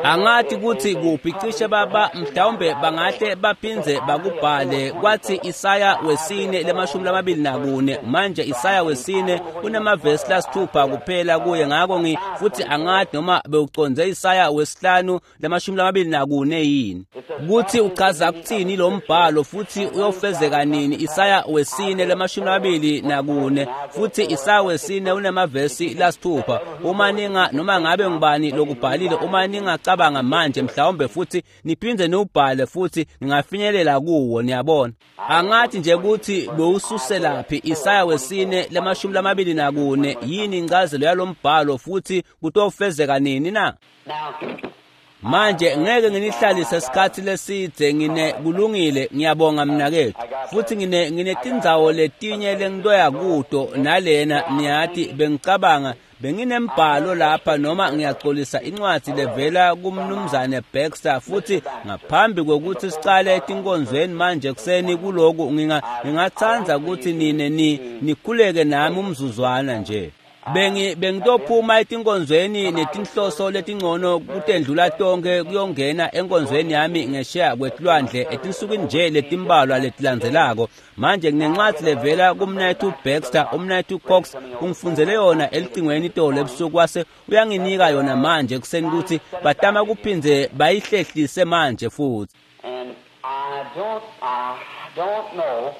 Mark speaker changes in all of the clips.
Speaker 1: Angati kutsi kuphi cishe baba mhlawumbe bangahle baphindze bakubhale kwathi Isaya wesine lemashumi lamabili nakune. Manje Isaya wesine unemavesi lasithupha kuphela kuye, ngako futhi angati noma bewuconze Isaya wesihlanu lemashumi lamabili nakune yini, kuthi uchaza kuthini lo mbhalo futhi uyofezeka nini. Isaya wesine lemashumi lamabili nakune futhi Isaya wesine unemavesi lasithupha. Uma ninga noma ngabe ngubani lokubhalile, uma ningacabanga manje mhlawumbe futhi niphinde niwubhale futhi ningafinyelela kuwo, niyabona. Angathi nje ukuthi bewususelaphi Isaya wesine lemashumi lamabili nakune, yini incazelo yalombhalo futhi kutofezeka nini na? Manje ngeke nginihlalise isikhathi lesidze, ngine kulungile, ngiyabonga mnakethu. Futhi nginetindzawo letinye lengitoya kuto nalena, niyati bengicabanga benginembhalo lapha, noma ngiyaxolisa, incwadi levela kumnumzane Baxter. Futhi ngaphambi kokuthi sicale etinkonzweni manje ekuseni kuloku, ngingathanda ukuthi nine nikhuleke nami umzuzwana nje. Bengitophuma etinkonzweni netinhloso letingcono kutendlula tonke kuyongena enkonzweni yami ngesheya kwetilwandle etinsukwini nje letimbalwa letilandzelako. Manje nginencwadi levela kumnayethu Baxter, umnayethu Cox ungifundzele yona elicingweni itolo ebusuku, wase uyanginika yona manje ekuseni ukuthi batama kuphindze bayihlehlise manje futhi.
Speaker 2: And I don't know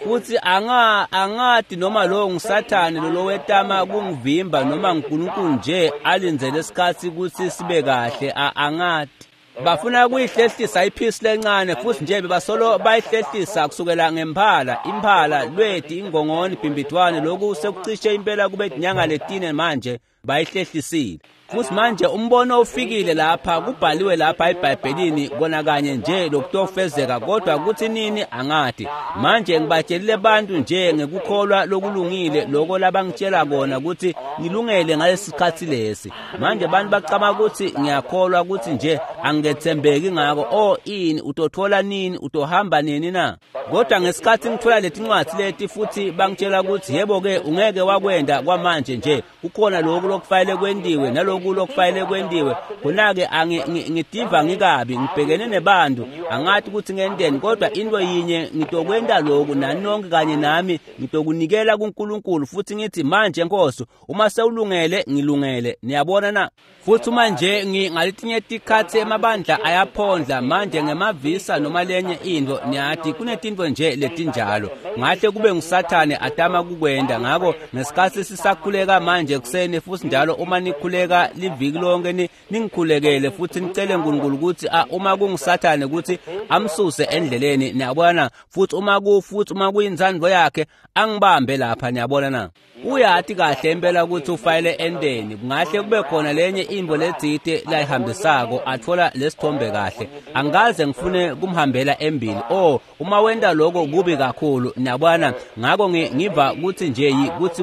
Speaker 1: Futhi angati noma lo nguSathane lo wetama kungivimba noma nguNkulunkulu nje alindzele isikhathi ukuthi sibe kahle, angati. Bafuna kuyihlehlisa iphisi lencane futhi nje bebasolo bayihlehlisa kusukela ngemphala, imphala, lweti, ingongoni, bhimbidwane, lokhu sekucishe impela kube inyanga letine manje bayihlehlisile. Futhi manje umbono ufikile lapha, kubhaliwe lapha eBhayibhelini kona kanye nje lokutofezeka, kodwa kuthi nini angati. Manje ngibatshelile bantu nje ngekukholwa lokulungile lokho labangitshela kona ukuthi ngilungele ngalesi sikhathi lesi. Manje abantu bacama ukuthi ngiyakholwa ukuthi nje angethembeki ngako. Oh, ini utothola nini, utohamba nini na? Kodwa ngesikhathi ngithola letincwadi leti futhi bangitshela ukuthi yebo ke ungeke wakwenda kwamanje nje, kukhona lokhu lokufanele kwentiwe naloku lokufanele kwentiwe, khona-ke ngidiva ngikabi, ngibhekene nebantu, angathi ukuthi ngenteni, kodwa into yinye ngitokwenta lokhu nani nonke kanye nami, ngitokunikela kuNkulunkulu futhi ngithi manje Nkosi, uma sewulungele ngilungele. Niyabona na? Futhi uma nje ngaletinye tikhathi emabandla ayaphondla manje ngemavisa noma lenye into, niyati kunetinto nje letinjalo, ngahle kube nguSathane atama kukwenda. Ngako ngesikhathi sisakhuleka manje ekuseni futhi njalo uma nikhuleka liviki lonke ningikhulekele futhi nicele uNkulunkulu ukuthi uma kunguSathane ukuthi amsuse endleleni, niyabona. Futhi uma kuyintsandvo yakhe angibambe lapha, niyabona na? Uyati kahle impela ukuthi ufayele endeni, kungahle kube khona lenye imbo letsite layihambisako athola lesithombe kahle. Angikaze ngifune kumhambela embili. Oh, uma wenta lokho kubi kakhulu, niyabona. Ngako ngiva ukuthi nje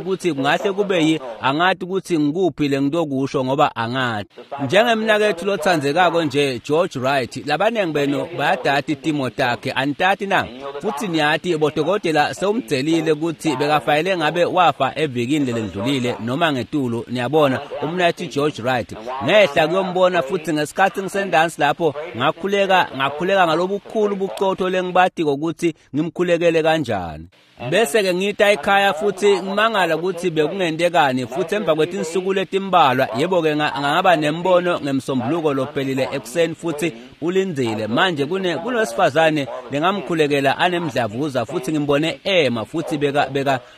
Speaker 1: kuthi kungahle kube angati ukuthi ngikuphi lengitokusho ngoba angati. Njengemnakethu lotsandzekako nje George Wright, labanengi benu bayadati timo takhe, anitati na? Futhi niyati bodokotela sewumdzelile ukuthi bekafayele ngabe wafa evikini lelendlulile noma ngetulu, niyabona, umnakethu George Wright. Ngehla kuyombona futhi ngesikhathi ngisendansi lapho ngakhuleka ngalobukhulu bucotho lengibatiko ukuthi ngimkhulekele kanjani. Bese ke ngita ekhaya futhi ngimangala ukuthi bekungentekani, futhi emva kwetinsuku letimbalwa yebo ke ngaba nembono ngemsombuluko lophelile ekuseni futhi ulindzile. Manje kunesifazane lengamkhulekela anemdlavuza futhi ngimbone ema futhi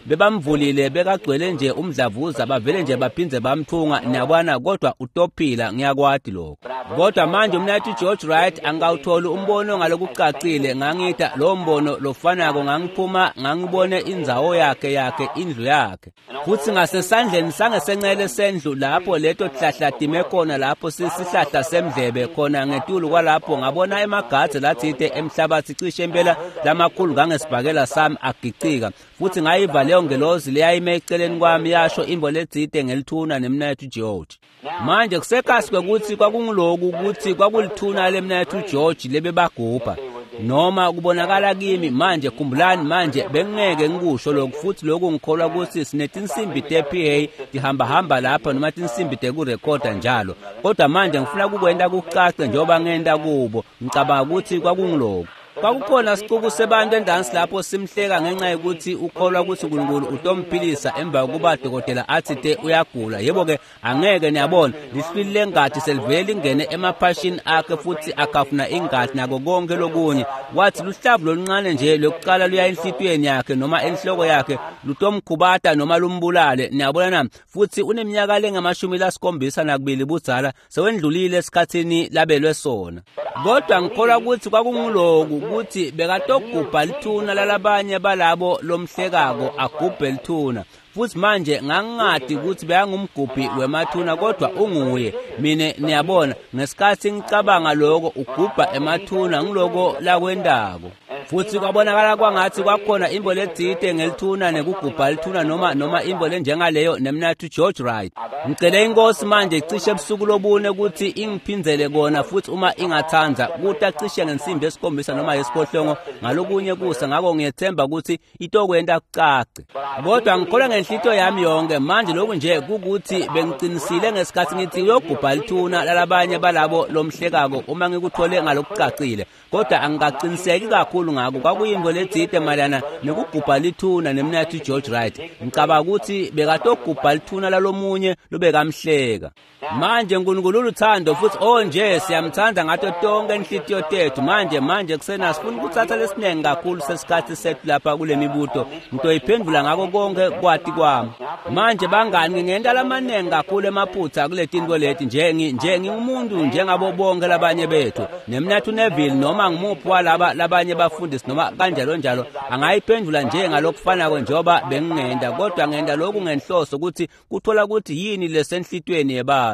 Speaker 1: bebamvulile, bekagcwele nje umdlavuza, bavele nje baphindze bamthunga, niyabona, kodwa utophila, ngiyakwati lokho. Kodwa manje umnakethu George Wright angawutholi umbono ngalokucacile, ngangita lo mbono lofanako, ngangiphuma ngangibone indzawo yakhe indlu yakhe. Futhi ngasesandleni sangesencele sendlu lapho leto hlahla time khona, lapho sisihlahla semdlebe khona ngetulu kwalapho ngabona emagadze lathite emhlabathi cishe impela lamakhulu ngangesibhakela sami agicika. Futhi ngayiva leyo ngelozi leyayime eceleni kwami yasho imbo letsite ngelithuna nemnakethu George. Manje kusekasi kwekuthi kwakunguloku ukuthi kwakulithuna lemnakethu George lebebagubha. Noma kubonakala kimi manje, khumbulani manje, bengingeke ngikusho lokhu, futhi lokhu ngikholwa ukuthi sinetinsimbi te-PA tihambahamba lapha noma tinsimbi tekurekhoda njalo, kodwa manje ngifuna kukwenta kucace njengoba ngenta kubo. Ngicabanga ukuthi kwakunguloku. Kwakukhona sicuku sebantu endansi lapho simhleka ngenxa yokuthi ukholwa ukuthi uNkulunkulu utomphilisa emva kokuba dokotela athi te uyagula. Yebo-ke, angeke, niyabona, lihlwili lengati selivele lingene emaphashini akhe futhi akafuna ingati nako konke lokunye. Wathi luhlavu loluncane nje lokuqala luya enhlitiyweni yakhe noma enhloko yakhe lutomkhubata noma lumbulale. Niyabona na? Futhi uneminyaka lengamashumi lasikhombisa nakubili budzala, sewendlulile esikhathini labelwe sona. Kodwa ngikholwa ukuthi kwakunguloku ukuthi bekatogubha lithuna lalabanye balabo lomhlekako, agubhe lithuna. Futhi manje ngangingadi ukuthi bekangumgubhi wemathuna, kodwa unguye. Mina, niyabona, ngesikhathi ngicabanga lokho, ugubha emathuna, ngiloko lakwendako. Futhi kwabonakala kwangathi kwakhona imbo letsite ngelithuna nekugubha lithuna noma imbo lenjengaleyo nemnathu George Wright. Ngicele inkosi manje cishe ebusuku lobune ukuthi ingiphindzele kona futhi uma ingathanda, kuta cishe ngensimbi yesikhombisa noma yesiphohlongo ngalokunye kusa. Ngako ngiyethemba ukuthi itokwenta kucace. Kodwa ngikholwa ngenhlitiyo yami yonke manje lokhu nje kukuthi bengiqinisile ngesikhathi ngithi uyogubha lithuna lalabanye balabo lomhlekako, uma ngikuthole ngalokucacile, kodwa angikaqiniseki kakhulu ngako. Kwakuyinto letsite mayelana nekugubha lithuna nemnathu George Wright. Ngicabanga ukuthi bekatogubha lithuna lalomunye lobekamhleka. Manje uNkulunkulu uluthando, futhi oh nje siyamthanda ngato tonke inhlitiyo tethu. Manje kusena sifuna ukuthatha lesiningi kakhulu sesikhathi sethu lapha kule mibuto, ngitoyiphendula ngako konke kwati kwami. Manje bangani, ngingenta lamaningi kakhulu emaphutha kule tinto leti nje, nje ngingumuntu njengabo bonke labanye bethu. Nemnathu Neville noma ngimuphi walaba labanye bafundisi noma kanjalo njalo angayiphendula nje ngalokufanako njengoba bengingenta, kodwa ngenta lokhu ngenhloso ukuthi kuthola ukuthi yini lesenhlitweni yebantu.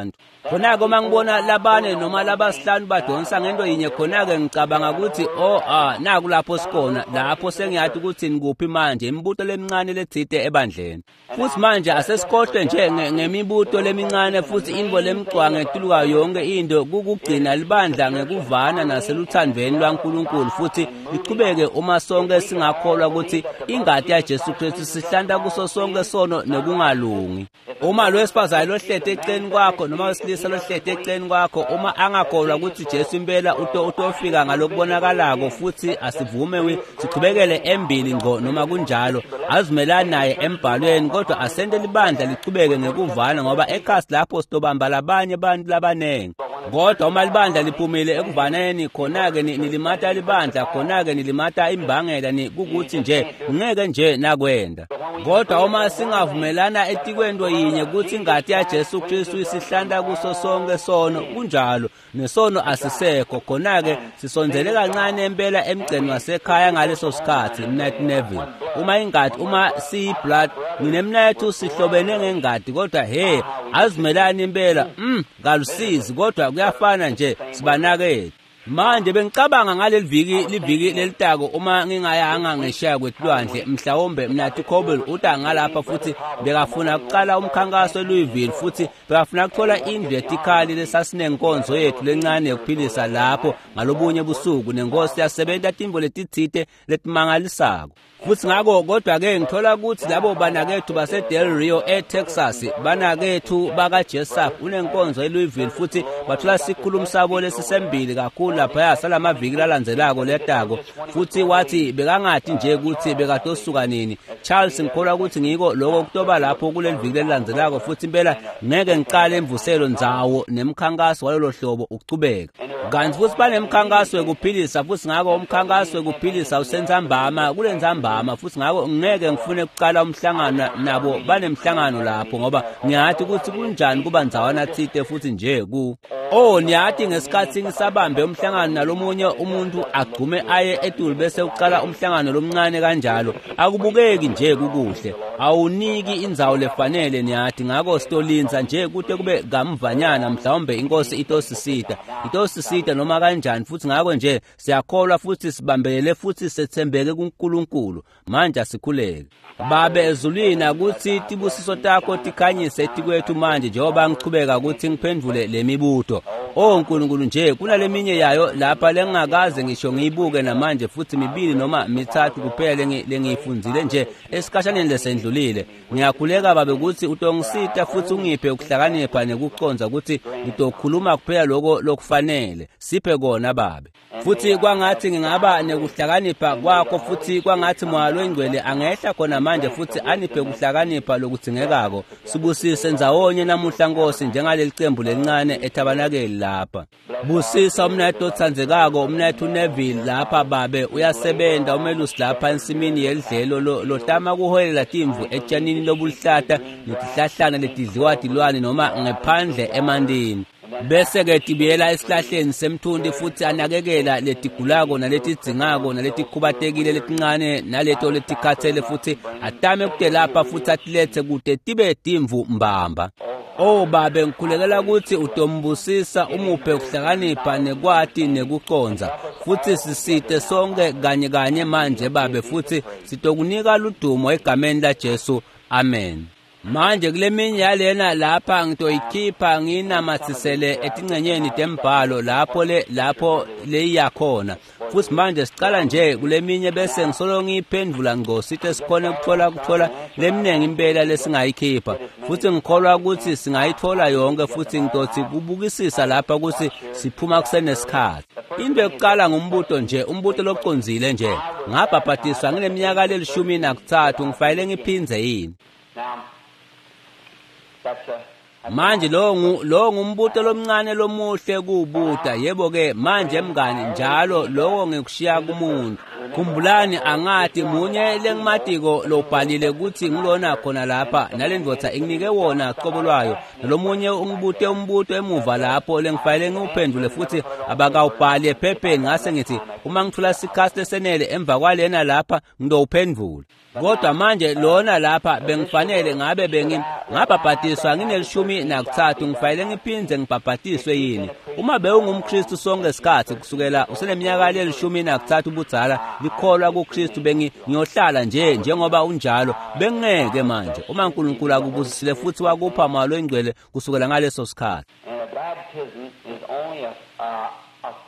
Speaker 1: Khona-ke uma ngibona labane noma labasihlanu badonsa ngento yinye, khona-ke ngicabanga ukuthi oh ah, naku lapho sikhona, lapho sengiyathi ukuthi nikuphi manje, imibuto lemincane letsite ebandleni. Futhi manje asesikhohlwe nje ngemibuto lemincane, futhi intfo lemcwa ngetuluka yonke into kukugcina libandla ngekuvana naseluthandveni lwaNkulunkulu futhi lichubeke, uma sonke singakholwa ukuthi ingati yaJesu Kristu sihlanta kuso sonke sono nekungalungi. Uma lo wesifazane lohlete eceleni kwakho noma wesilisa lohlete eceleni kwakho, uma angakholwa ukuthi Jesu impela utofika ngalokubonakalako, futhi asivume sichubekele embili ngqo noma kunjalo, azimelani naye embhalweni, kodwa asente libandla lichubeke ngekuvana, ngoba ekhasi lapho sitobamba labanye abantu labanengi. Kodwa uma libandla liphumile ekuvaneni, khona-ke nilimata libandla, khona-ke nilimata imbangela, ni kukuthi nje ngeke nje nakwenda. Kodwa uma singavumelana etikwento yinye, kuthi ingati yaJesu Kristu isihlanta kuso sonke sono, kunjalo, nesono asisekho, khona-ke sisondzele kancane impela emgceni wasekhaya ngaleso sikhathi. Mnathu Neville, uma ingati, uma siyi-blood, nginemnathu sihlobene ngengati, kodwa he, azimelani impela, kalusizi, kodwa kuyafana nje, sibanakethu. Manje bengicabanga ngaleli viki, liviki lelitako, uma ngingayanga ngesheya kwetilwandle, mhlawumbe mnathi Cobel uta ngalapha, futhi bekafuna kuqala umkhankaso eLouisville, futhi bekafuna kuthola indlu yetikhali lesasinenkonzo yethu lencane yokuphilisa lapho ngalobunye busuku, nenkosi yasebenta tintfo letitsite letimangalisako. Futhi ngako, kodwa-ke ngithola ukuthi labo banakethu base-Del Rio eTexas, banakethu bakaJessup, unenkonzo eLouisville, futhi bathola sikhulumi sabo lesisembili kakhulu laphaya salamaviki lalandzelako letako. Futhi wathi bekangati nje ukuthi bekatosuka nini. Charles, ngikholwa ukuthi ngiko lokho kutoba lapho kuleli viki lelilandzelako, futhi impela ngeke ngicale imvuselo ndzawo nemkhankaso walolo hlobo ukuchubeka. Kanti futhi banemkhankaso wekuphilisa, futhi ngako umkhankaso wekuphilisa usentsambama, kulentsambama, futhi ngako ngeke ngifune kucala umhlangano nabo banemhlangano lapho, ngoba ngiyathi ukuthi kunjani kuba ndzawana tsite futhi nje ku oh, niyathi ngesikhathi ngisabambe umhlangano nalomunye umuntu agcume aye etulu bese ucala umhlangano lomncane kanjalo, akubukeki nje kukuhle, awuniki indzawo lefanele, niyathi. Ngako sitolinza nje kute kube kamvanyana, mhlawumbe inkosi itosisita noma kanjani. Futhi ngako nje siyakholwa futhi sibambelele futhi sethembeke kuNkulunkulu. Manje asikhuleke. Babe ezulwini, akuthi tibusiso takho tikhanyise etikwethu manje njengoba ngichubeka ukuthi ngiphendvule le mibuto. O Nkulunkulu nje kunaleminye yayo lapha lengingakaze ngisho ngiyibuke namanje futhi mibili noma mithathu kuphela lengiyifundzile nje esikhashaneni lesendlulile. Ngiyakhuleka Babe ukuthi utongisita futhi ungiphe ukuhlakanipha nekucondza ukuthi ngitokhuluma kuphela lokho lokufanele. Siphe kona Babe. Futhi kwangathi ngingaba nekuhlakanipha kwakho futhi kwangathi Moya loNgcwele angehla khona manje futhi aniphe kuhlakanipha lokudzingekako. Sibusise ndzawonye namuhla Nkosi njengaleli cembu lelincane ethabanakeli lapha. Busisa umnethu othandzekako umnethu Neville lapha Babe uyasebenza umelusi lapha ensimini yelidlelo lotama kuholela timvu etshanini lobuluhlata netihlahlana letidliwa tilwane noma ngephandle emandini. Bese-ke tibuyela esihlahleni semthunti futhi anakekela letigulako naletidzingako naletikhubatekile letincane naleto letikhathele futhi atame kutelapha futhi atilethe kute tibe timvu mbamba. Oh Babe, ngikhulekela ukuthi utombusisa umuphe ukuhlakanipha nekwati nekucondza futhi sisite sonke kanye kanye manje Babe futhi sitokunika ludumo egameni laJesu. Amen. Manje kuleminye yalena lapha ngitoyikhipha nginamathisele etingcenyeni tembhalo lapho lapho leyiyakhona. Futhi manje sicala nje kuleminye bese ngisolo ngiyiphendvula ngco sithe sikhone kuthola leminingi impela lesingayikhipha. Futhi ngikholwa ukuthi singayithola yonke futhi ngitothi kubukisisa lapha ukuthi siphuma kusenesikhathi. Into yokuqala ngumbuto nje, umbuto locondzile nje. Ngabhabhadiswa ngineminyaka le13 ngifanele ngiphindze yini? Manje lo ngumbuto lomncane lomuhle kubuta. Yebo-ke manje mngani njalo lokho ngikushiya kumuntu. Khumbulani angathi munye lengimatiko lobhalile ukuthi ngilona khona lapha nale ndvodza inginike wona qobo lwayo nalomunye ungibute umbuto emuva lapho lengifanele ngiwuphendule futhi abakawubhali ephepheni. Ngase ngithi uma ngithola isikhathi lesenele emva kwalena lapha ngidowuphendvula. Kodwa manje lona lapha bengifanele ngabe ngabhabhadiswa ngine-13 ngifanele ngiphindze ngibhabhadiswe yini? Uma bewungumKristu sonke isikhathi kusukela useneminyaka le-13 ubudzala likholwa kuKristu bengiyohlala nje njengoba unjalo bengeke manje uma uNkulunkulu akubusisile futhi wakupha Moya loNgcwele kusukela ngaleso sikhathi.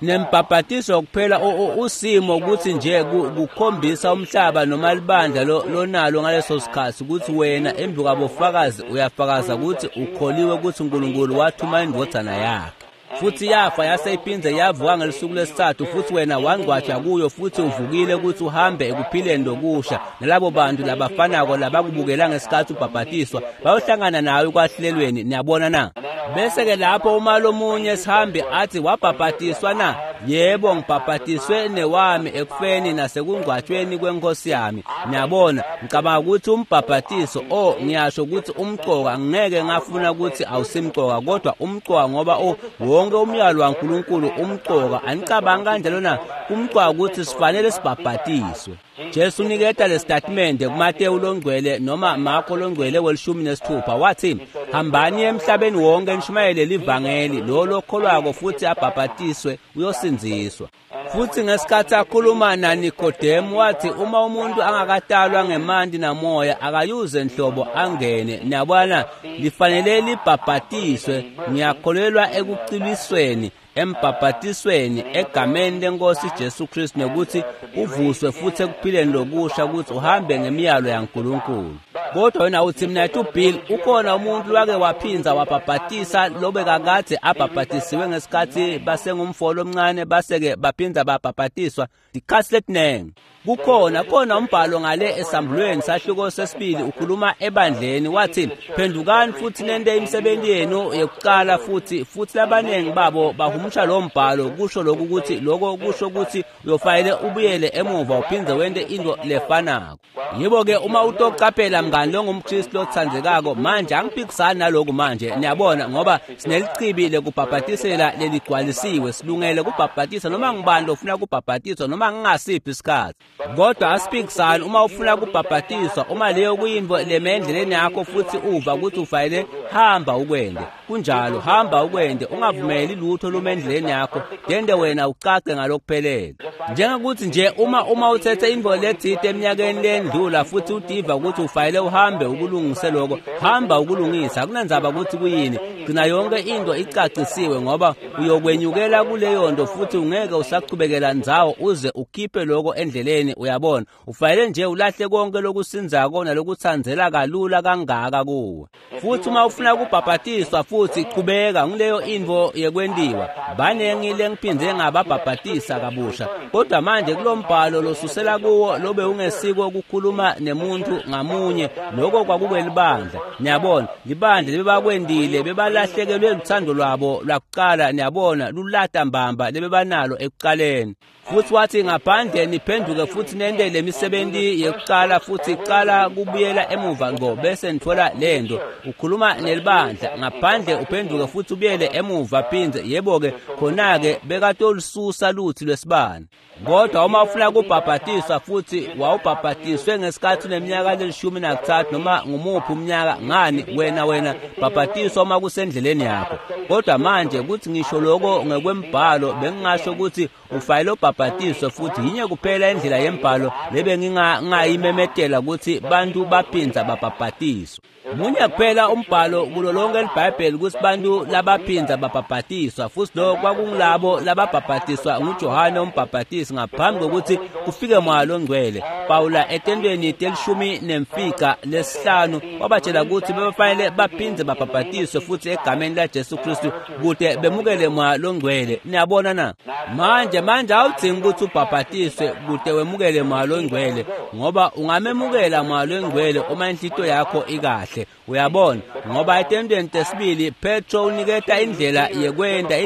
Speaker 1: Nembhabhatiso kuphela usimo ukuthi nje kukhombisa umhlaba noma libandla lonalo ngaleso sikhathi ukuthi wena embi kwabofakazi uyafakaza ukuthi ukholiwe ukuthi uNkulunkulu wathuma indvodzana yakhe futhi yafa yase iphindze yavuka ngelisuku lesithathu futhi wena wangcwatshwa kuyo futhi uvukile ukuthi uhambe ekuphileni lokusha nalabo bantu labafanako labakubukela ngesikhathi ubhabhatiswa bayohlangana nawe ekwahlulelweni. Niyabona na? Bese-ke lapho uma lomunye sihambi athi wabhabhatiswa na? Yebo, ngibhabhatiswe newami ekufeni nasekungcwatshweni kwenkosi yami. Niyabona, ngicabanga ukuthi umbhabhatiso ngiyasho ukuthi umcoka ngeke ngafuna ukuthi awusimcoka kodwa umcoka ngoba wonke umyalo waNkulunkulu umcoka. Anicabangi kanjalo na? Kumcoka ukuthi sifanele sibhabhatiswe. Jesu uniketa lesitatimende kuMateyu longcwele noma Marko longcwele we-16 wathi hambani emhlabeni wonke nishumayele livangeli lo lokholwako futhi abhabhatiswe uyosindziswa. Futhi ngesikhathi akhuluma naNikodemu wathi uma umuntu angakatalwa ngemanti namoya akayuze nhlobo angene. Niyabona, lifanele libhabhatiswe. Ngiyakholelwa ekucilisweni embhabhatisweni egameni lenkosi Jesu Kristu nokuthi uvuswe futhi ekuphileni lokusha ukuthi uhambe ngemiyalo yaNkulunkulu. Kodwa wena uthi mina Bill ukhona umuntu wake waphinza wabhabhatisa lobe kakade abhabhatisiwe ngesikhathi basengumfolo omncane base-ke baphinza babhabhatiswa dikhathi letinengi. Kukhona khona umbhalo ngale esambulweni sahluko sesibili ukhuluma ebandleni wathi phendukani futhi nente imisebenzi yenu yokuqala futhi labaningi babo bahumusha lo mbhalo kusho lokhu ukuthi lokho kusho ukuthi uyofanele ubuyele emuva uphindze wente into lefanako. Yebo-ke uma utoqaphela mngani longumKristu lothandzekako manje angiphikisani naloku manje niyabona ngoba sinelichibi lekubhabhatisela leligcwalisiwe silungele kubhabhatisa noma ngubani lofuna kubhabhatiswa noma ngingasiphi isikhathi. Kodwa asiphikisani uma ufuna kubhabhatiswa uma leyo kuyinto lemendleleni yakho futhi uva ukuthi ufanele Hamba ukwende. Kunjalo, hamba ukwende, ungavumeli lutho lume endleleni yakho, tende wena ucace ngalokuphelele. Njengokuthi nje uma uthethe intfo letsite eminyakeni lendlula futhi utiva ukuthi ufanele uhambe ukulungise lokho, hamba ukulungisa, akunandzaba ukuthi kuyini, gcina yonke into icacisiwe, ngoba uyokwenyukela kuleyo nto futhi ungeke usachubekela ndzawo uze ukhiphe lokho endleleni. Uyabona, ufanele nje ulahle konke lokusinzako nalokutsandzela kalula kangaka kuwe. Futhi uma ufuna kubhabhatiswa futhi chubeka, ngileyo intfo yekwentiwa. Banengi lengiphindze ngababhabhatisa kabusha, kodwa manje kulombhalo losusela kuwo lobe ungesiko ukukhuluma nemuntu ngamunye, lokho kwakukwelibandla. Niyabona, libandla lebebakwendile bebalahlekelwe luthando lwabo lwakuqala, niyabona, lulata mbamba lebebanalo ekuqaleni. Futhi wathi ngaphandle niphenduke futhi nente lemisebenzi yekuqala, futhi qala kubuyela emuva ngqo bese nithola lento. Ukhuluma nelibandla, ngaphandle uphenduke futhi ubuyele emuva phindze. Yebo-ke, khona-ke bekatolususa luthi lwesibane. Kodwa uma ufuna kubhabhatiswa futhi wawubhabhatiswe ngesikhathi uneminyaka le-13 noma ngumuphi umnyaka, ngani wena bhabhatiswa uma kusendleleni yakho. Kodwa manje kuthi ngisho lokho ngekwembhalo, bengingasho ukuthi ufanele ubhabhatiswe, futhi yinye kuphela indlela yembhalo lebe ngingayimemetela ukuthi bantu baphindza babhabhatiswa. Munye kuphela umbhalo kulo lonke iBhayibheli ukuthi bantu labaphindza babhabhatiswa, futhi lokho kwakungilabo lababhabhatiswa nguJohane umbhabhatisi ngaphambi kokuthi kufike Moya loNgcwele. Pawula etentweni 15 wabatshela ukuthi bebafanele baphindze babhabhatiswe futhi egameni laJesu Kristu kute bemukele Moya loNgcwele. Niyabona na? Manje awudzingi ukuthi ubhabhatiswe kute wemukele Moya loNgcwele, ngoba ungamemukela Moya loNgcwele uma inhlito yakho ikahle. Uyabona, ngoba etentweni tesibili Petro uniketa indlela yekwenta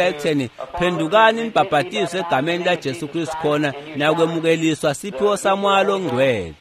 Speaker 1: ekutheni phendukani nibhabhatiswe egameni laJesu Kristu khona nakwemukeliswa siphiwo saMoya loNgcwele.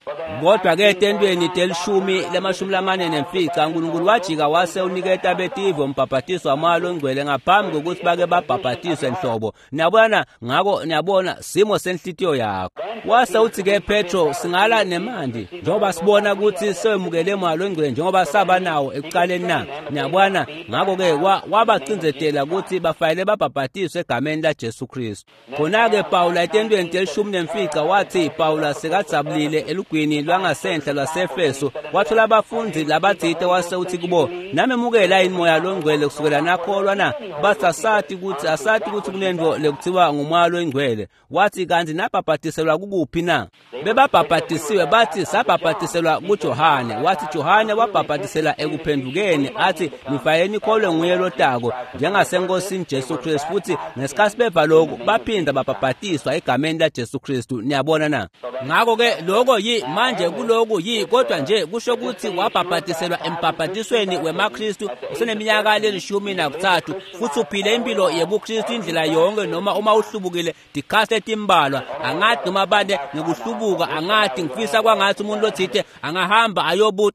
Speaker 1: Kodwa ke etentweni 10:45 uNkulunkulu wajika wase uniketa betive umbhabhatiso waMoya loNgcwele ngaphambi kokuthi bake babhabhatiswe nhlobo. Niyabona, ngako niyabona simo senhlitiyo yakho. Wase uthi ke Petro, singala nemandi njengoba sibona ukuthi sewemukele Moya loNgcwele njengoba saba nawo ekuqaleni na. Niyabona, ngakho ke wabacindzetela ukuthi bafanele babhabhatiswe egameni laJesu Kristu. Khona-ke Pawula etentweni 15 wathi Pawula sekadzabulile elugwini lwangasenhla lwaseEfeso, wathola abafundi labatsite wase uthi kubo, namemukela yini Moya loNgcwele kusukela nakholwa na? Bathi asati ukuthi kunento lekuthiwa nguMoya loNgcwele. Wathi kanti nabhabhatiselwa kukuphi na? Bebabhabhatisiwe, bathi sabhabhatiselwa kuJohane. Wathi Johane wabhabhatisela ekuphendukeni, athi nifanele nikholwe nguye lotako njengasenkosini Jesu Kristu. Futhi ngesikhathi beva lokhu baphinda babhabhatiswa egameni laJesu Kristu. Niyabona na? Ngakho-ke lokho yi manje kuloku yi, kodwa nje kusho ukuthi wabhabhatiselwa embhabhatisweni wemaKristu useneminyaka le-13 futhi uphile impilo yebuKristu indlela yonke, noma uma uhlubukile tikhathi letimbalwa. Angathi noma bande ngikuhlubuka, angathi ngifisa kwangathi umuntu lothite angahamba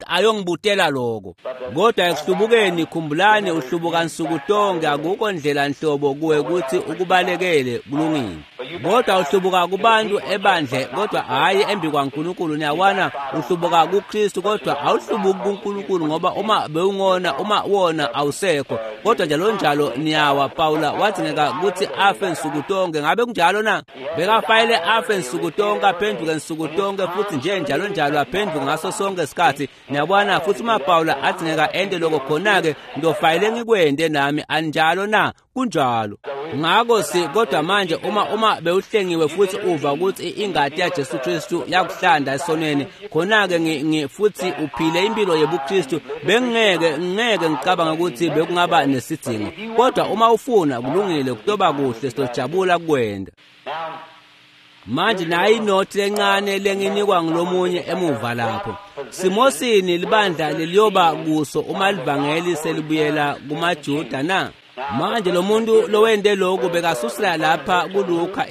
Speaker 1: ayongibutela lokho. Kodwa ekuhlubukeni, khumbulani, uhlubuka nsuku tonke, akukho ndlela nhlobo kuwe ukuthi ukubalekele, kulungile. Kodwa uhlubuka kubantu ebandle, kodwa hhayi embi kwaNkulunkulu. Niyabona, uhlubuka kuKristu, kodwa awuhlubuki kuNkulunkulu, ngoba uma bewungona, uma wona awusekho. Kodwa njalo njalo niyawa. Pawula wadzingeka ukuthi afe nsuku tonke. Ngabe kunjalo na? Bekafanele afe nsuku tonke, aphenduke nsuku tonke, futhi nje njalo njalo aphenduke ngaso sonke isikhathi. Niyabona, futhi uma Pawula adzingeka ente lokho, khona-ke ngiyofanele ngikwente nami. Anjalo na? Kunjalo. Ngakho si kodwa manje uma bewuhlengiwe futhi uva ukuthi ingati yaJesu Kristu yakuhlanda esonweni, khona-ke futhi uphile impilo yebuKristu, bengingeke ngicabanga ukuthi bekungaba nesidingo. Kodwa uma ufuna, kulungile, kutoba kuhle, siyojabula kukwenda. Manje nayi inothi lencane lenginikwa ngulomunye emuva lapho. Simosini libandla leliyoba kuso uma livangeli selibuyela kumaJuda na? Manje lo muntu lowende lokhu bekasusela lapha kuLuka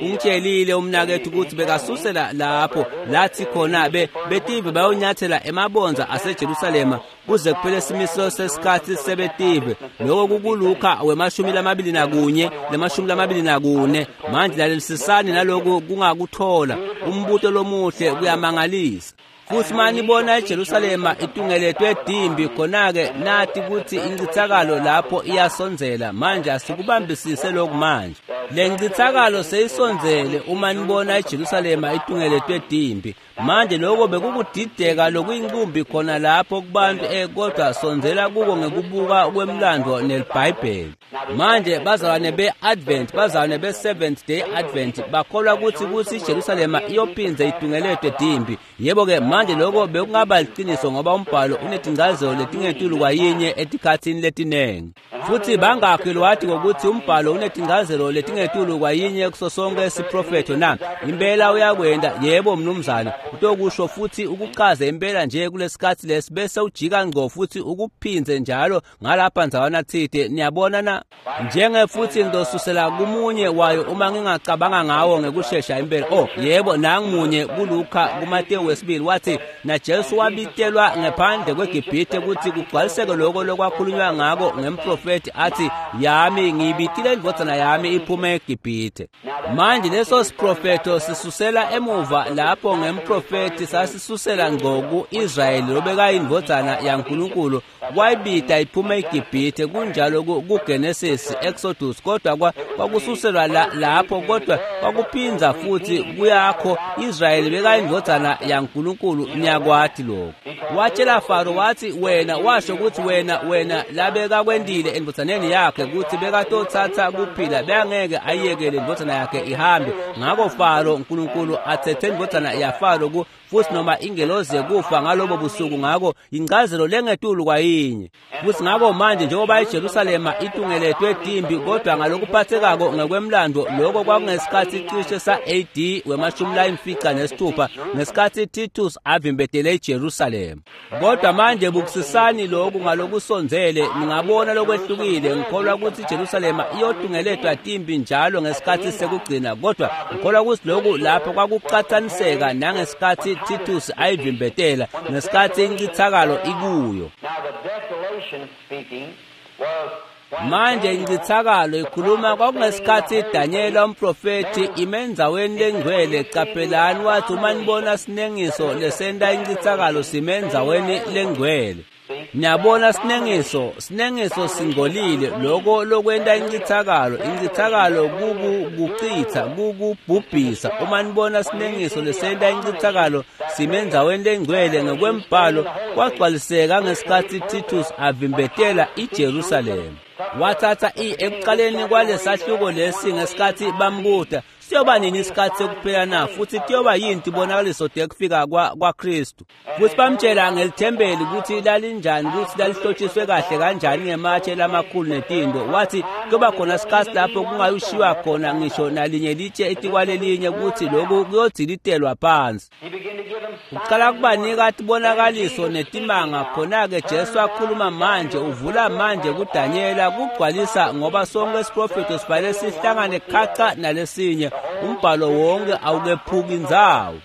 Speaker 1: ungitshelile umnakethu ukuthi bekasusela lapho lathi khona betive bayonyathela emabonza aseJerusalema kuze kuphele isimiso sesikhathi sebetive. Lokho kukuLuka we-21 le-24. Manje lalelisisani naloku kungakuthola umbuto lomuhle, kuyamangalisa. Futsi manibona iJerusalema itungeletwe timbi, khona-ke nati kutsi incitsakalo lapho iyasondzela. Manje asikubambisise lokhu manje. Le ncitsakalo seyisondzele uma nibona iJerusalema itungeletwe timbi. Manje lokho bekukudideka lokuyinkumbi khona lapho kubantu, kodwa sondzela kuko ngekubuka kwemlando neliBhayibheli. Manje bazalwane be-Advent, bazalwane be-Seventh Day Advent bakholwa kutsi iJerusalema iyophindze itungeletwe timbi. Yebo-ke manje lokho bekungaba liciniso ngoba umbhalo unetingcazelo letingetulu kwayinye etikhatsini letinengi. Futsi bangakhi lwati ngokuthi umbhalo unetingcazelo letingetulu kwayinye kuso sonke siprofetho na? Impela uyakwenta, yebo mnumzane. Utokusho futhi ukuchaze impela nje kulesikhatsi lesi bese ujika ngco futhi ukuphindze njalo ngalapha ndzawana tsite. Niyabona na? Njenge futhi ngizosusela kumunye wayo uma ngingacabanga ngawo ngekushesha impela. Oh yebo, nangumunye kuLuka kuMateyu wesibili wathi naJesu wabitelwa ngephandle kweGibhithe ukuthi kugcwaliseke lokho lokwakhulunywa ngako ngemprofethi athi yami ngiyibitile indvodzana yami iphume eGibhithe. Manje leso siprofetho sisusela emuva lapho ngemprofethi sasisusela ngco ku-Israyeli lobekayindvodzana yaNkulunkulu wayibita iphume eGibhithe. Kunjalo kuGenesis, Exodus, kodwa kwakususelwa lapho, kodwa kwakuphindza futhi kuyakho Israyeli bekayindvodzana yaNkulunkulu. Niyakwati lokho. Watshela Faro wathi wena, washo ukuthi wena labekakwendile endvodzaneni yakhe ukuthi bekatotsatsa kuphila, bengeke ayiyekele indvodzana yakhe ihambe. Ngako Faro uNkulunkulu athethe indvodzana yaFaro futhi noma ingelozi yekufa ngalobo busuku. Ngako incazelo lengetulu kwayinye. Futhi ngako manje njengoba iJerusalema itungeletwe timbi, kodwa ngalokuphathekako ngekwemlando lokho kwakungesikhathi cishe sa-AD we-96 ngesikhathi Titus avimbetele iJerusalema. Kodwa manje bukusisani lokhu ngalokusondzele, ningabona lokwehlukile. Ngikholwa ukuthi iJerusalema iyotungeletwa timbi njalo ngesikhathi sekugcina, kodwa ngikholwa ukuthi lokhu lapho kwakuqathaniseka nangesikhathi Titus ayivimbetela, ngesikhathi incithakalo ikuyo. Manje incithakalo ikhuluma kwakungesikhathi Daniel umprofethi imendzaweni lengcwele. Caphelani wathi uma nibona sinengiso lesenta incithakalo simendzaweni lengcwele. Niyabona sinengiso singcolile, lokho lokwenta incithakalo. Incithakalo kukuchitha, kukubhubhisa. Uma nibona sinengiso lesenta incithakalo simendzaweni lengcwele ngokwembhalo kwagcwaliseka ngesikhathi Titus avimbetela iJerusalema. Wathatha ekuqaleni kwalesahluko lesi ngesikhathi bambuta siyoba nini isikhathi sekuphela na, futhi kuyoba yini tibonakaliso tekufika kwaKristu. Futhi bamtshela ngelithempeli ukuthi lalinjani, ukuthi lalihlotshiswe kahle kanjani ngematshe lamakhulu netinto. Wathi kuyoba khona isikhathi lapho kungayushiwa khona ngisho nalinye litshe etikwalelinye, ukuthi lokhu kuyodzilitelwa phansi. Uqala kubanika tibonakaliso netimanga. Khona-ke Jesu akhuluma manje, uvula manje kuDanyela kugcwalisa, ngoba sonke isiprofetho sifanele sihlangane khaca nalesinye. Umbhalo wonke awukephuki indzawo.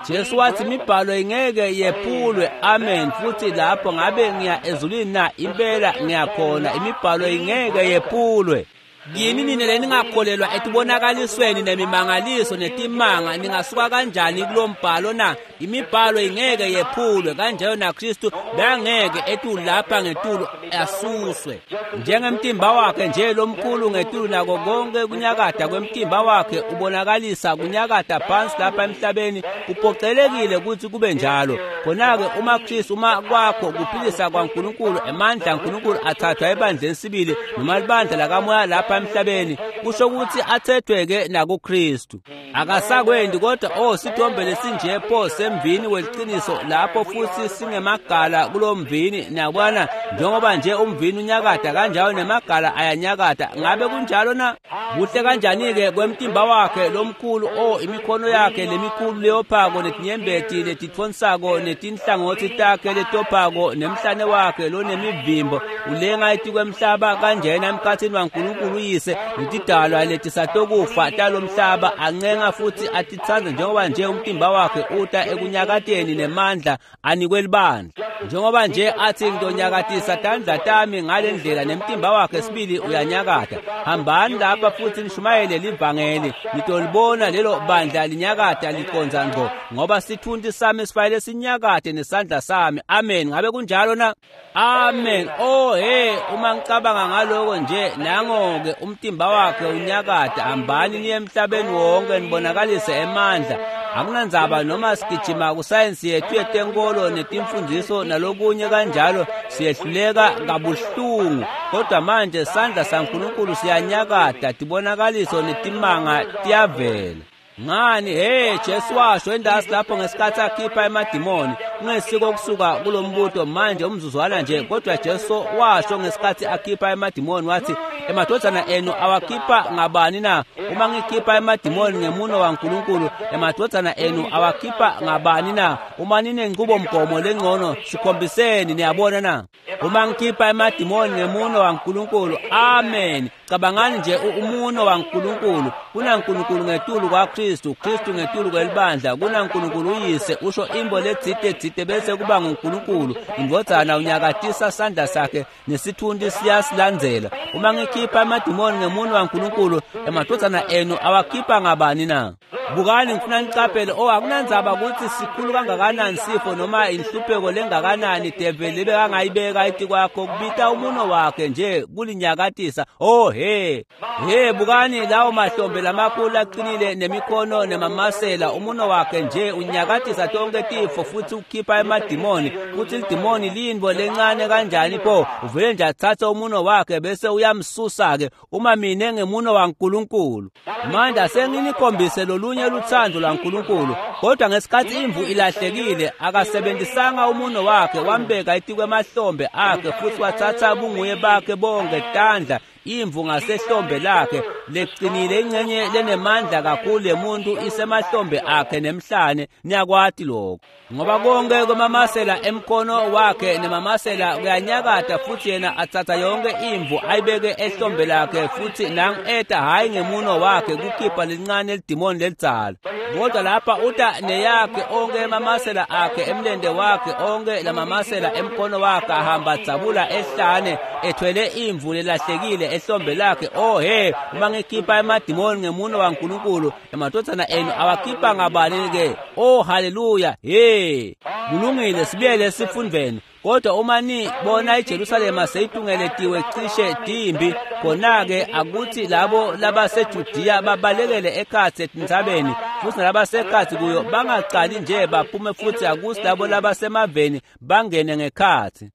Speaker 1: Jesu wathi imibhalo ingeke yephulwe. Amen. Futhi lapho ngabe ngiya ezulwini na? Impela ngiyakhona. Imibhalo ingeke yephulwe. Yini nina leningakholelwa etibonakalisweni nemimangaliso netimanga, ningasuka kanjani kulo mbhalo na? Imibhalo ingeke yephulwe, kanjalo naKristu bangeke etulu lapha ngetulu asuswe. Njengemtimba wakhe nje lomkhulu ngetulu nako konke kunyakada kwemtimba wakhe ubonakalisa kunyakada phansi lapha emhlabeni, kuphocelekile ukuthi kube njalo. Khona-ke uma Kristu, uma kwakho kuphilisa kwaNkulunkulu, emandla aNkulunkulu athathwa ebandleni sibili noma libandla lakamoya lapha emhlabeni, kusho ukuthi athethwe-ke nakuKristu. Akasakwendi kodwa sithombe lesinje pho semvini weliciniso lapho futhi singemagala kulo mvini. Niyabona, njengoba nje umvini unyakada kanjalo nemagala ayanyakada. Ngabe kunjalo na? Kuhle kanjani-ke kwemtimba wakhe lomkhulu, imikhono yakhe lemikhulu leyophako netinyembeti letitfonsako netinhlangothi takhe letophako nemhlane wakhe lonemivimbo ulenga etikwemhlaba kanjena emkhatsini waNkulunkulu uyise netidalwa. Tidalwa letisatokufa talomhlaba ancenga futhi atitsandza njengoba nje umtimba wakhe uta ekunyakateni nemandla anikwe libandla. Njengoba nje athi ngitonyakatisa tandla tami ngale ndlela nemtimba wakhe sibili uyanyakata. Hambani lapha futhi nishumayele livangeli, nitolibona lelo bandla linyakata liqondza ngqo, ngoba sithunti sami sifanele sinyakate nesandla sami. Amen. Ngabe kunjalo na? Amen. Oh hey, uma ngicabanga ngaloko nje, nango-ke umtimba wakhe unyakata. Hambani niye emhlabeni wonke nibonakalise emandla. Akunandzaba noma sigijima kusayensi yethu yetenkolo netimfundiso nalokunye kanjalo, siyehluleka kabuhlungu, kodwa manje sandla saNkulunkulu siyanyakata, tibonakaliso netimanga tiyavela. Ngani, hey, Jesu washo endasi lapho ngesikhathi akhipha emadimoni, kungesiko kusuka kulombuto manje umzuzwana nje, kodwa Jesu washo ngesikhathi akhipha emadimoni wathi, emadvodzana enu awakhipha ngabani na? Uma ngikhipha emadimoni ngemuno waNkulunkulu, emadvodzana enu awakhipha ngabani na? Uma ninenqubomgomo lengcono, sikhombiseni, niyabona na? Uma ngikhipha emadimoni ngemuno waNkulunkulu, amen. Cabangani nje umuno waNkulunkulu. KunaNkulunkulu ngetulu kwaKristu, Kristu ngetulu kwelibandla, kunaNkulunkulu uyise, usho imbo letsite tsite bese kuba nguNkulunkulu. Indvodzana unyakatisa sandla sakhe nesithunti siyasilandzela. Uma ngikhipha emadimoni ngemuno waNkulunkulu, emadvodzana enu awakhipha ngabani na? Bukani, ngifuna nicaphele, oh akunandzaba ukuthi sikhulu kangakanani sifo noma inhlupheko lengakanani develi lebekangayibeka etikwakho, kubita umuno wakhe nje kulinyakatisa. Oh he he, bukani lawo mahlombe lamakhulu aqinile nemikhono nemamasela, umuno wakhe nje unyakatisa tonke tifo futhi ukhipha emadimoni. Futhi lidimoni liyintfo lencane kanjani pho, uvele nje atsatse umuno wakhe bese uyamsusa-ke. Uma mine ngemuno waNkulunkulu. Manje asenginikhombise lolunye lutsandvo lwaNkulunkulu, kodwa ngesikhathi imvu ilahlekile akasebenzisanga umuno wakhe, wambeka etikwemahlombe akhe futhi wathatha bunguye bakhe bonke tandla imvu ngasehlombe lakhe leqinile, ingcenye lenemandla kakhulu yemuntu isemahlombe akhe nemhlane. Niyakwati lokho, ngoba konke kwemamasela emkhono wakhe nemamasela kuyanyakata, futhi yena atsatsa yonke imvu ayibeke ehlombe lakhe, futhi nang eta hhayi ngemuno wakhe kukhipha lincane lidimoni lelidzala, kodwa lapha uta neyakhe onke emamasela akhe emlente wakhe, onke lamamasela emkhono wakhe ahamba adzabula ehlane ethwele imvu lelahlekile ehlombe lakhe. Oh he, uma ngikhipha emadimoni ngemuno waNkulunkulu, emadvodzana enu awakhipha ngabani-ke? Oh haleluya, he, kulungile, sibuyele esifundveni. Kodwa uma nibona iJerusalema seyitungeletiwe cishe timbi, khona-ke akuthi labo labaseJudiya babalekele ekhatsi etintsabeni, futhi nalabasekhatsi kuyo bangacali nje baphume, futhi akuthi labo labasemaveni bangene ngekhatsi.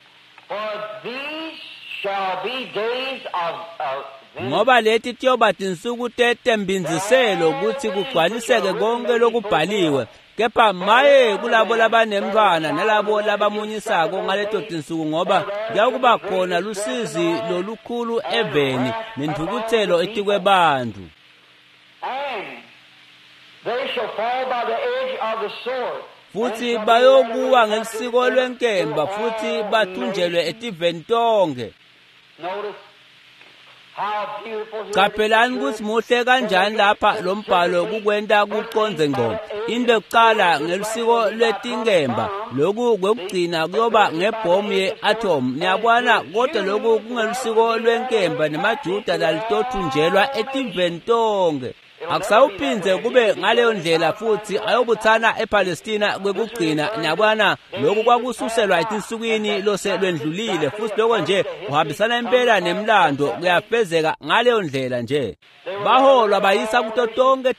Speaker 1: Ngoba leti tiyoba tinsuku tetembindziselo kutsi kugcwaliseke konke lokubhaliwe. Kepha maye kulabo labanemntfwana nalabo labamunyisako ngaleto tinsuku, ngoba kuyakuba khona lusizi lolukhulu eveni nentfukutselo etikwebantfu. Futhi bayokuwa ngelisiko lwenkemba futhi bathunjelwe etiveni tonke. Caphelani kutsi muhle kanjani lapha lo mbhalo kukwenta kucondze ngqo. Into yokucala ngelusiko lwetinkemba, loku kwekugcina kuyoba ngebhomu ye-atom. Niyabona, kodwa loku kungelusiko lwenkemba nemaJuda lalitothunjelwa etiveni tonke. Akusawuphindze kube ngaleyo ndlela futhi ayobuthana ePalestina kwekugcina. Niyabona, lokhu kwakususelwa etinsukwini lose lwendlulile, futhi lokho nje kuhambisana impela nemlando, kuyafezeka ngaleyo ndlela nje. Baholwa bayisa kuto tonke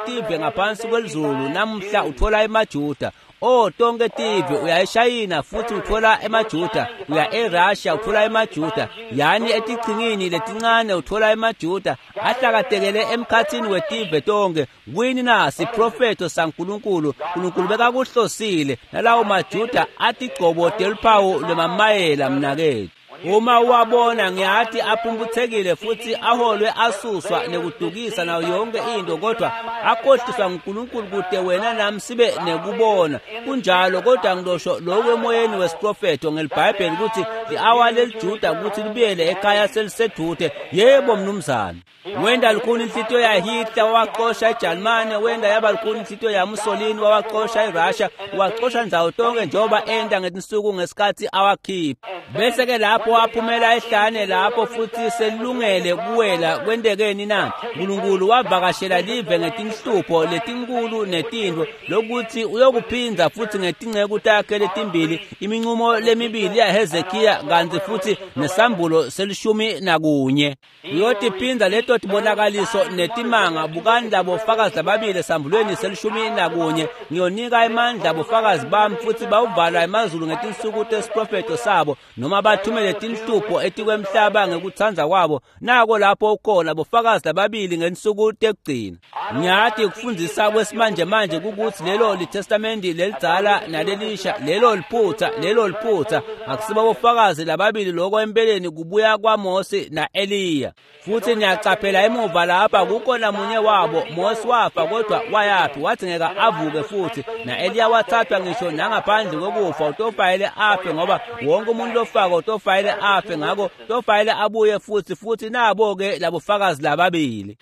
Speaker 1: tive ngaphansi kwelizulu. Namuhla uthola emaJuda, oh tonke tive, uya eShayina futhi uthola emaJuda, uya eRussia uthola emaJuda, yani etichingini letincane uthola emaJuda ahlakatekele emkhathini wetive tonke. Kwini na? Siprofetho saNkulunkulu. Nkulunkulu bekakuhlosile nalawo maJuda atigcobo teluphawu lwemamayela mnaketfu. Uma uwabona ngiyathi aphumputhekile futhi aholwe asuswa nekudukisa nayo yonke into, kodwa akhohliswa nguNkulunkulu kude wena nami sibe nekubona. Kunjalo, kodwa ngilosho lokhu emoyeni wesiprofetho ngeliBhayibheli ukuthi li-awa leliJuda ukuthi libuyele ekhaya selisedute. Yebo mnumzane. Wenda lukhuni inhlitiyo yaHitler wawaxosha eJalimane, wenda yaba lukhuni inhlitiyo yaMussolini wawaxosha eRussia, waxosha ndzawo tonke njengoba enda ngetinsuku ngesikhathi awakhipha. Bese-ke lapho waphumela ehlane lapho futhi selungele kuwela kwentekeni na? Nkulunkulu wavakashela live ngetinhlupho letinkulu netintfo lokuthi uyokuphinza futhi ngetinceku takhe letimbili, iminqumo lemibili yaHezekiya kantsi futhi nesambulo se-11. Uyotiphinza leto tibonakaliso netimanga. Bukani labo fakazi lababili esambulweni se-11, ngiyonika emandla bofakazi bami futhi bawuvala emazulu ngetinsuku tesiprofetho sabo, noma bathumele tinhlupho etikwemhlaba ngekutsandza kwabo. Nako lapho ukhona bofakazi lababili ngensuku tekugcina. Ngiyathi kufundzisa kwesimanjemanje kukuthi lelo litestamenti lelidzala nalelisha, lelo liphutha, lelo liphutha. Akusibo bofakazi lababili lokho empeleni kubuya kwaMose na-Eliya. Futhi niyacaphela emuva lapha kukhona munye wabo. Mose wafa, kodwa wayaphi? Wadzingeka avuke futhi. Na-Eliya wathathwa ngisho nangaphandle kokufa, utofayele afe, ngoba wonke umuntu lofako utofayele afe, ngakho utofayele abuye futhi. Futhi nabo-ke labofakazi lababili.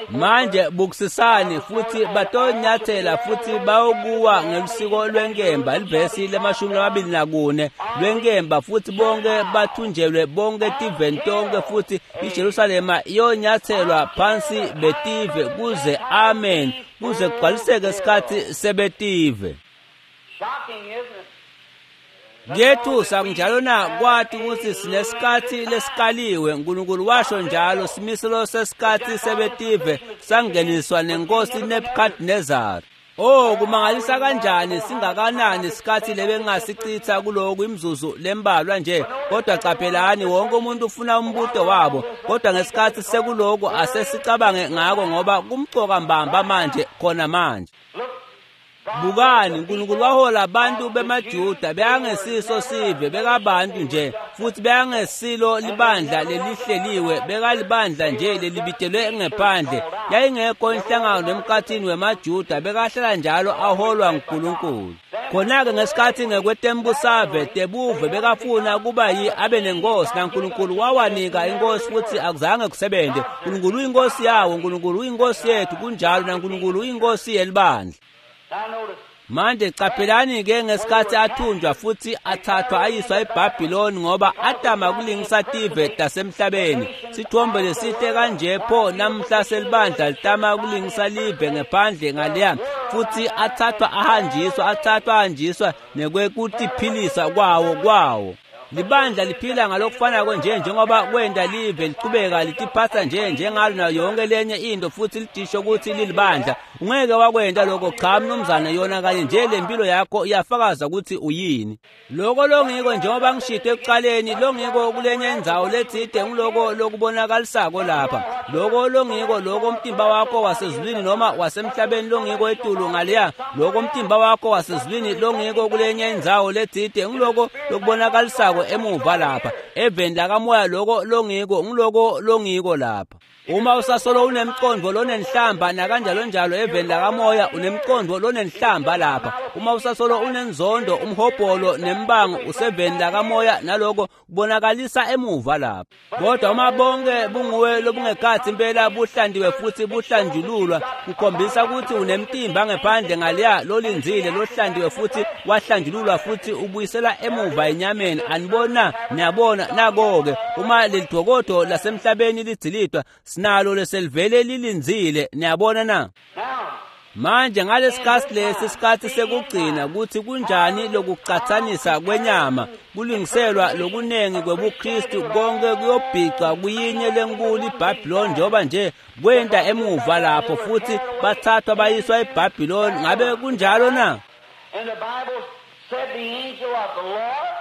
Speaker 1: Manje bukisisani, futhi batonyathela futhi bayokuwa ngelusiko lwenkemba, livesi le-24 lwenkemba, futhi bonke bathunjelwe bonke tiveni tonke, futhi iJerusalema iyonyathelwa phansi betive kuze, amen, kuze kugcwaliseke isikhathi sebetive. Kuyethusa kunjalo na kwathi ukuthi sinesikhathi lesikaliwe. uNkulunkulu washo njalo, simiselo sesikhathi sebetive sangeniswa nenkosi Nebuchadnezzar. Oh, kumangalisa kanjani, singakanani isikhathi lebengasichitha kulokhu imzuzu lembalwa nje. Kodwa qaphelani, wonke umuntu ufuna umbuto wabo, kodwa ngesikhathi sekuloku asesicabange ngako, ngoba kumcoka mbamba manje, khona manje. Bukani, uNkulunkulu wahola abantu bemaJuda, bekangesiso sive, bekabantu nje, futhi bekangesilo libandla lelihleliwe, bekalibandla nje lelibitelwe ngephandle. Yayingekho inhlangano emkhathini wemaJuda, bekahlala njalo aholwa nguNkulunkulu. Khona-ke ngesikhathi ngekwetembusave tebuve bekafuna kuba yi abe nenkosi, naNkulunkulu wawanika inkosi, futhi akuzange kusebenze. uNkulunkulu uyinkosi yawo, uNkulunkulu uyinkosi yethu, kunjalo, naNkulunkulu uyinkosi yelibandla. Manje qaphelani-ke ngesikhathi athunjwa futhi athathwa ayiswa eBhabhiloni, ngoba atama kulingisa tive tasemhlabeni. Sithombe lesihle kanje pho namhla selibandla litama kulingisa live ngephandle ngaleya, futhi athathwa ahanjiswa, athathwa ahanjiswa nekwekutiphilisa kwawo. Libandla liphila ngalokufanako nje njengoba kwenda live lichubeka litiphatha nje njengalo nayo yonke lenye into, futhi lidisho ukuthi lilibandla. Ungeke wakwenda lokho, cha mnumzane. Yona kanye nje le mpilo yakho iyafakaza ukuthi uyini. Lokho longiko, njengoba ngishito ekuqaleni, longiko kulenye indzawo letsite ngiloko lokubonakalisako lapha. Lokho longiko, lokho umtimba wakho wasezulwini noma wasemhlabeni longiko etulu ngaleya, lokho umtimba wakho wasezulwini longiko kulenye indzawo letsite ngiloko lokubonakalisako emuva lapha. Eveni lakamoya lokho longiko ngiloko longiko lapha. Uma usasolo unemqondo lonenhlamba nakanjalo njalo eveni lakamoya, unemqondo lonenhlamba lapha. Uma usasolo unenzondo, umhobholo nembango, useveni lakamoya, naloko kubonakalisa emuva lapha. Kodwa uma bonke bunguwe lobungekhathi impela buhlandiwe futhi buhlanjululwa, kukhombisa ukuthi unemtimba ngephandle ngaleya lolindzile, lohlandiwe futhi wahlanjululwa futhi ubuyisela emuva enyameni. Anibona? Niyabona? Nako-ke uma lelidokodo lasemhlabeni lidzilidwa, sinalo leselivele lilindzile. Niyabona na? Manje ngalesikhathi lesi, isikhathi sekugcina, ukuthi kunjani lokucathanisa kwenyama kulungiselwa lokunengi kwebuKristu, konke kuyobhicwa kuyinye lenkulu iBhabhiloni, njengoba nje kwenta emuva lapho, futhi bathathwa bayiswa eBhabhiloni. Ngabe kunjalo na?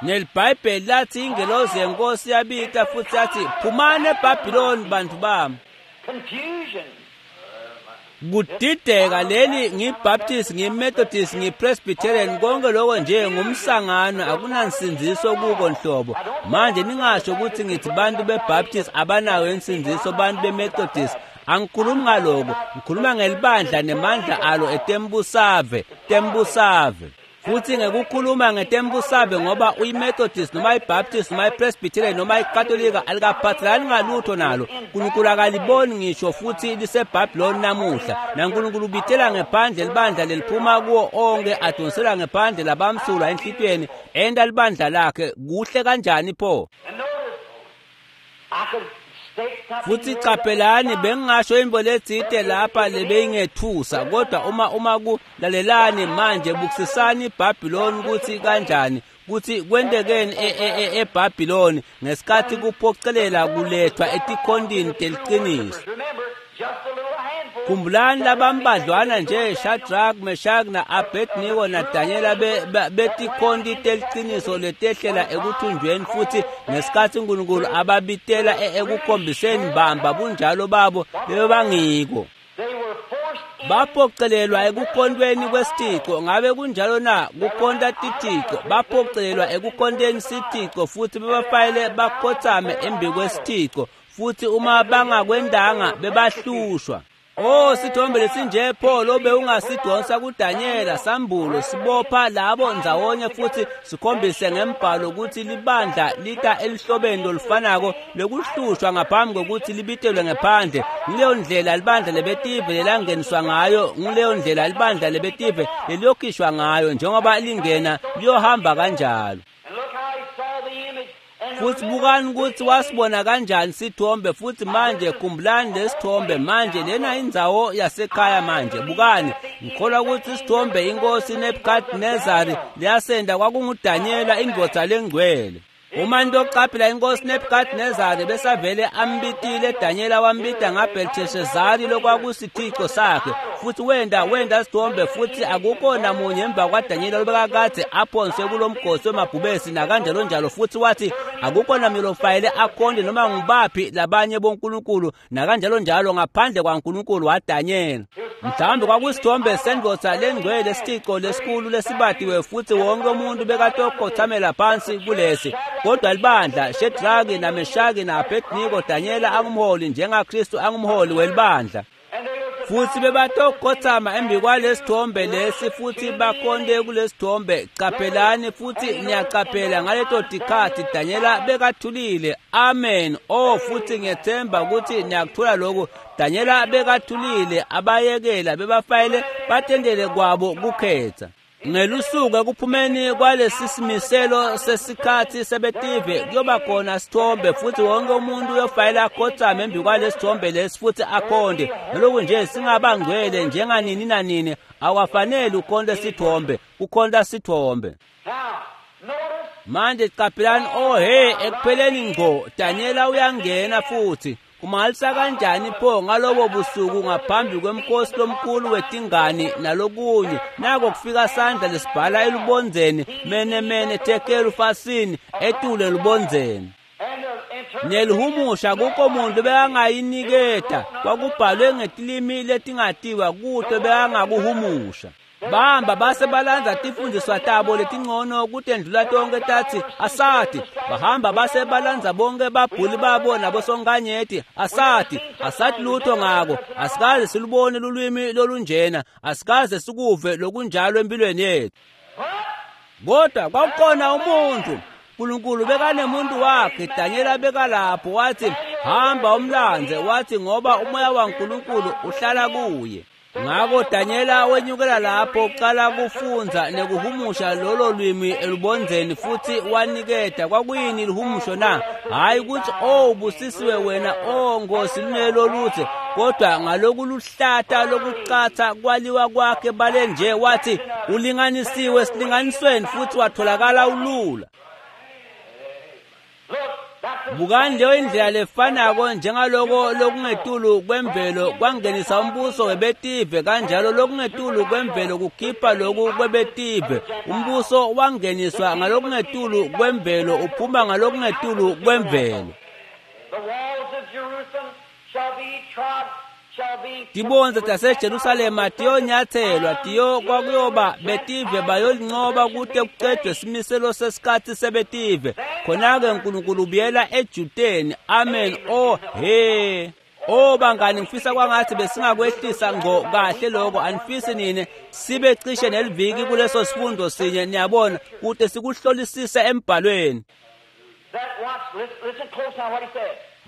Speaker 1: NeliBhayibheli lathi ingelozi yenkosi yabita futhi yathi, phumani eBhabhiloni bantu bami. Kudideka leli ngiBaptist, ngiMethodist, ngiPresbyterian, konke lokho nje ngumsangano, akunansindziso kuko nhlobo. Manje ningasho ukuthi ngithi bantu beBaptist abanayo insindziso, bantu beMethodist. Angikhulumi ngaloko, ngikhuluma ngelibandla nemandla alo etembusave, tembusave. Futhi ngekukhuluma ngetembusave ngoba uyiMethodist noma iBaptist noma iPresbyterian noma iKatolika alikaphathelani ngalutho nalo. uNkulunkulu akaliboni ngisho futhi liseBhabhiloni namuhla. NaNkulunkulu ubithela ngephandle libandla leliphuma kuwo onke, adonsela ngephandle labamsulwa enhlitiyweni, enta libandla lakhe kuhle kanjani pho. Futhi qaphelani, bengingasho into letsite lapha lebeyingethusa, kodwa uma kulalelani manje, bukisisani iBhabhiloni ukuthi kanjani, kuthi kwentekeni eBhabhiloni ngesikhathi kuphocelela kulethwa etikhondini teliqiniso. Khumbulani labambadlwana nje Shadrach, Meshach na-Abednego naDanyela betikhonti teliqiniso letehlela ekuthunjweni, futhi ngesikhathi uNkulunkulu ababitela ekukhombiseni bamba bunjalo babo bebangiko. Baphocelelwa ekukhontweni kwesithico. Ngabe kunjalo na? Kukhonta tithico. Baphocelelwa ekukhonteni sithico futhi bebafayele bakhothame embi kwesithico, futhi uma bangakwendanga bebahlushwa. Oh, sithombe lesinje pho lobe ungasidonsa kuDanyela sambulo sibopha labo ndzawonye futhi sikhombise ngembhalo ukuthi libandla lita elihlobeni lolufanako lokuhlushwa ngaphambi kokuthi libitelwe ngephandle. Ngileyo ndlela libandla lebetive lelangeniswa ngayo, ngileyo ndlela libandla lebetive leliyokhishwa ngayo, njengoba lingena liyohamba kanjalo. Futhi bukani ukuthi wasibona kanjani sithombe. Futhi manje khumbulani lesithombe manje, lena indzawo yasekhaya manje. Bukani, ngikholwa ukuthi isithombe inkosi Nebuchadnezzar liyasenda kwakunguDanyela indvodza lengcwele. Uma into inkosi Nebuchadnezzar besavele ambitile Danyela, wambita ngaBelteshazari lokwakusithico sakhe, futhi wenda sithombe, futhi akukho namunye emva kwaDanyela lobekakade aphonswe kulomgosi wemabhubesi nakanjalo njalo. Futhi wathi akukho namunye lofayele akhonde noma ngubaphi labanye bonkulunkulu nakanjalo njalo ngaphandle kwaNkulunkulu waDanyela. Mhlawumbe kwakusithombe sendvodza lengcwele, lesithico lesikhulu lesibatiwe, futhi wonke umuntu bekatokhothamela phansi kulesi. Kodwa libandla Shedraki naMeshaki na-Abednego, Danyela angumholi njengaKristu angumholi welibandla. Futhi bebatokhothama embi kwalesithombe lesi futhi bakhonde kulesithombe. Qaphelani, futhi niyaqaphela ngaleto tikhathi Danyela bekathulile. Amen. Oh, futhi ngiyethemba ukuthi niyakuthola lokhu. Danyela bekathulile, abayekela bebafayele batendele kwabo kukhetha. Ngelusuku ekuphumeni kwalesi simiselo sesikhathi sebetive kuyoba khona sithombe, futhi wonke umuntu uyofayela akhothame embi kwalesithombe lesi futhi akhonde. Naloku nje singabangcwele njenganini nanini, awafanele ukhonde sithombe, kukhonta sithombe. Manje qaphelani, oh hey, ekupheleni ngqo Danyela uyangena futhi. Kumangalisa kanjani pho ngalobo busuku ngaphambi kwemkhosi lomkhulu wetingane nalokunye, nako kufika sandla lesibhala elubondzeni, mene mene tekelu fasini etule elubondzeni. Nelihumusha kukho muntu bekangayiniketa, kwakubhalwe ngetilimi letingatiwa kuto bekangakuhumusha. Bahamba base balandza tifundiswa tabo letingcono kutendlula tonke tathi asati. Bahamba base balandza bonke babhuli babo nabosonkanyeti asati. Asati lutho ngako, asikaze silubone lulwimi lolunjena, asikaze sikuve lokunjalo empilweni yethu. Kodwa kwakukhona umuntu, uNkulunkulu bekanemuntu wakhe, Danyela bekalapho, wathi hamba umlandze, wathi ngoba umoya waNkulunkulu uhlala kuye. Ngakho Danyela wenyukela lapho uqala kufundza nekuhumusha lolo lwimi elubondzeni futhi waniketa. Kwakuyini lihumusho na? Hayi ukuthi oh busisiwe wena, oh Nkosi lunelo luthe, kodwa ngalokuluhlata lokuqatha kwaliwa kwakhe bale nje, wathi ulinganisiwe esilinganisweni futhi watholakala ulula. Bukani leyo indlela lefanako njengaloko lokungetulu kwemvelo kwangenisa umbuso webetive, kanjalo lokungetulu kwemvelo kukhipha loku kwebetive. Umbuso wangeniswa ngalokungetulu kwemvelo, uphuma ngalokungetulu kwemvelo.
Speaker 2: The walls of Jerusalem shall be trod
Speaker 1: Tibondza taseJerusalema tiyonyatselwa tiyo kwakuyoba betive bayolincoba kute kucedwe simiselo sesikhatsi sebetive. Khona-ke Nkulunkulu ubuyela eJudeni. Amen. Oh he. Oh bangani, ngifisa kwangathi besingakwehlisa ngqo kahle lokho. Anifisi nine sibe cishe neliviki kuleso sifundo sinye, niyabona, kute sikuhlolisise embhalweni.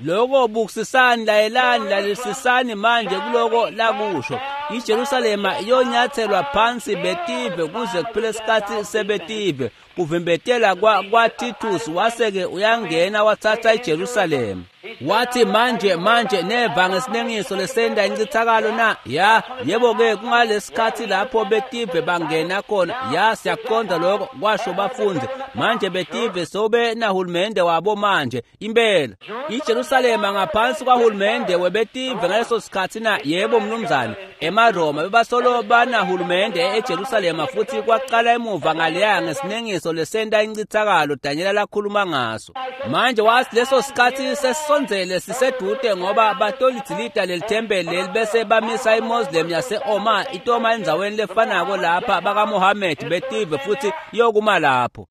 Speaker 1: Lokho bukisisani, layelani, lalelisisani manje kuloko lakusho. IJerusalema iyonyatselwa phansi betive kuze kuphele isikhathi sebetive. Kuvimbetela kwaTitus wase-ke uyangena wathatha iJerusalema. Wathi manje neva ngesinengiso lesenda incithakalo na? Ya, yebo-ke kungalesikhathi lapho betive bangena khona. Ya, siyakuqonda lokho, kwasho bafundi. Manje betive sobe nahulumende wabo manje. Impela iJerusalema ngaphansi kwahulumende webetive ngaleso sikhathi na? Yebo mnumzane. EmaRoma bebasolo banahulumende eJerusalema futhi kwaqala emuva ngaleya ngesinengiso lesenda incithakalo Daniel lakhuluma ngaso. Manje wathi leso sikhathi sesisondzele sisedude ngoba batolidzilita leli thempeli leli bese bamisa iMoslem yase-Omar itoma endzaweni lefanako lapha bakaMohammed betive futhi iyokuma lapho.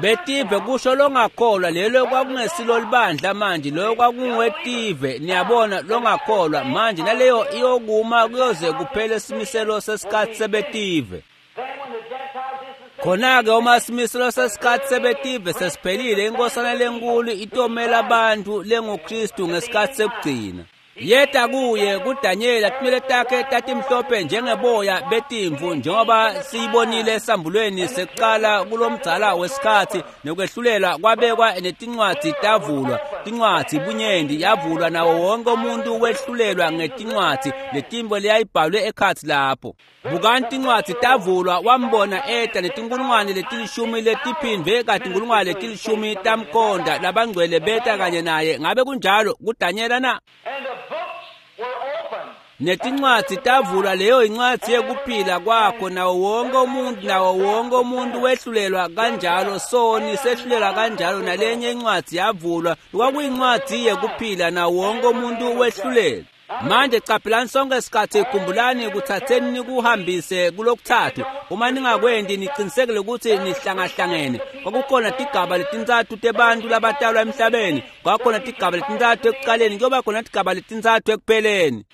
Speaker 1: Betive kusho longakholwa, lelo kwakungesilo libandla manje, lo kwakungetive, niyabona, longakholwa manje, naleyo iyokuma kuyoze kuphele simiselo sesikhathi sebetive. Khona-ke uma simiselo sesikhathi sebetive sesiphelile, inkosana lenkulu itomela abantu lenguKristu ngesikhathi sekugcina. Yeta kuye kuDanyela tinwele takhe tatimhlophe njengeboya betimvu, njengoba siyibonile esambulweni sekuqala kulomdzala wesikhathi, nokwehlulela kwabekwa netincwadzi tavulwa. Tincwadzi bunyenti yavulwa, nawo wonke umuntu wehlulelwa ngetincwadzi letimbo leyayibhalwe ekhatsi lapho. Bukani tincwadzi tavulwa, wambona eta netinkulungwane letilishumi letiphindvwe katinkulungwane letilishumi tamkonda, labangcwele beta kanye naye. Ngabe kunjalo kuDanyela na? Netincwadzi tavulwa, leyo incwadzi yekuphila kwakho, nawo wonke umuntu, nawo wonke umuntu wehlulelwa kanjalo, soni sehlulelwa kanjalo. Nalenye incwadzi yavulwa, kwakuyincwadzi yekuphila, nawo wonke umuntu wehlulelwa. Manje caphelani sonke isikhathi, khumbulani, kuthatheni nikuhambise kulokuthathu. Uma ningakwendi, niqinisekile ukuthi nihlangahlangene. Kwakukhona tigaba letintsatfu tebantu labatalwa emhlabeni, kwakukhona tigaba letintsatfu ekuqaleni, kuyoba khona tigaba letintsatfu ekupheleni.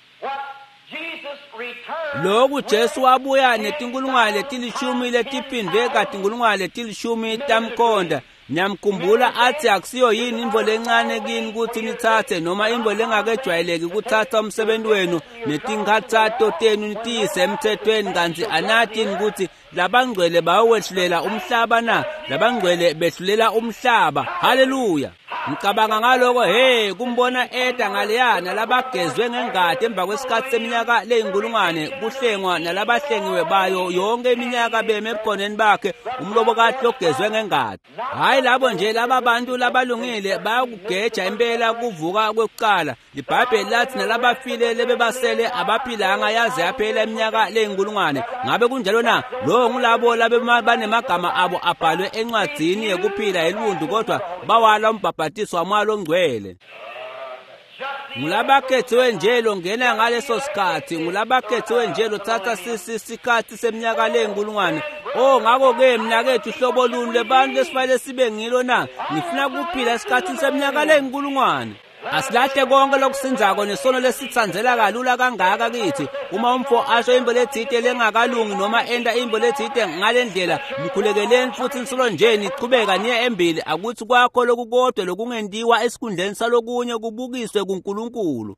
Speaker 1: Lokhu Jesu wabuya netinkulungwane letilishumi letiphindvwe katinkulungwane letilishumi tamkonda. Niyamkhumbula athi akusiyo yini intfo lencane kini kutsi nitsatse, noma intfo lengakejwayeleki kutsatsa umsebenzi wenu netinkhatsato tenu nitiyise emthethweni, kantsi anati yini kutsi labangcwele bayowehlulela umhlaba na? Labangcwele behlulela umhlaba. Haleluya! Ngicabanga ngaloko, hey, kumbona eta ngaleya nalabagezwe ngengati emva kwesikhathi seminyaka leyinkulungwane kuhlengwa nalabahlengiwe bayo yonke iminyaka beme ebukhoneni bakhe, umlobokati logezwe ngengati. Hhayi labo nje laba bantu labalungile bayakugeja impela kuvuka kwekuqala. LiBhayibheli lathi nalabafile lebebasele abaphilanga yaze yaphela iminyaka leyinkulungwane. Ngabe kunjalo na? Lo ngulabo labanemagama abo abhalwe encwadzini yekuphila yeluntu, kodwa bawala umbhabhatiso waMoya loNgcwele. Ngulabakhethiwe nje longena ngaleso sikhathi, ngulabakhethiwe nje lothatha sikhathi seminyaka leyinkulungwane. Oh, ngakho-ke mnakethu, hlobo luni lwebantu lesifanele sibe ngilo na? Ngifuna kuphila esikhathini seminyaka leyinkulungwane. Asilahle konke lokusindzako nesono lesitsandzela kalula kangaka kithi. Uma umfo asho intfo letsite lengakalungi noma enta intfo letsite ngale ndlela, mkhulekeleni futhi nisolo nje nichubeka niye embili. Akuthi kwakho lokukodwa lokungentiwa esikhundleni salokunye kubukiswe kuNkulunkulu.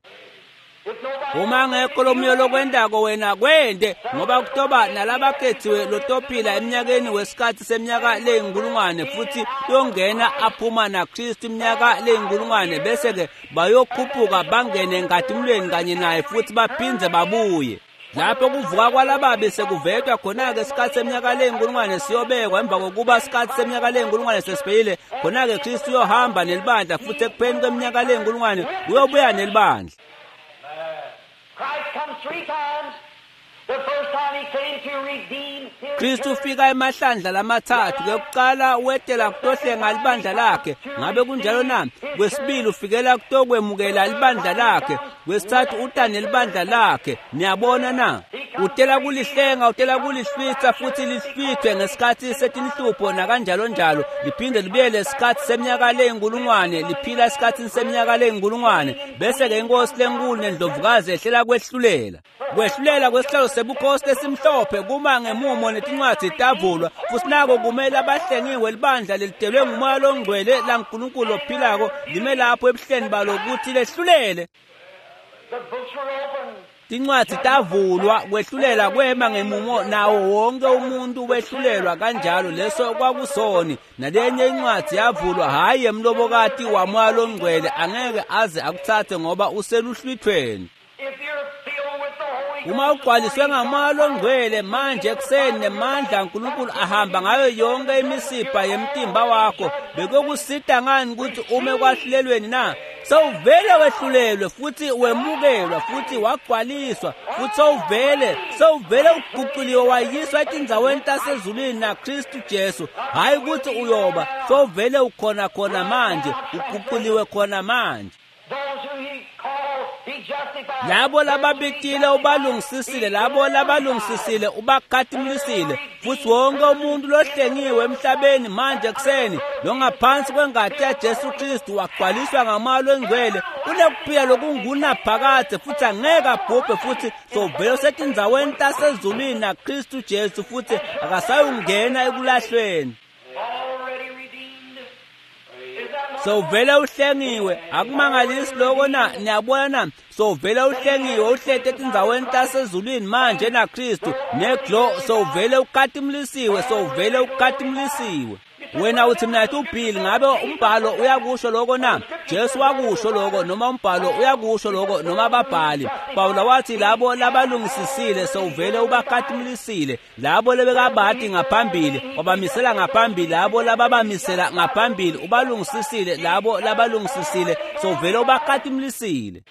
Speaker 1: Uma ngekho lomunye lokwentako wena kwente, ngoba kutoba nalabakhethiwe lotophila eminyakeni wesikhathi seminyaka leyinkulungwane, futhi yongena aphuma naKristu iminyaka leyinkulungwane, bese-ke bayokhuphuka bangene enkatimulweni kanye naye futhi baphindze babuye. Lapho kuvuka kwalababi sekuvetwa khona-ke isikhathi seminyaka leyinkulungwane siyobekwa. Emva kokuba isikhathi seminyaka leyinkulungwane sesiphelile, khona-ke Kristu uyohamba nelibandla, futhi ekupheleni kweminyaka leyinkulungwane uyobuya nelibandla.
Speaker 2: Christ comes three times. The first time he came to redeem
Speaker 1: Kristu ufika emahlandla lamathathu. Kwekuqala wetela kutohlenga libandla lakhe. Ngabe kunjalo na? Kwesibili ufikela kutokwemukela libandla lakhe. Kwesithathu uta nelibandla lakhe. Niyabona na? Utela kulihlenga, utela kulihlwitha futhi lihlwithwe ngesikhathi setinhlupho nakanjalo njalo. Liphinde libuyele isikhathi seminyaka leyinkulungwane, liphila esikhathini seminyaka leyinkulungwane. Bese-ke inkosi lenkulu nendlovukazi ehlela kwehlulela. Kwehlulela kwesihlalo sebukhosi lesimhlophe kuma ngemumo netincwadzi tavulwa, futhi nako kumele abahlengiwe libandla lelidelwe ngumoya longcwele laNkulunkulu ophilako lime lapho ebuhleni balo ukuthi lehlulele. Tincwadzi tavulwa, kwehlulela kwema ngemumo nawo wonke umuntu wehlulelwa kanjalo. Leso kwakusoni. Nalenye incwadzi yavulwa, hhayi emlobokati wamoya longcwele, angeke aze akuthathe ngoba useluhlwithweni. Uma ugcwaliswe ngamoya longcwele manje ekuseni nemandla aNkulunkulu ahamba ngayo yonke imisipha yemtimba wakho, bekuyokusita ngani ukuthi ume kwahlulelweni na? Sewuvele wehlulelwe futhi wemukelwa futhi wagcwaliswa futhi sewuvele uguquliwe wayiswa etindzaweni tasezulwini naKristu Jesu. Hhayi ukuthi uyoba, sewuvele ukhona khona manje, uguquliwe khona manje. Labo lababitile ubalungisisile, labo labalungisisile ubakhatimlisile, futhi wonke umuntu lohlengiwe emhlabeni manje ekuseni longaphansi kwengati yaJesu Kristu wagcwaliswa ngamoya longcwele unekuphila lokungunaphakadze futhi angeke abhubhe, futhi sovele usetindzaweni tasezulwini naKristu Jesu futhi akasayungena ekulahlweni. Sowuvele uhlengiwe. Akumangalisi lokho na? Niyabona na? Sowuvele uhlengiwe, uhlete etindzaweni tasezulwini manje naKristu neglo. Sowuvele ukhatimulisiwe, sowuvele ukhatimulisiwe. Wena uthi mina uBill, ngabe umbhalo uyakusho lokho na? Jesu wakusho lokho, noma umbhalo uyakusho lokho, noma ababhali. Pawula wathi labo labalungisisile sewuvele ubakhatimlisile, labo lebekabati ngaphambili wabamisela ngaphambili, labo lababamisela ngaphambili ubalungisisile, labo labalungisisile sewuvele ubakhatimlisile.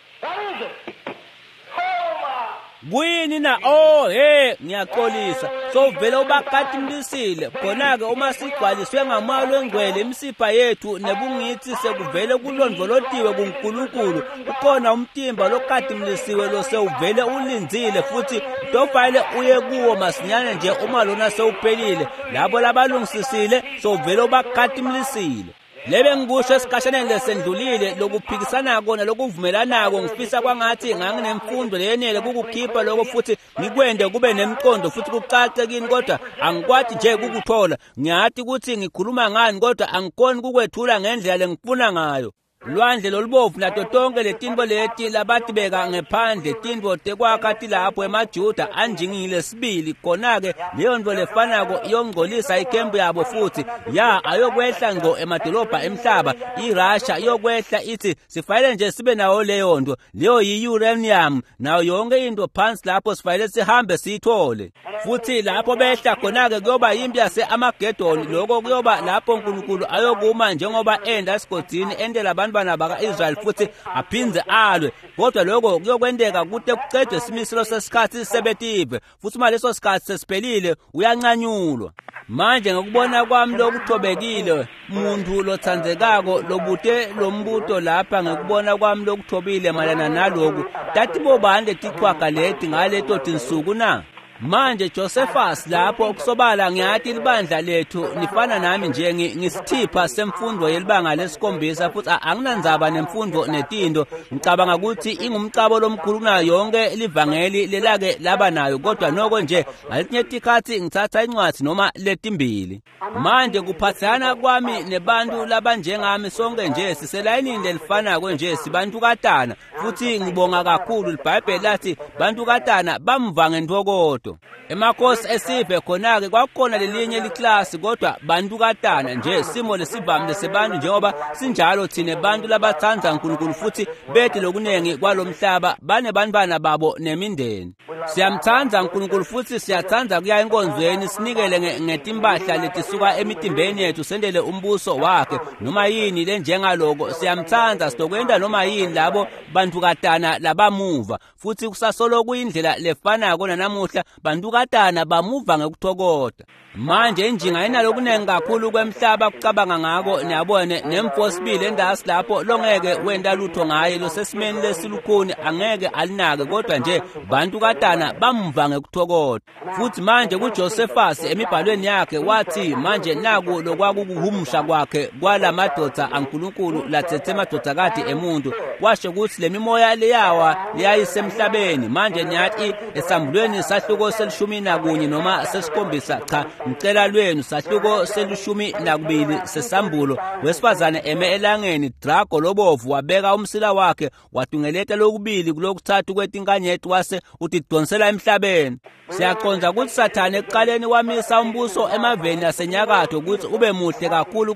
Speaker 1: Kuyini na? Oh hey, ngiyaxolisa. Sowuvele ubakhatimlisile. Khona-ke uma sigcwaliswe ngamoya longcwele, imisipha yethu nebungithi sekuvele kulondvolotiwe kuNkulunkulu. Ukhona umtimba lokhatimlisiwe lo sewuvele ulindzile futhi tofanele uye kuwo masinyane nje uma lona sewuphelile. Labo labalungisisile sowuvele ubakhatimlisile. Lebe ngikusho esikhashaneni lesendlulile lokuphikisanako nalokuvumelanako, ngifisa kwangathi nganginemfundo leyenele kukukhipha lokho futhi ngikwende kube nemqondo futhi kucace kini, kodwa angikwati nje kukuthola. Ngiyati ukuthi ngikhuluma ngani, kodwa angikhoni kukwethula ngendlela lengifuna ngayo. Lwandle lolubovu nato tonke letinto leti labatibeka ngephandle, tintfo tekwakha tilapho emaJuda anjingile sibili. Khona-ke leyo nto lefanako iyongcolisa ikhempu yabo futhi ya ayokwehla ngco emadolobha emhlaba. IRussia iyokwehla ithi sifanele nje sibe nayo leyo nto, leyo yi-uranium nayo yonke into phansi lapho, sifanele sihambe siyithole. Futhi lapho behla khona-ke kuyoba yimpi yase-Amagedoni. Lokho kuyoba lapho uNkulunkulu ayokuma njengoba enda esigodini endela abantwana baka-Israyeli futhi aphindze alwe. Kodwa lokho kuyokwenteka kute kucedwe isimiselo sesikhathi sebetive, futhi uma leso sikhathi sesiphelile uyancanyulwa. Manje ngokubona kwami lokuthobekile, muntu lotsandzekako lobute lombuto lapha, ngokubona kwami lokuthobile mayelana naloku, tatibobani letichwaga leti ngaleto tinsuku na? Manje Josephus lapho kusobala ngiyati libandla lethu nifana nami nje, ngisithipha semfundo yelibanga lesikhombisa futhi anginandzaba nemfundo netinto. Ngicabanga ukuthi ingumcabo lomkhulu kunayo yonke livangeli lelake laba nayo, kodwa noko nje ngaletinye tikhatsi ngitsatsa incwadzi noma letimbili. Manje kuphathana kwami nebantu labanjengami, sonke nje siselayinini lelifanako nje, sibantukatana futhi ngibonga kakhulu. LiBhayibheli lathi bantukatana bamva ngentfokoto. Emakhosi esive khona-ke kwakukhona lelinye liklasi, kodwa bantukatana nje, simo lesivamile sebantu njengoba sinjalo thine bantu labatsandza uNkulunkulu futhi bete lokunengi kwalomhlaba, banebantwana babo nemindeni. Siyamtsandza uNkulunkulu futhi siyatsandza kuya enkonzweni, sinikele ngetimpahla letisuka emitimbeni yethu, sendele umbuso wakhe noma yini lenjengaloko. Siyamtsandza, sitokwenta noma yini labo bantukatana labamuva, futhi kusasolo kuyindlela lefanako nanamuhla. bantukatana bamuva ngekuthokota. Manje injinga inalokunengi kakhulu kwemhlaba kucabanga ngako, niyabona, nemfosibili endasi lapho longeke wenda lutho ngaye, losesimeni lesilukhuni angeke alinake, kodwa nje bantukatana bamva ngekuthokota. Futhi manje kuJosephus emibhalweni yakhe wathi manje naku lokwakukuhumusha kwakhe kwalamadvodza aNkulunkulu lathethe emadvodzakati emuntu, washo ukuthi lemimoya leyawa leyayisemhlabeni. Manje niyathi esambulweni sahluko se-11 noma se-7, cha ngicela lwenu, sahluko se-12 sesambulo, wesifazane eme elangeni, drago lobovu wabeka umsila wakhe watungeleta lokubili kulokuthathu kwetinkanyeti wase utidonsela emhlabeni. Siyaqonda ukuthi Sathane ekuqaleni wamisa umbuso emaveni asenyakatho ukuthi ube muhle kakhulu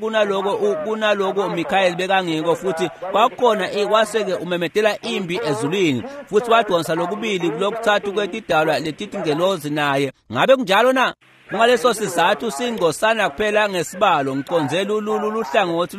Speaker 1: kunaloko Mikhayeli bekangiko, futhi kwakukhona kwase-ke umemedela impi ezulwini, futhi wadonsa lokubili kulokuthathu kwetidalwa letitingelozi naye. Ngabe kunjalo na? Kungaleso sizathu singcosana kuphela ngesibalo, ngiconze luhlangothi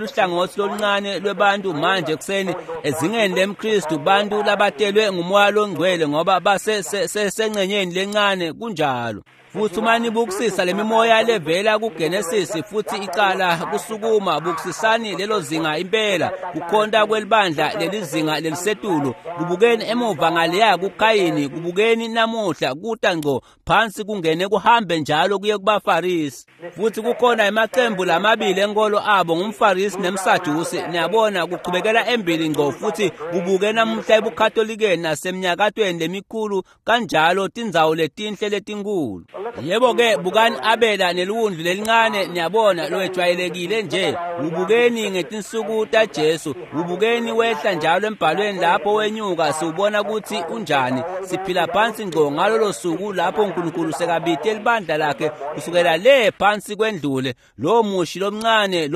Speaker 1: loluncane lwebantu manje ekuseni ezingeni lemKristu, bantu labatelwe ngumoya longcwele ngoba basesengcenyeni lencane kunjalo. Futhi uma nibukusisa lemimoya levela kuGenesis futhi icala kusukuma, bukusisani lelo zinga impela kukhonta kwelibandla lelizinga lelisetulu, kubukeni emuva ngaleya kuKayini, kubukeni namuhla kuta ngco phansi kungene kuhambe njalo kuye kubaFarisi. Futhi kukhona emaqembu lamabili enkolo abo, ngumFarisi nemSadusi, niyabona, kuchubekela embili ngco futhi kubuke namuhla ebuKatholikeni nasemnyakatweni lemikhulu kanjalo, tindzawo letinhle letinkulu. Yebo-ke, bukani Abela neliwundlu lelincane, niyabona, lowejwayelekile nje. Ubukeni ngetinsuku taJesu, ubukeni wehla njalo embhalweni lapho wenyuka, siwubona ukuthi unjani. Siphila phansi ngco ngalolo suku lapho uNkulunkulu sekabite libandla lakhe kusukela le phansi kwendlule. Lo mushi lomncane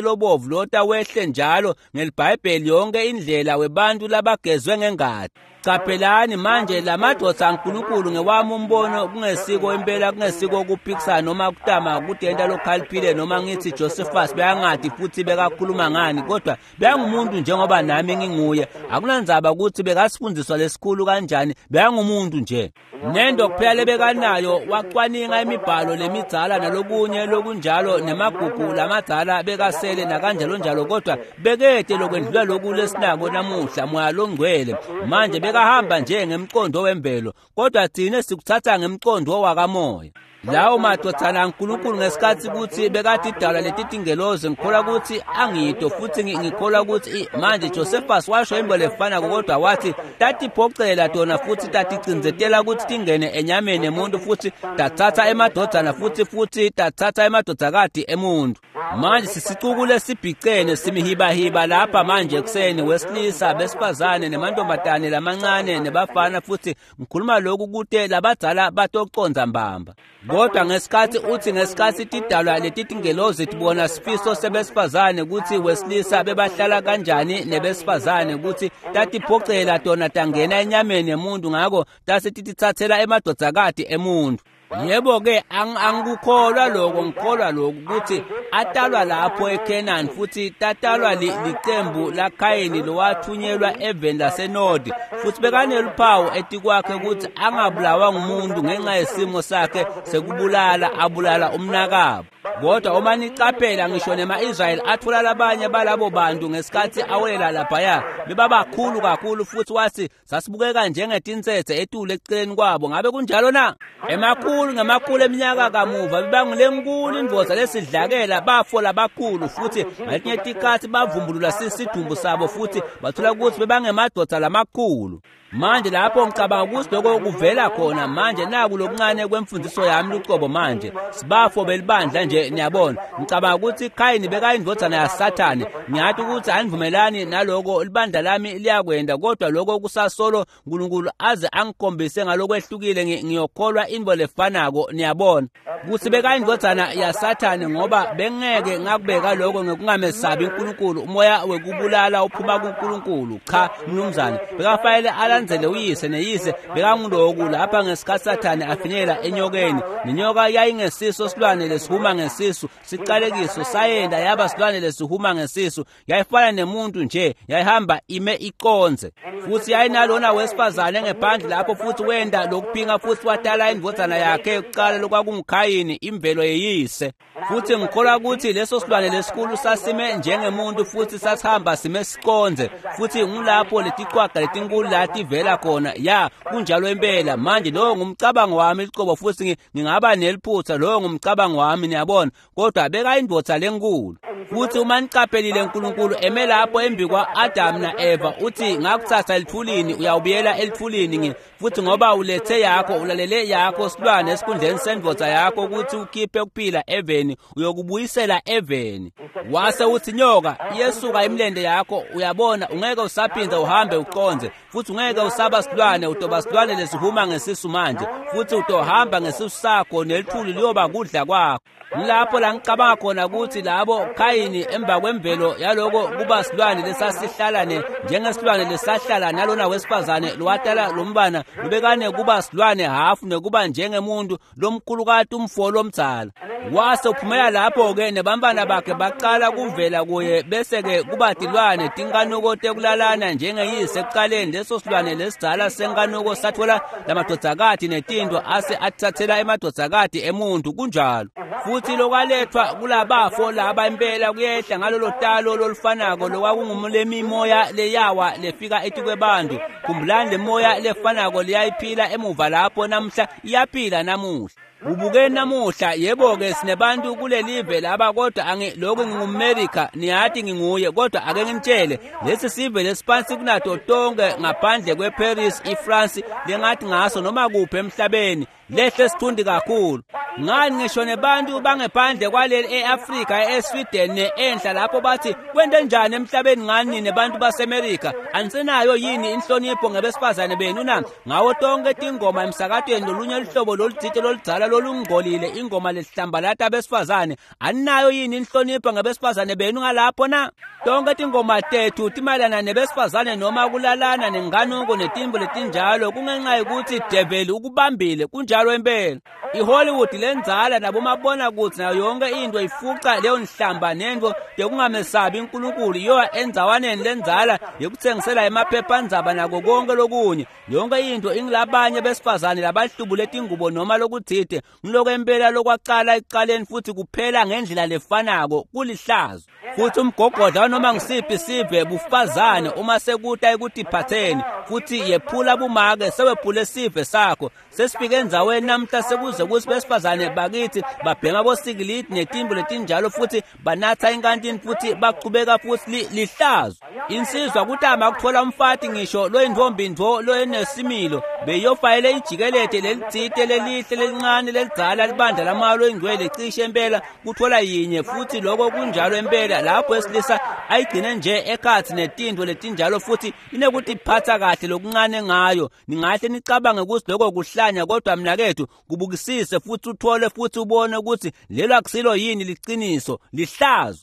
Speaker 1: lobovu lota wehle njalo ngeliBhayibheli yonke indlela webantu labagezwe ngengati. Caphelani manje lamadvodza aNkulunkulu ngewami umbono, kungesiko impela, kungesiko kuphikisana noma kutama kutenta lokhaliphile noma ngithi Josephus bekangati futhi bekakhuluma ngani, kodwa bekangumuntu njengoba nami nginguye. Akunandzaba ukuthi bekasifundiswa lesikhulu kanjani, bekangumuntu nje. Nento kuphela lebekanayo wacwaninga imibhalo lemidzala nalokunye lokunjalo nemagugu lamadzala bekasele nakanjalo njalo, kodwa bekete lokwendlula loku lesinako namuhla, moya longcwele. Manje bekahamba nje ngemqondo wemvelo, kodwa thina sikuthatha ngemqondo wakamoya. Lawo madvodzana aNkulunkulu ngesikhathi ukuthi bekatidalwa letitingelozi, ngikholwa ukuthi angito futhi ngikholwa ukuthi manje Josephus washo into lefanako, kodwa wathi tatiphocela tona futhi taticindzetela ukuthi tingene enyameni yemuntu, futhi tathatha emadvodzana futhi tathatha emadvodzakati emuntu. Manje sisicuku lesibhicene simihibahiba lapha manje ekuseni, wesilisa, besifazane, nemantombazane lamancane nebafana, futhi ngikhuluma lokhu kute labadzala batoconza mbamba. Kodwa ngesikhathi uthi ngesikhathi tidalwa letitingelozi tibona sifiso sebesifazane ukuthi wesilisa bebahlala kanjani nebesifazane, ukuthi tatiphocela tona tangena enyameni yemuntu, ngako tase tititsatsela emadvodzakati emuntu. Yebo-ke, angikukholwa lokho, ngikholwa lokhu ukuthi atalwa lapho eKhenani futhi tatalwa licembu laKhayini lowathunyelwa eveni laseNodi, futhi bekaneluphawu etikwakhe ukuthi angabulawa ngumuntu ngenxa yesimo sakhe sekubulala, abulala umnakabo. Kodwa uma nicaphela ngisho nema-Israyeli athola labanye balabo bantu ngesikhathi awelela laphaya, bebabakhulu kakhulu, futhi wathi sasibukeka njengetinsetse etulu eceleni kwabo. Ngabe kunjalo na? Emakhulu ngemakhulu eminyaka kamuva bebangulenkulu indvodza lesidlakela, bafo labakhulu, futhi ngaletinye tikhatsi bavumbulula sidumbu sabo futhi bathola ukuthi bebangemadvodza lamakhulu. Manje lapho ngicabanga ukuthi lokho kuvela khona. Manje naku lokuncane kwemfundiso yami lucobo. Manje sibafo belibandla nje, niyabona. Ngicabanga ukuthi Khayini bekayindvodzana yaSathane. Ngiyathi ukuthi anivumelani naloko, libandla lami liyakwenda, kodwa lokho kusasolo uNkulunkulu aze angikhombise ngalokwehlukile, ngiyokholwa into lefanako, niyabona. Ukuthi bekayindvodzana yaSathane, ngoba bengeke ngakubeka lokho ngekungamesabi uNkulunkulu. Umoya wekubulala uphuma kuNkulunkulu. Cha mnumzane, bekafanele alandzele alandzele uyise, neyise bekanguloku lapha ngesikhatsi Sathane afinyela enyokeni. Nenyoka yayingesiso silwane lesihuma ngesisu, siqalekiso sayenda yaba silwane lesihuma ngesisu. Yayifana nemuntu nje, yayihamba ime iconze. Futhi yayinalona wesifazane ngephandle lapho, futhi wenda lokuphinga futhi watala indvodzana yakhe yokucala lokwakunguKhayini, imvelo yeyise. Futhi ngikholwa ukuthi leso silwane lesikhulu sasime njengemuntu futhi sasihamba sime siconze, futhi ngulapho letiqwaga letinkulu lativela khona. Ya, kunjalo impela. Manje lowo ngumcabango wami licobo, futhi ngingaba neliphutha, lowo ngumcabango wami, niyabona, kodwa bekayindvodza lenkulu. Futhi uma niqaphelile, uNkulunkulu eme lapho embi kwa-Adamu na-Eva, uthi ngakuthatha elithulini, uyawubuyela elithulini, futhi ngoba ulethe yakho, ulalele yakho silwane esikhundleni sendvodza yakho ukuthi ukhiphe kuphila eveni, uyokubuyisela eveni. Wase uthi nyoka, iyesuka imilende yakho, uyabona, ungeke usaphinda uhambe uconze, futhi ungeke usaba silwane, utoba silwane lesihuma ngesisu manje, futhi utohamba ngesisu sakho, nelithuli liyoba kudla kwakho. Lapho la ngicabanga khona ukuthi labo Khayini emva kwemvelo yaloko kuba silwane lesasihlala njengesilwane lesahlala nalona wesifazane lowatala lombana lubekane kuba silwane hafu nekuba njengemuntu lomkhulukati umfo lomdzala. Wase uphumela lapho-ke nebantwana bakhe baqala kuvela kuye, bese-ke kuba tilwane tinkanuko tekulalana njengeyise ekuqaleni. Leso silwane lesidzala senkanuko sathola lamadvodzakati netinto ase athathela emadvodzakati emuntu. Kunjalo. Futhi lokwalethwa kulabafo laba impela kuyehla ngalolo talo lolufanako lokwakungumlemimoya leyawa lefika etikwebantu. Khumbulani, le moya lefanako liyayiphila emuva lapho namhla, iyaphila namuhla. Ubukeni namuhla, yebo-ke sinebantu kulelive laba, kodwa lokhu ngingumMerika, niyathi nginguye, kodwa ake nginitshele, lesi sive lesiphansi kunato tonke ngaphandle kweParis, iFrance, lengathi ngaso noma kuphi emhlabeni, lehle sithundi kakhulu. Ngani ngisho nebantu bangephandle kwaleli e-Afrika, eSweden ne-enhla lapho bathi kwente njani emhlabeni ngani nebantu baseMerika, anisenayo yini inhlonipho ngebesifazane benu na? Ngawo tonke tingoma emsakatweni lolunye luhlobo lolutsite loludzala lolungcolile, ingoma lehlambalata abesifazane, aninayo yini inhlonipho ngebesifazane benu ngalapho na? Tonke tingoma tethu timayelana nebesifazane noma kulalana nenkanuko netimbo letinjalo, kungenxa yokuthi develi ukubambile. Kunjalo impela. IHollywood lenzala nabomabonakudze nayo yonke into ifuca leyo nhlamba nento yokungamesabi uNkulunkulu, iyoya endzawaneni lenzala yokuthengisela emaphephandzaba nako konke lokunye. Yonke into ingilabanye besifazane labahlubule tingubo noma lokutsite, ngiloko impela lokwaqala ekuqaleni futhi kuphela ngendlela lefanako, kulihlazo. Futhi umgogodla noma ngisiphi sive bufazane uma sekuta ekutiphatheni, futhi yephula bumake sewephule sive sakho. Sesifike endzaweni namhla sekuze kuthi besifazane bakithi babhema bosikilidi netimbo letinjalo, futhi banatha inkantini futhi bachubeka futhi lihlazo. Insizwa kutama kuthola umfati ngisho loyintombi ntfo loyenesimilo, beyofayele ijikelede lelitsite lelihle lelincane lelidzala libandla lamalo ingcwele cishe impela kuthola yinye, futhi lokho kunjalo impela. Lapho esilisa ayigcine nje ekhatsi netinto letinjalo futhi inekutiphatha kahle lokuncane ngayo. Ningahle nicabange ukuthi lokho kuhlanya, kodwa mnakethu kubukisise futhi uthole futhi ubone ukuthi lelo akusilo yini liqiniso, lihlazo.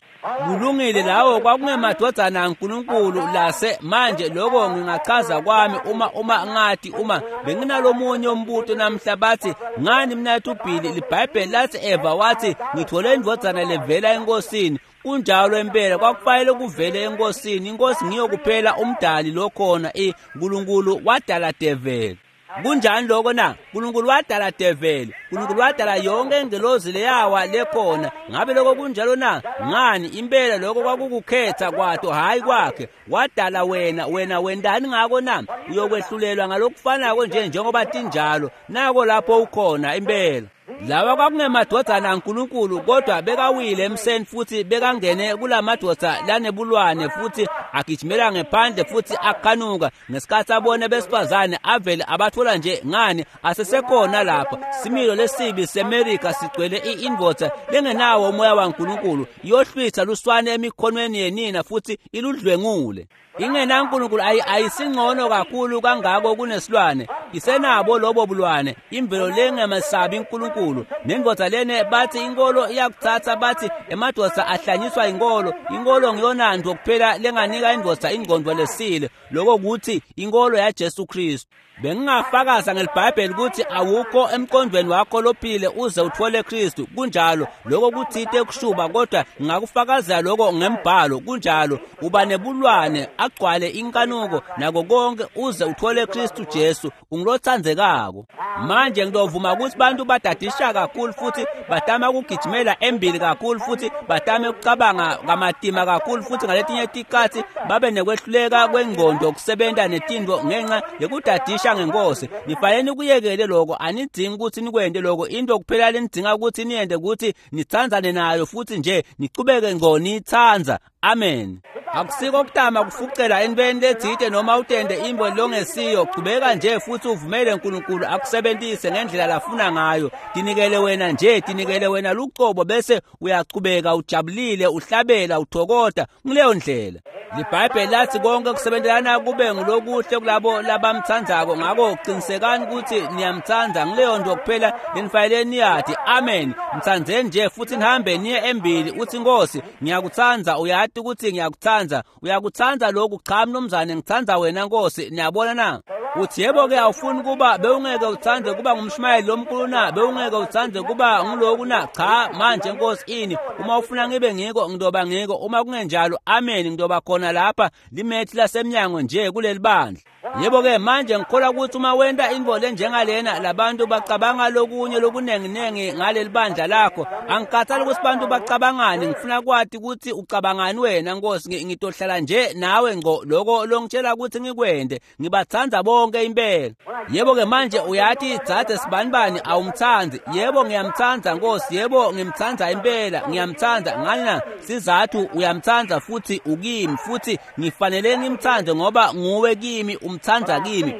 Speaker 1: Kulungile, lawo kwakungemadvodzana aNkulunkulu lase. Manje lokho ngingachaza kwami uma ngathi uma benginalomunye umbuto namhla bathi ngani mnathu Billy, liBhayibheli lathi Eva wathi ngithole indvodzana levela enkosini. Kunjalo impela, kwakufanele kuvele enkosini. Inkosi ngiyo kuphela umdali lokhona, uNkulunkulu wadala develi. Kunjani lokho na? uNkulunkulu wadala develi, uNkulunkulu wadala yonke ingelozi leyawa lekhona. Ngabe lokho kunjalo na? Ngani impela lokho kwakukukhetha kwato, hayi kwakhe. Wadala wena, wena wendani ngako na? Uyokwehlulelwa ngalokufanako nje njengoba tinjalo. Nako lapho ukhona impela. Lawa kwakungemadvodzana aNkulunkulu, kodwa bekawile emseni futhi bekangene kulamadvodza lanebulwane, futhi agijimela ngephandle futhi akhanuka ngesikhathi abone besifazane avele abathola nje. Ngani asesekhona lapha similo lesibi seMerika sigcwele indvodza lengenawo umoya waNkulunkulu, iyohlwitha luswane emikhonweni yenina futhi iludlwengule. IngenaNkulunkulu ayisingcono kakhulu kangako kunesilwane, isenabo lobo bulwane, imvelo lengemesabi uNkulunkulu. Nendvodza lene bathi inkolo iyakuthatha, bathi emadvodza ahlanyiswa inkolo. Inkolo ngiyona nto kuphela lenganika wanika indvodza ingqondo lesile, lokho kuthi inkolo yaJesu Kristu. Bengingafakaza ngeliBhayibheli ukuthi awukho emqondweni wakho lophile uze uthole Kristu. Kunjalo, lokho kuthite kushuba, kodwa ngingakufakazela lokho ngembhalo. Kunjalo, uba nebulwane, agcwale inkanuko nako konke uze uthole Kristu Jesu, ungilothandzekako. Manje ngidovuma ukuthi bantu badadisha kakhulu futhi batama ukugijimela embili kakhulu futhi batame ukucabanga kamatima kakhulu futhi ngaletinye tikhatsi babe nekwehluleka kwengqondo kusebenta netinto ngenxa yekudadisha ngenkosi. Nifanele nikuyekele lokho, anidzingi ukuthi nikwente lokho. Into kuphela lenidzinga ukuthi niyente ukuthi nitsandzane nayo futhi nje nichubeke ngqo niyitsandza. Amen. Akusiko kutama kufucela entweni letsite noma utende imbo longesiyo. Chubeka nje futhi uvumele uNkulunkulu akusebenzise ngendlela lafuna ngayo. Tinikele wena nje, tinikele wena lucobo, bese uyachubeka ujabulile, uhlabela, uthokota kuleyo ndlela. LiBhayibheli lathi konke kusebenzelana kube ngulokuhle kulabo labamthandzako. Ngakho qinisekani ukuthi niyamthanda ngileyo nto kuphela lenifanele niyati. Amen. Mthandzeni nje futhi nihambe niye embili, uthi Nkosi ngiyakuthanda, uyati ukuthi ngiyakuthanda. Uyakuthanda lokhu? Cha mnumzane, ngithanda wena Nkosi. Niyabona na? Uthi yebo ke, awufuni kuba bewungeke uthande kuba ngumshumayeli lomkhulu na? Bewungeke uthande kuba ngiloku na? Cha manje Nkosi ini, uma ufuna ngibe ngiko ngidoba ngiko, uma kungenjalo amen, ngidoba khona lapha limethi lasemnyango nje kuleli bandla. Yebo ke manje ngikholwa ukuthi uma wenta intfo lenjengalena labantu bacabanga lokunye lokunenginengi ngaleli bandla lakho. Angikhathali ukuthi bantu bacabangani, ngifuna kwati ukuthi ucabangani wena Nkosi. Ngitohlala nje nawe ngqo lokho longitshela ukuthi ngikwente. Ngibatsandza bonke impela. Yebo ke manje uyathi dzadze sibanibani awumtsandzi. Yebo ngiyamtsandza Nkosi, yebo ngimtsandza impela, ngiyamtsandza. Ngani sizathu uyamtsandza futhi ukimi, futhi ngifanele ngimtsandze ngoba nguwe kimi, umtsandza kimi.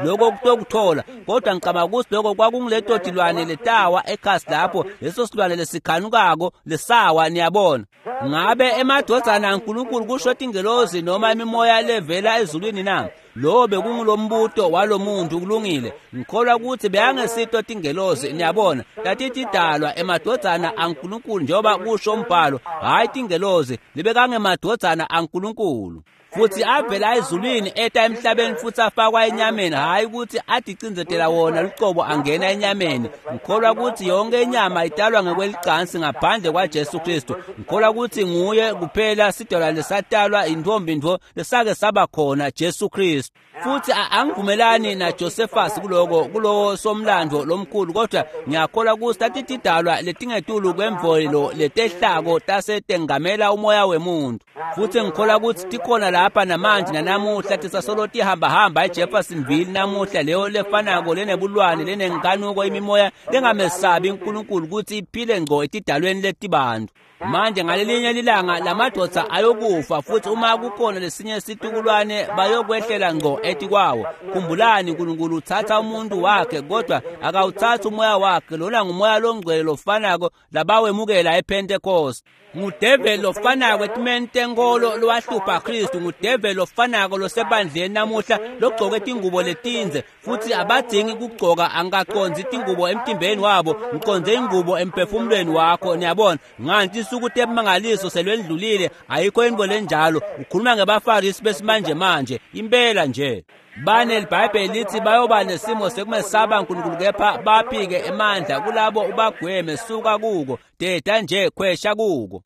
Speaker 1: Lokho kutokuthola. Kodwa ngicabanga ukuthi lokho kwakunguleto tilwane letawa ekhasi lapho, leso silwane lesikhanukako lesawa. Niyabona, ngabe emadvodzana aNkulunkulu kusho tingelozi noma imimoya levela ezulwini na? Lo bekungulombuto walomuntu. Kulungile, ngikholwa ukuthi beyangesito tingelozi. Niyabona, tatitidalwa emadvodzana aNkulunkulu njengoba kusho umbhalo, hhayi tingelozi, libekangemadvodzana aNkulunkulu. Futhi avela ezulwini eta emhlabeni futhi afakwa enyameni, hhayi ukuthi aticindzetela wona lucobo angena enyameni. Ngikholwa ukuthi yonke inyama italwa ngekwelicansi ngaphandle kwaJesu Kristu. Ngikholwa ukuthi nguye kuphela sidalwa lesatalwa intombi ntfo lesake saba khona, Jesu Kristu. Futhi angivumelani naJosephus kuloko, kulowo somlando lomkhulu, kodwa ngiyakholwa ukuthi tatitidalwa letingetulu kwemvelo letehlako tasetengamela umoya wemuntu. Futhi ngikholwa ukuthi tikhona lapha namanje nanamuhla, tisasolo tihambahamba eJeffersonville namuhla, leyo lefanako lenebulwane lenenkanuko, imimoya lengamesabi uNkulunkulu ukuthi iphile ngqo etidalweni letibantu. Manje ngalelinye lilanga lamadvodza ayokufa, futhi uma kukhona lesinye situkulwane bayokwehlela ngqo etikwawo. Khumbulani, uNkulunkulu uthatha umuntu wakhe kodwa akawuthathi umoya wakhe. Lona ngumoya longcwele lofanako labawemukela ePentecost. Ngudeveli lofanako etimeni tenkolo lowahlupha Kristu, ngudeveli lofanako losebandleni namuhla logcoke tingubo letindze, futhi abadzingi kugcoka. Angikacondzi tingubo emtimbeni wabo, ngicondze ingubo emphefumulweni wakho. Niyabona, nganti insuku temangaliso selwendlulile, ayikho intfo lenjalo. Ukhuluma ngebafarisi besimanje manje, impela nje. Bane liBhayibheli lithi bayoba nesimo sekumesaba uNkulunkulu, kepha baphike emandla. Kulabo ubagweme, suka kuko, deda nje, khwesha kuko.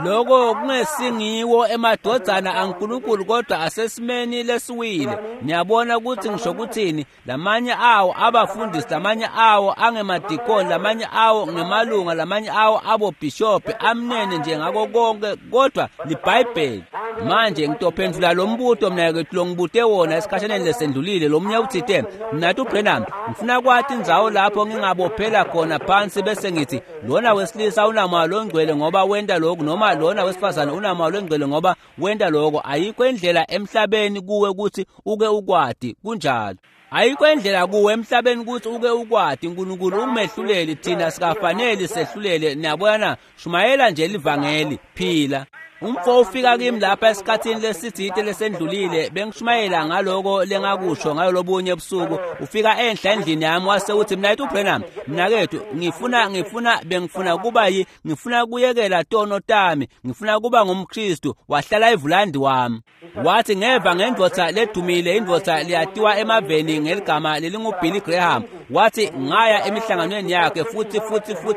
Speaker 1: Lokho kungesingiwo emadvodzana aNkulunkulu, kodwa asesimeni lesiwile. Niyabona ukuthi ngisho kuthini? Lamanye awo abafundisi, lamanye awo angemadikoni, lamanye awo ngemalunga, lamanye awo abobhishobhi, amnene nje ngako konke, kodwa liBhayibheli. Manje ngitophendvula lo mbuto mna kethu longibute wona esikhashaneni lesendlulile. Lomunye uthite, mnatu Branham, ngifuna kwati indzawo lapho ngingabophela khona phansi bese ngithi lona wesilisa unamoya longcwele ngoba wenta lokhu, noma lona wesifazane unamoya longcwele ngoba wenta lokho. Ayikho indlela emhlabeni kuwe ukuthi uke ukwati. Kunjalo, ayikho indlela kuwe emhlabeni ukuthi uke ukwati. uNkulunkulu ungumehluleli, thina sikafanele sehlulele. Niyabona, shumayela nje livangeli, phila. Umfo ufika kimi lapha esikhathini lesitsite lesendlulile, bengishumayela ngaloko lengakusho ngayo lobunye ebusuku. Ufika enhla endlini yami wase uthi, "Mnaketfu Branham, mnaketfu, ngifuna kuba ngifuna kuyekela tono tami, ngifuna kuba ngumKristu." Wahlala evulandi wami. Wathi, "Ngeva ngendvodza ledumile, indvodza leyatiwa emaveni ngeligama lelingu Billy Graham." Wathi, "Ngaya emihlanganweni yakhe futhi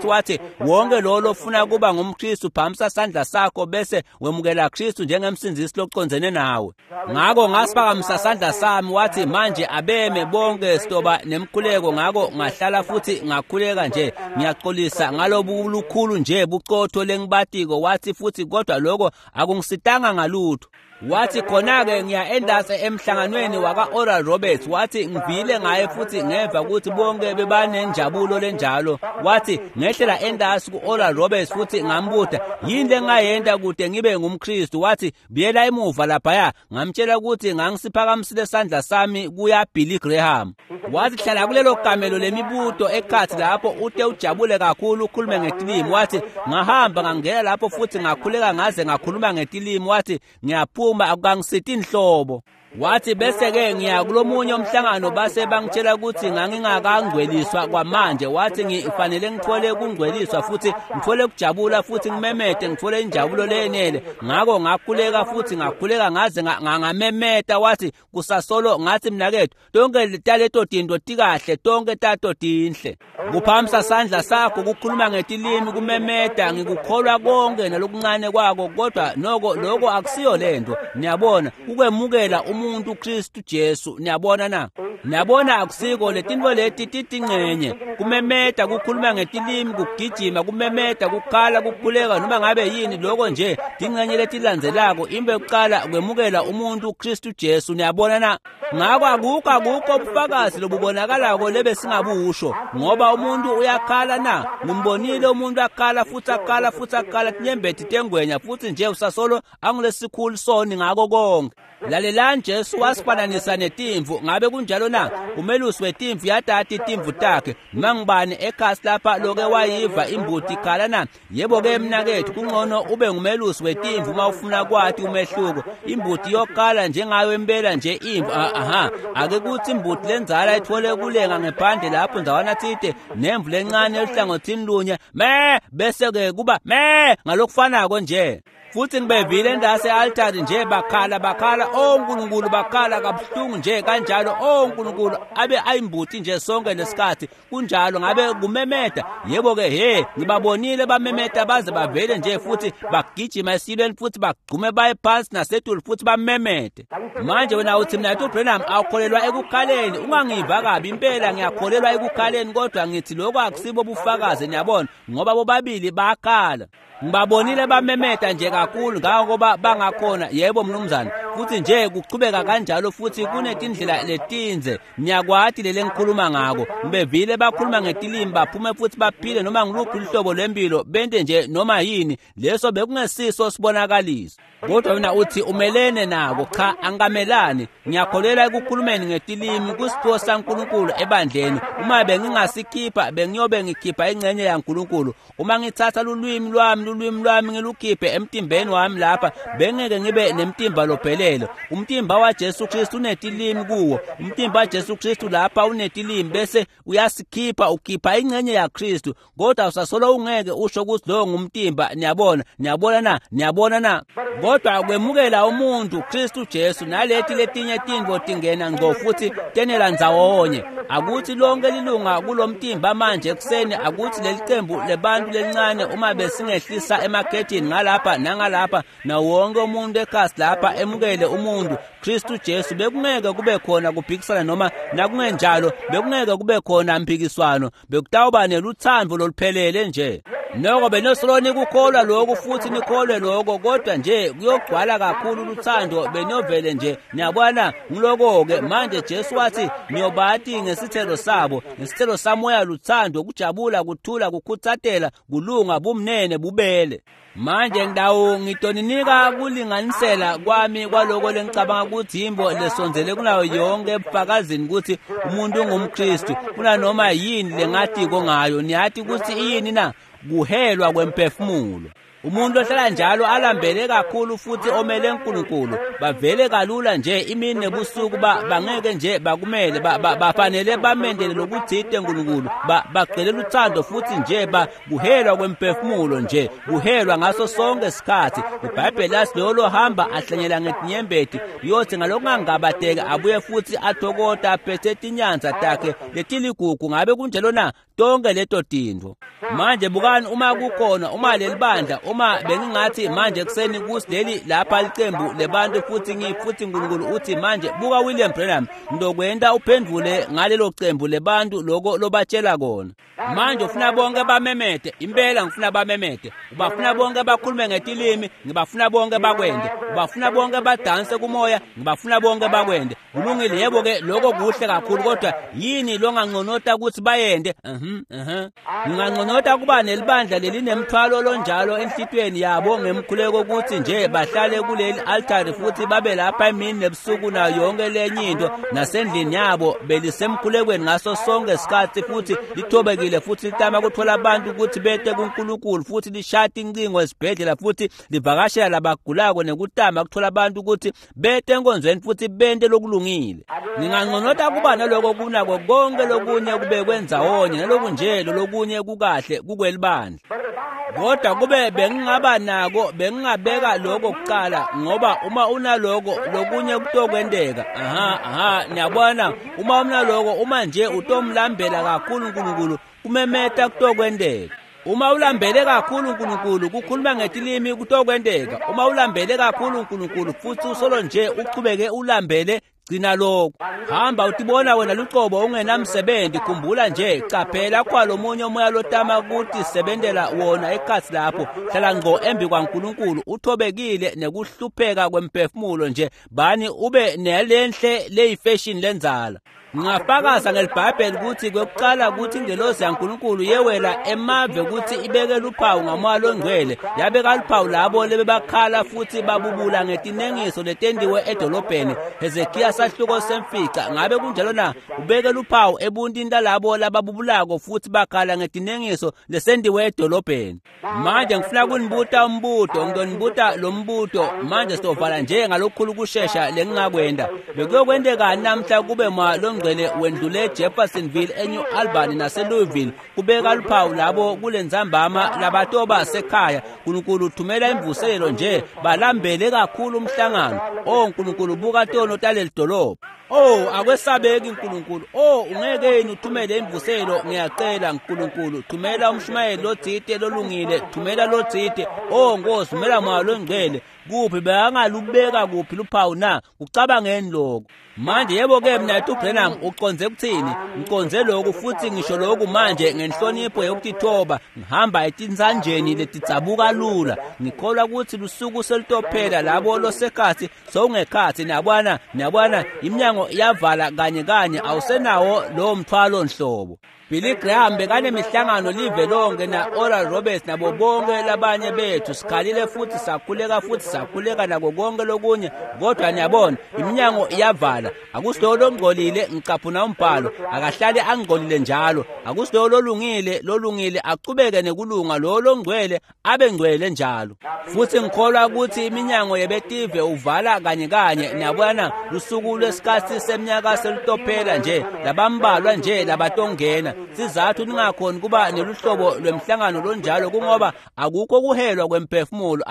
Speaker 1: wathi wonke lo lofuna kuba ngumKristu phamisa sandla sakho bese wemukela Kristu njengemsindzisi locondzene nawe." Ngako ngasiphakamisa sandla sami. Wathi, "Manje abeme bonke sitoba nemkhuleko." Ngako ngahlala futhi ngakhuleka nje, ngiyaxolisa ngalobu lukhulu nje bucotho lengibatiko. Wathi, "Futhi kodwa lokho akungisitanga ngalutho." Wathi, "Khona-ke ngiya endase emhlanganweni waka-Oral Roberts." Wathi, "Ngivile ngaye futhi ngeva ukuthi bonke bebanenjabulo lenjalo." Wathi, "Ngehlela endasi ku-Oral Roberts futhi ngambuta, yini lengayenta kude ngibe ngumKristu?" Wathi, "Buyela emuva laphaya." Ngamtshela ukuthi ngangisiphakamisile sandla sami kuya Billy Graham. Wathi, "Hlala kulelo kamelo lemibuto ekhathi lapho ute ujabule kakhulu ukhulume ngetilimi." Wathi, "Ngahamba ngangena lapho futhi ngakhuleka ngaze ngakhuluma ngetilimi." Wathi, "Ngiyaphuma akukangisiti inhlobo." Wathi, "Bese-ke ngiya kulomunye umhlangano base bangitshela ukuthi ngangingakangcweliswa kwamanje." Wathi, "Ngifanele ngithole kungcweliswa futhi ngithole kujabula futhi ngimemete ngithole injabulo leyenele." Ngako ngakhuleka futhi ngakhuleka ngaze ngamemeta. Wathi, "Kusasolo." Ngathi, "Mnaketfu, tonke taleto tinto tikahle, tonke tato tinhle. Kuphamisa sandla sakho, kukhuluma ngetilimi, kumemeta, ngikukholwa konke nalokuncane kwako, kodwa noko lokho akusiyo lento. Niyabona, ukwemukela umuntu Kristu Jesu. Niyabona na? Niyabona, akusiko letinto leti titingcenye. Kumemeta, kukhuluma ngetilimi, kugijima, kumemeta, kukhala, kukhuleka, noma ngabe yini, lokho nje tingcenye letilandzelako. Into yokuqala kwemukela umuntu Kristu Jesu. Niyabona na? Ngako akukho ubufakazi lobubonakalako lebesingabusho, ngoba umuntu uyakhala na. Ngimbonile umuntu akhala futhi akhala futhi akhala tinyembeti tengwenya, futhi nje usasolo angulesikhulu soni ngako konke. Lalelani, Jesu wasifananisa netimvu. Ngabe kunjalo na? Umelusi wetimvu yatati timvu takhe. Noma ngibani ekhasi lapha loke wayiva imbuti ikhala na? Yebo-ke mnaketfu, kungcono ube ngumelusi wetimvu uma ufuna kwati umehluko. Imbuti yokhala njengayo impela nje imvu. Aha, ake kuthi imbuti lenzala ithole kulenga ngephandle lapho ndzawana tsite nemvu lencane eluhlangothini lunye, me, bese-ke kuba me ngalokufanako nje. Futhi ngibevile endase altari nje bakhala, oh Nkulunkulu, bakhala kabuhlungu nje kanjalo, oh Nkulunkulu, abe ayimbuti nje sonke lesikhathi. Kunjalo, ngabe kumemeta? Yebo-ke, he, ngibabonile bamemeta baze bavele nje futhi bagijima esilweni futhi bagqume baye phansi nasetulu futhi bamemete. Manje wena uthi, "Mnaketfu Branham, awukholelwa ekukhaleni." Ungangiva kabi, impela ngiyakholelwa ekukhaleni, kodwa ngithi lokho akusibo bufakazi. Niyabona, ngoba bobabili bakhala. Ngibabonile bamemeta nje kakhulu ngangoba bangakhona. Yebo mnumzane, futhi nje kuchubeka kanjalo, futhi kunetindlela letinze. Niyakwati lele ngikhuluma ngako. Ngibevile bakhuluma ngetilimi, baphume futhi baphile noma ngiluphi luhlobo lwempilo, bente nje noma yini. Leso bekungesiso sibonakaliso. Kodwa wena uthi umelene nako. Cha, angikamelani. Ngiyakholelwa ekukhulumeni ngetilimi kusiphiwo saNkulunkulu ebandleni. Uma bengingasikhipha, bengiyobe ngikhipha ingcenye yaNkulunkulu. Uma ngithatha lulwimi lwami ngilukhiphe emtimbeni wami lapha, bengeke ngibe nemtimba lophelele. Umtimba waJesu Kristu unetilimi kuwo. Umtimba waJesu Kristu lapha unetilimi, bese uyasikhipha, ukhipha ingcenye yaKristu, kodwa usasolo ungeke usho ukuthi lo ngumtimba. Niyabona? Niyabona na? Niyabona na? Kodwa kwemukela umuntu Kristu Jesu naleti letinye tintfo tingena ngco futhi tenela ndzawonye. Akuthi lonke lilunga kulomtimba manje ekuseni, akuthi lelicembu lebantu lelincane, uma besingehlisa emakhethini ngalapha nangalapha, na wonke umuntu ekhasi lapha emukele umuntu Kristu Jesu, bekungeke kube khona kuphikisana, noma nakungenjalo bekungeke kube khona mpikiswano, bekutawuba nelutsandvo loluphelele nje. Noko benosolo nikukholwa lokhu futhi nikholwe lokho, kodwa nje kuyogcwala kakhulu luthando benovele nje. Niyabona, ngiloko-ke manje. Jesu wathi, "Niyobati ngesithelo sabo." Ngesithelo samoya luthando, kujabula, kuthula, kukhutsatela, kulunga, bumnene, bubele. Manje ndawo ngitoninika kulinganisela kwami kwaloko lengicabanga ukuthi yimbo lesondzele kunayo yonke ebufakazini ukuthi umuntu ungumKristu kunanoma yini lengatiko ngayo. Niyati ukuthi iyini na? Kuhelwa kwemphefumulo. Umuntu ohlala njalo alambele kakhulu futhi omele uNkulunkulu, bavele kalula nje imini nebusuku, bangeke nje bakumele, bafanele bamendele lokuthite uNkulunkulu, bagcwele uthando futhi nje kuhelwa kwemphefumulo nje, kuhelwa ngaso sonke isikhathi. IBhayibheli lathi loyo lohamba ahlanyela ngetinyembeti uyothi ngalokungangabateki abuye futhi athokota aphethe tinyanza takhe letiligugu. Ngabe kunjalo na? Tonke leto tintfo. Manje bukani, uma kukhona, uma leli bandla, uma bengingathi manje ekuseni kusileli lapha licembu lebantu futhi futhi uNkulunkulu uthi manje buka William Branham, ngizokwenta uphendvule ngalelo cembu lebantu loko lobatshela kona. Manje ufuna bonke bamemete, impela ngifuna bamemete. Ubafuna bonke bakhulume ngetilimi, ngibafuna bonke bakwende. Ubafuna bonke badanse kumoya, ngibafuna bonke bakwende. Kulungile, yebo ke, lokho kuhle kakhulu, kodwa yini longanconota ukuthi bayende? Nginganconota kuba nelibandla lelinemthwalo lonjalo enhlitweni yabo ngemkhuleko ukuthi nje bahlale kuleli altari futhi babe lapha emini nebusuku nayo yonke lenye into nasendlini yabo belisemkhulekweni ngaso sonke isikhathi, futhi lithobekile futhi litama kuthola abantu ukuthi bete kuNkulunkulu, futhi lishaya incingo esibhedlela futhi livakashela labagulako nekutama kuthola abantu ukuthi bete enkonzweni futhi bente lokulungile. Nginganconota kuba naloko kunako konke lokunye kubekwe ndzawonye naloku nje lokunye kukahle kukwelibandla. Kodwa kube bengingaba nako, bengingabeka lokho kuqala, ngoba uma unaloko lokunye kutokwenteka. Aha, niyabona, uma unaloko, uma nje utomlambela kakhulu uNkulunkulu, kumemeta kutokwenteka. Uma ulambele kakhulu uNkulunkulu, kukhuluma ngetilimi kutokwenteka. Uma ulambele kakhulu uNkulunkulu futhi usolo nje uchubeke ulambele, gcina lokho. Hamba utibona wena lucobo ungenamsebenzi. Khumbula nje, caphela kwalomunye umoya lotama ukuthi sebentela wona ekhatsi lapho. Hlala ngqo embi kwaNkulunkulu uthobekile nekuhlupheka kwemphefumulo nje, bani ube nelenhle leyifashion lenzala. Ngingafakaza ngelibhayibheli ukuthi kwekuqala ukuthi ingelosi yaNkulunkulu yewela emave ukuthi ibeke luphawu ngamoya longcwele, yabeka luphawu labo lebebakhala futhi babubula ngetinengiso letendiwe edolobheni. Hezekiya sahluko semfica. Ngabe kunjalo na? Ubeke luphawu ebuntini lalabo lababubulako futhi bakhala ngetinengiso lesendiwe edolobheni. Manje ngifuna kunibuta umbuto, ngizonibuta lo mbuto manje, sizovala nje ngalokukhulu kushesha lengingakwenda. Bekuyokwenteka namhla kube ma longcwele wendlule Jeffersonville, eNew Albany naseLouisville, kubeka luphawu labo kulentsambama labatoba sekhaya. Nkulunkulu uthumela imvuselelo nje, balambele kakhulu umhlangano. Oh Nkulunkulu, buka tono taleli dolobha. Oh, akwesabeki Nkulunkulu. Oh, ungeke yini uthumele imvuselo? Ngiyacela Nkulunkulu, thumela umshumayeli lotsite lolungile, thumela lotsite. Oh Nkosi, thumela moya longcwele. Kuphi bekangalubeka kuphi luphawu na? Kucabangeni lokho. Manje yebo ke mina uBranham uconze kuthini? Ngiconze lokhu futhi ngisho lokhu manje ngenhlonipho yokutithoba, ngihamba etinsanjeni letidzabuka lula. Ngikholwa ukuthi lusuku selutophela labo losekhathi sowungekhathi. Niyabona, niyabona, iminyango iyavala kanye kanye, awusenawo lowo mthwalo nhlobo. Billy Graham bekanemihlangano live lonke na Oral Roberts nabo bonke labanye bethu, sikhalile futhi sakhuleka futhi sakhuleka nako konke lokunye, kodwa niyabona iminyango iyavala. Akusilowo longcolile, ngicaphuna umbhalo, akahlale angcolile njalo. Akusilowo lolungile, lolungile achubeke nekulunga, lowo longcwele abe ngcwele njalo. Futhi ngikholwa ukuthi iminyango yebetive uvala kanye kanye. Niyabona, lusuku lwesikhathi seminyaka selutophela nje, labambalwa nje labatongena. Sizathu ningakhoni kuba neluhlobo lwemhlangano lonjalo kungoba akukho kuhelwa kwemphefumulo,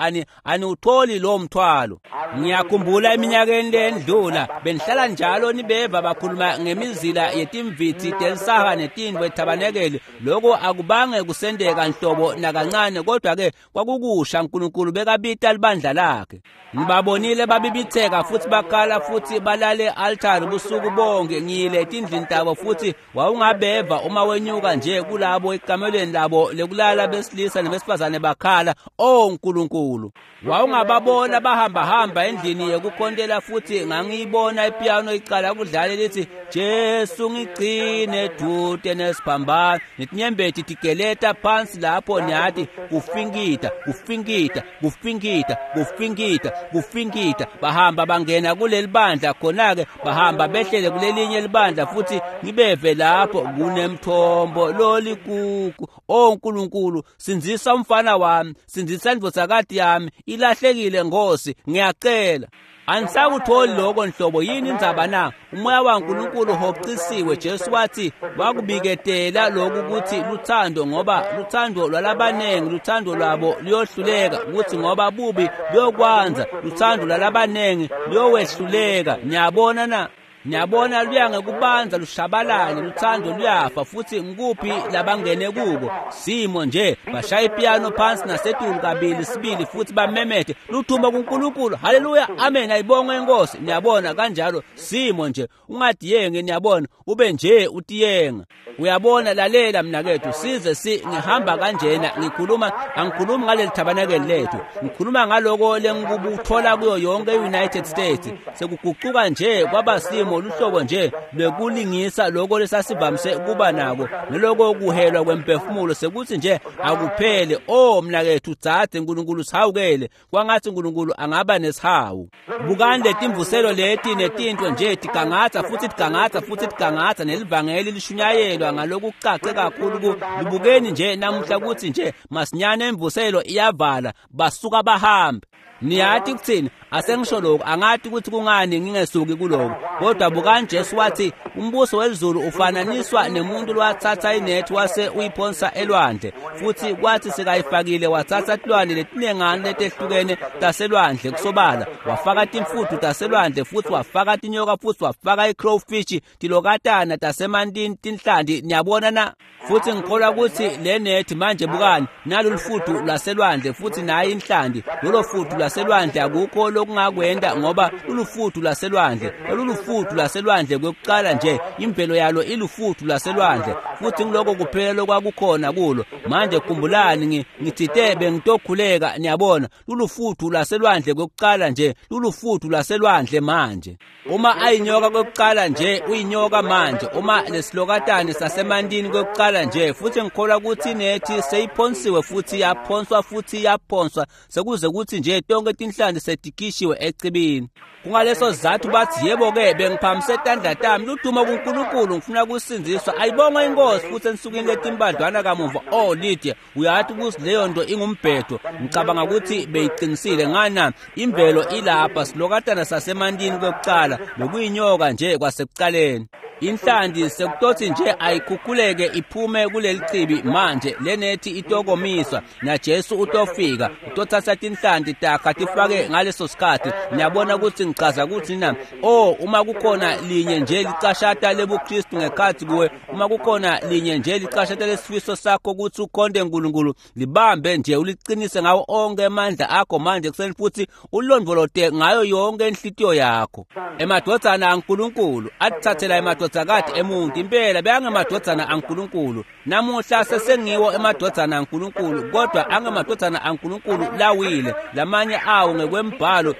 Speaker 1: aniwutholi lowo mthwalo. Ngiyakhumbula eminyakeni lendlula benihlala njalo nibeva bakhuluma ngemizila yetimvithi telisaha netindvo ethabanekeli. Lokho akubange kusendeka nhlobo nakancane, kodwa ke kwakukusha uNkulunkulu bekabita libandla lakhe. Ngibabonile babibitheka futhi bakhala futhi balale altari busuku bonke. Ngiyile etindlini tabo futhi wawungabeva uma wenyuka nje kulabo ekamelweni labo lekulala besilisa nebesifazane bakhala, oh Nkulunkulu. Wawungababona bahamba hamba endlini yekukhontela futhi ngangiyibona ipiano icala kudlala lithi Jesu ngigcine dude nesiphambano, netinyembeti tigeleta phansi lapho, niyathi kufinkita kufinkita kufinkita kufinkita kufinkita. Bahamba bangena kuleli bandla, khona-ke bahamba behlele kulelinye libandla futhi ngibeve lapho kunemthombo lolikuku. O Nkulunkulu, sindzisa umfana wami, sindzisa indvodzakati yami, ilahlekile Nkosi, ngiyacela. Anisakutholi lokho nhlobo. Yini indzaba na? Umoya waNkulunkulu uhocisiwe. Jesu wathi wakubiketela lokhu ukuthi luthando, ngoba luthando lwalabanengi, luthando lwabo luyohluleka, ukuthi ngoba bubi buyokwanza, luthando lwalabanengi luyowehluleka. Niyabona na? Niyabona, luya ngekubanza lushabalale, luthando luyafa. Futhi ngikuphi labangene kuko? Simo nje bashaya ipiyano phansi nasetulu kabili sibili futhi bamemete luthumba kuNkulunkulu, haleluya, amen, ayibongwe inkosi. Niyabona, kanjalo simo nje, ungadiyengi. Niyabona, ube nje utiyenga. Uyabona, lalela mnakethu, size si ngihamba kanjena ngikhuluma, angikhulumi ngaleli thabanekeli lethu, ngikhuluma ngaloko lengikubuthola kuyo yonke i-United States. Sekugucuka nje kwaba simo luhlobo nje lwekulingisa lokho lesasivamise kuba nako, neloko kuhelwa kwemphefumulo sekuthi nje akuphele. O mnakethu, dzadze, Nkulunkulu sihawukele, kwangathi Nkulunkulu angaba nesihawu. Bukani letimvuselo leti netintfo nje tigangatsa futhi tigangatsa futhi tigangatsa, nelivangeli lishunyayelwa ngalokucace kakhulu. Libukeni nje namuhla kutsi nje masinyane imvuselo iyavala, basuka bahambe. Niyati kuthini? Asengisho lokhu, angati ukuthi kungani ngingesuki kuloko, kodwa bukani, Jesu wathi umbuso welizulu ufananiswa nemuntu lowathatha inethi wase uyiphonsa elwandle, futhi kwathi sekayifakile wathatha tilwane letinengane letehlukene taselwandle, kusobala wafaka timfuthu taselwandle, futhi wafaka tinyoka, futhi wafaka i-crowfish, tilokatana tasemantini, tinhlanti. Niyabona na? Futhi ngikholwa ukuthi le nethi manje, bukani, nalo lufuthu lwaselwandle futhi nayi inhlanti. Lolo futhu lwaselwandle akukho lokungakwenda, ngoba lulufuthu lwaselwandle, lolulufuthu lwaselwandle kwekuqala nje, imvelo yalo ilufuthu lwaselwandle, futhi ngiloko kuphela lokwakukhona kulo. Manje khumbulani, ngithite bengitokhuleka. Niyabona, lulufuthu lwaselwandle kwekuqala nje, lulufuthu lwaselwandle manje. Uma ayinyoka kwekuqala nje, uyinyoka manje. Uma lesilokatane sasemantini kwekuqala nje, futhi ngikholwa ukuthi nethi seyiphonsiwe futhi yaphonswa futhi yaphonswa, sekuze kuthi nje tonke tinhlanti setikishiwe ecibini. Kungaleso sizathu bathi, yebo-ke, bengiphamise tandla tami, ludumo kuNkulunkulu, ngifuna kusindziswa, ayibongwe inkosi. Futhi ensukwini letimbadlwana kamuva, oh Lydia, uyathi ukuthi leyo nto ingumbhedo. Ngicabanga ukuthi beyiqinisile. Ngana imvelo ilapha, silokatana sasemantini kwekuqala bekuyinyoka nje kwasekuqaleni. Inhlanti sekutothi nje ayikhukhuleke iphume kuleli chibi manje, lenethi itokomiswa, naJesu utofika utothatha tinhlanti takha tifake ngaleso sikhathi. Niyabona ukuthi ngichaza ukuthi na? Oh, uma kukhona linye nje licashata lebuKristu ngekhathi kuwe, uma kukhona linye nje licashata lesifiso sakho ukuthi ukhonde uNkulunkulu, libambe nje uliqinise ngawo onke amandla akho manje kuseni, futhi ulondvolote ngayo yonke inhlitiyo yakho. Emadvodzana aNkulunkulu atithathela emadvodzakati emuntu, impela beyangemadvodzana aNkulunkulu. Namuhla sesengiwo emadvodzana aNkulunkulu, kodwa angemadvodzana aNkulunkulu lawile, lamanye awo ngekwembhalo.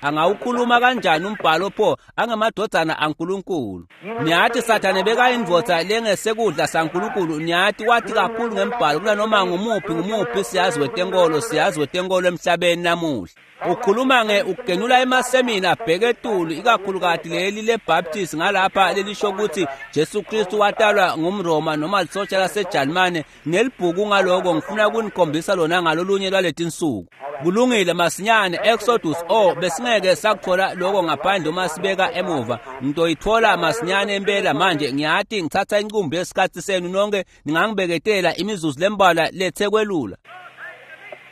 Speaker 1: Angawukhuluma kanjani umbhalo pho? Angemadvodzana aNkulunkulu. Niyathi Sathane bekayindvodza lengesekudla saNkulunkulu. Niyathi wathi kakhulu ngembhalo kunanoma ngumuphi siyazi wetenkolo, siyazi wetenkolo emhlabeni namuhla. Ukhuluma nge ukugenula emasemina abheke etulu, ikakhulukati leli leBaptist ngalapha lelisho ukuthi Jesu Kristu watalwa ngumRoma noma lisotsha laseJalimane. Nelibhuku ngaloko ngifuna kunikhombisa lona ngalolunye lwaletinsuku. Kulungile, masinyane, Exodus. Oh, besingeke sakuthola lokho ngaphandle uma sibeka emuva. Ngitoyithola masinyane impela manje. Ngiyati ngithatha inqumbi yesikhathi senu nonke, ningangibeketela imizuzu lembalwa lethe kwelula.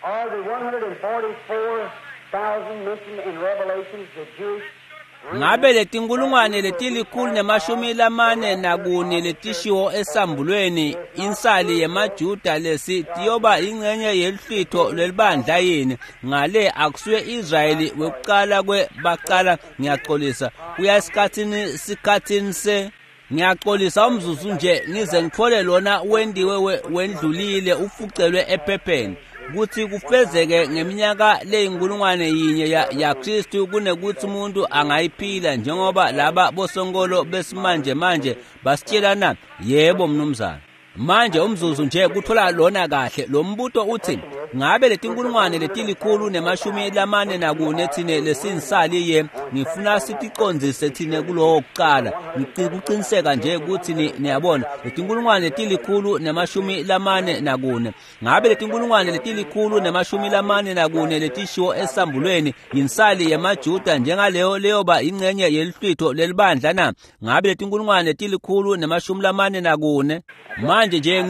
Speaker 2: Are the 144,000 mentioned in Revelations the Jewish
Speaker 1: Ngabe letinkulungwane leti-144 letishiwo esambulweni, insali yemaJuda lesi, tiyoba ingcenye yeluhlwitho lwelibandla yini? Ngale akusuye Israyeli wekuqala kwebaqala, ngiyaxolisa, kuya esikhathini se ngiyaxolisa umzuzu nje ngize ngithole lona wendiwe wendlulile ufucelwe ephepheni, kuthi kufezeke ngeminyaka leyinkulungwane yinye ya Kristu, kunekuthi umuntu angayiphila njengoba laba bosonkolo besimanje manje basitshelana. Yebo mnumzane. Manje umzuzu nje kuthola lona kahle lo mbuto uthi ngabe letinkulungwane letilikhulu nemashumi lamane nakune thine lesinsali ngifuna siticondzise thine kulowo kuqala ngikuqiniseka nje ukuthi niyabona letinkulungwane letilikhulu nemashumi lamane nakune ngabe letinkulungwane letilikhulu nemashumi lamane nakune letishiwo esambulweni yinsali yemaJuda njengaleyo leyoba ingcenye yelihlwitho lelibandla na ngabe letinkulungwane letilikhulu nemashumi lamane nakune manje nje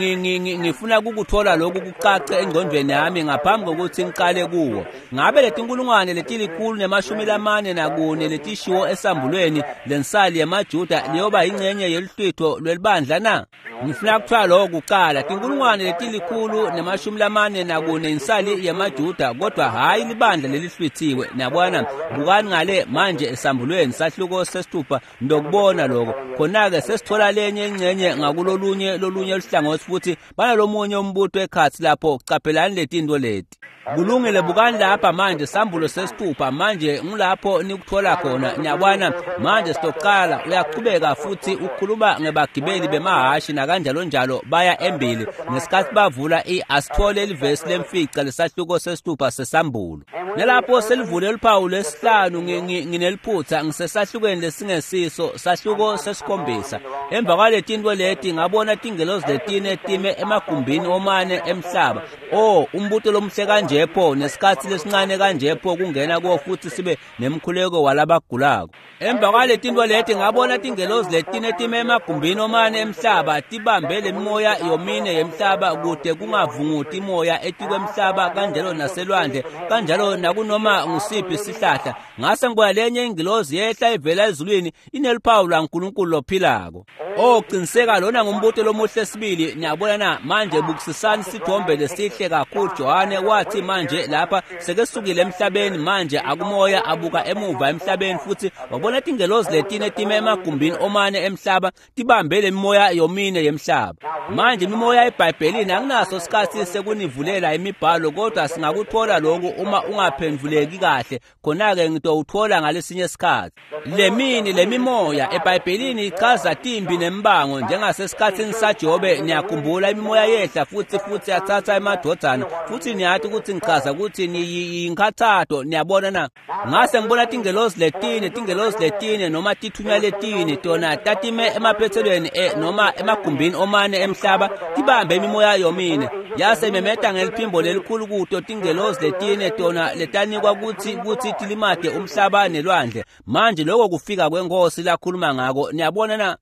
Speaker 1: ngifuna ukuthola lokhu kucace engqondweni yami ngaphambi kokuthi ngiqale kuwo ngabe letinkulungwane letilikhulu nemashumi lamane nakune letishiwo esambulweni lensali yemaJuda leyoba ingcenye yelihlwitho lwelibandla na ngifuna kuthiwa lokho kuqala tinkulungwane letilikhulu nemashumi lamane nakune insali yemaJuda kodwa hhayi libandla lelihlwithiwe niyabona bukani ngale manje esambulweni sahluko sesithupha ndokubona lokho khona-ke sesithola lenye ingcenye ngakulolunye lolunye luhlangothi futhi banalomunye umbuto ekhatsi lapho caphelani letinto leti kulungile bukani lapha manje sambulo sesithupha manje ngulapho nikuthola khona niyabona manje sitoqala uyaqhubeka futhi ukhuluma ngebagibeli bemahashi nakanjalo njalo baya embili ngesikhathi bavula asithole livesi lemfica lesahluko sesithupha sesambulo nalapho selivule luphawu lwesihlanu ngineliphutha ngisesahlukweni lesingesiso sahluko sesikhombisa emva kwaletinto leti ngabona tingelozi letine time emagumbini omane emhlaba oh umbuto lomhle kanje pho nesikhathi lesincane kanje pho kungena kuwo futhi sibe nemkhuleko walabagulako emva kwaletinto leti ngabona tingelozi letine time emagumbini omane emhlaba tibambe lemimoya yomine yemhlaba kude kungavunguti imoya etikwemhlaba kanjalo naselwandle kanjalo nakunoma ngusiphi isihlahla ngase ngibona lenye ingilozi yehla ivela ezulwini ineluphawu lwaNkulunkulu lophilako oh qiniseka lona ngumbuto lomuhle sibili niyabona na manje bukisisani sithombe lesihle kakhulu Johane wathi manje lapha sekesukile emhlabeni manje akumoya abuka emuva emhlabeni futhi wabona tingelozi letine time emagumbini omane emhlaba tibambe lemimoya yomine yemhlaba manje imimoya eBhayibhelini akunaso isikhathi sekunivulela imibhalo kodwa singakuthola lokhu uma ungaphenduleki kahle khona-ke ngitowuthola ngalesinye isikhathi lemini lemimoya eBhayibhelini ichaza timbi nembango njengasesikhathini saJobe niyakhumbula imimoya yehla futhi yathatha emadvodzana futhi niyathi ukuthi ngichaza ukuthi niyinkhathato niyabona na ngase ngibona tingelozi letine noma tithunywa letine tona tatime emaphethelweni noma emagumbini omane emhlaba tibambe imimoya yomine yase imemeta ngeliphimbo lelikhulu kuto tingelozi letine tona letanikwa ukuthi tilimate umhlaba nelwandle manje lokho kufika kwenkosi lakhuluma ngako niyabona na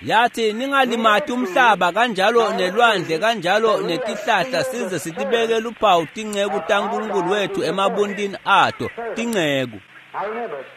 Speaker 1: yathi ningalimati umhlaba kanjalo nelwandle kanjalo netihlahla size sitibeke luphawu tinceku taNkulunkulu wethu emabuntini ato tinceku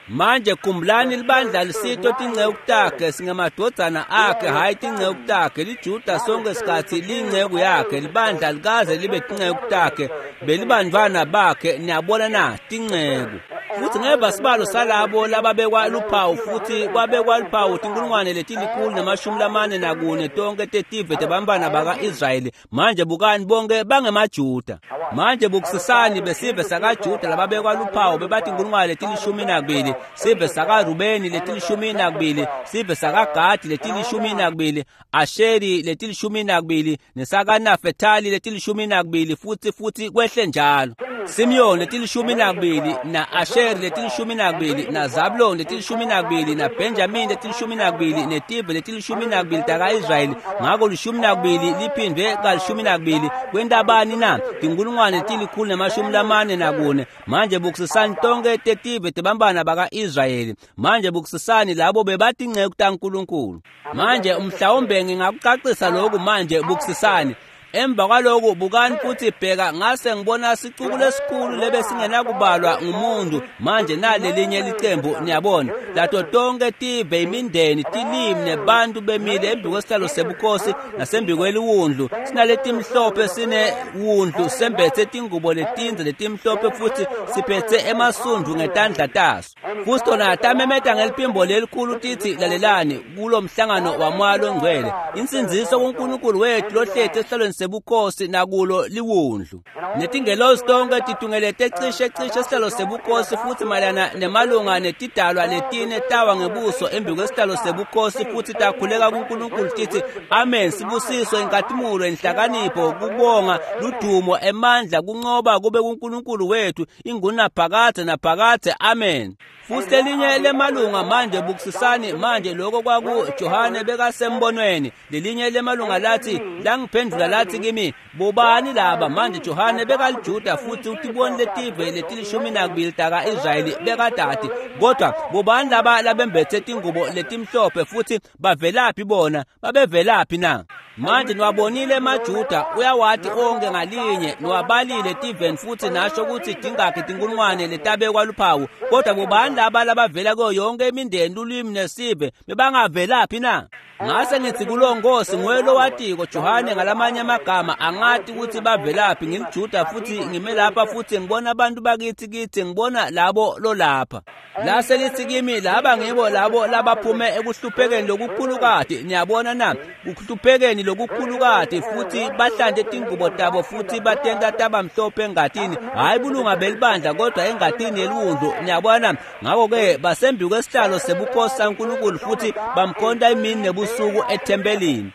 Speaker 1: manje khumbulani libandla lisito tinceku takhe singemadvodzana akhe hhayi tinceku takhe liJuda sonke sikhathi liyinceku yakhe libandla likaze libe tinceku takhe belibantfwana bakhe niyabona na tinceku futhi ngeva sibalo salabo lababekwa luphawu futhi kwabekwa luphawu tinkulungwane letilikhulu nemashumi lamane nakune tonke tetive tebantfwana baka-Israyeli manje bukani bonke bangemaJuda manje bukisisani besive sakaJuda lababekwa luphawu bebatinkulungwane letilishumi nakubili sive sakaRubeni letilishumi nakubili sive sakaGadi letilishumi nakubili Asheri letilishumi nakubili nesakaNafetali letilishumi nakubili futhi kwehle njalo Simeon letilishumi nakubili na Asheri letilishumi nakubili na Zabulon letilishumi nakubili na Benjamin letilishumi nakubili netive letilishumi nakubili taka-Israyeli ngako lishumi nakubili liphindwe kalishumi nakubili kwentabani na tinkulungwane letilikhulu nemashumi lamane nakune manje bukisisani tonke tetive tebantfwana baka-Israyeli manje bukisisani labo bebatinceku taNkulunkulu manje mhlawumbe ngingakucacisa lokhu manje bukisisani emva kwalokhu bukani futhi bheka ngase ngibona sicuku lesikhulu lebesingenakubalwa ngumuntu manje nalelinye licembu niyabona lato tonke tive imindeni tilimi nebantu bemile embi kwesihlalo sebukhosi nasembi kweliwundlu sinaletimhlophe sinewundlu sembethe tingubo letindze letimhlophe futhi siphethe emasundvu ngetandla taso futhi tona tamemeta ngeliphimbo lelikhulu tithi lalelani kulo mhlangano wamoya longcwele insindziso kuNkulunkulu wethu lohleti esihlalweni sebukhosi nakulo liwundlu. Netingelosi tonke titungelete cishe sihlalo sebukhosi futhi mayelana nemalunga netidalwa letine tawa ngebuso embi kwesihlalo sebukhosi futhi takhuleka kuNkulunkulu tithi amen, sibusiso, inkatimulo, inhlakanipho, kubonga, ludumo, emandla, kunqoba kube kuNkulunkulu wethu ingunaphakadze naphakadze, amen. Futhi lelinye lemalunga manje bukisisani manje lokho kwaku Johane bekasembonweni. Lelinye lemalunga lathi langiphendula lathi kimi, bobani laba? Manje Johane bekaliJuda futhi utiboni letive letilishumi nakubili taka-Israyeli bekadati, kodwa bobani laba labembethe tingubo letimhlophe futhi bavelaphi bona? Babevelaphi na? Manje niwabonile emaJuda, uyawati onke ngalinye, niwabalile tiveni futhi nasho ukuthi dingakhi tinkulungwane letabekwa luphawu, kodwa bobani laba labavela kuyo yonke imindeni, lulwimi nesive, bebangavelaphi na? Ngase ngithi kulo Nkosi, nguye lowatiko Johane ngalamanye amagama, angati ukuthi bavelaphi, ngiliJuda futhi ngime lapha futhi ngibona abantu bakithi kithi, ngibona labo lolapha. Lase lithi kimi, laba ngibo labo labaphume ekuhluphekeni lokukhulukati, niyabona na, kuhluphekeni lokukhulukati, futhi bahlante tingubo tabo futhi batenta taba mhlophe engatini, hayi bulunga belibandla kodwa engatini yeliwundlu, niyabona. Ngakho-ke basembi kwesihlalo sebukhosi saNkulunkulu futhi bamkhonta imini nebusuku ethempelini.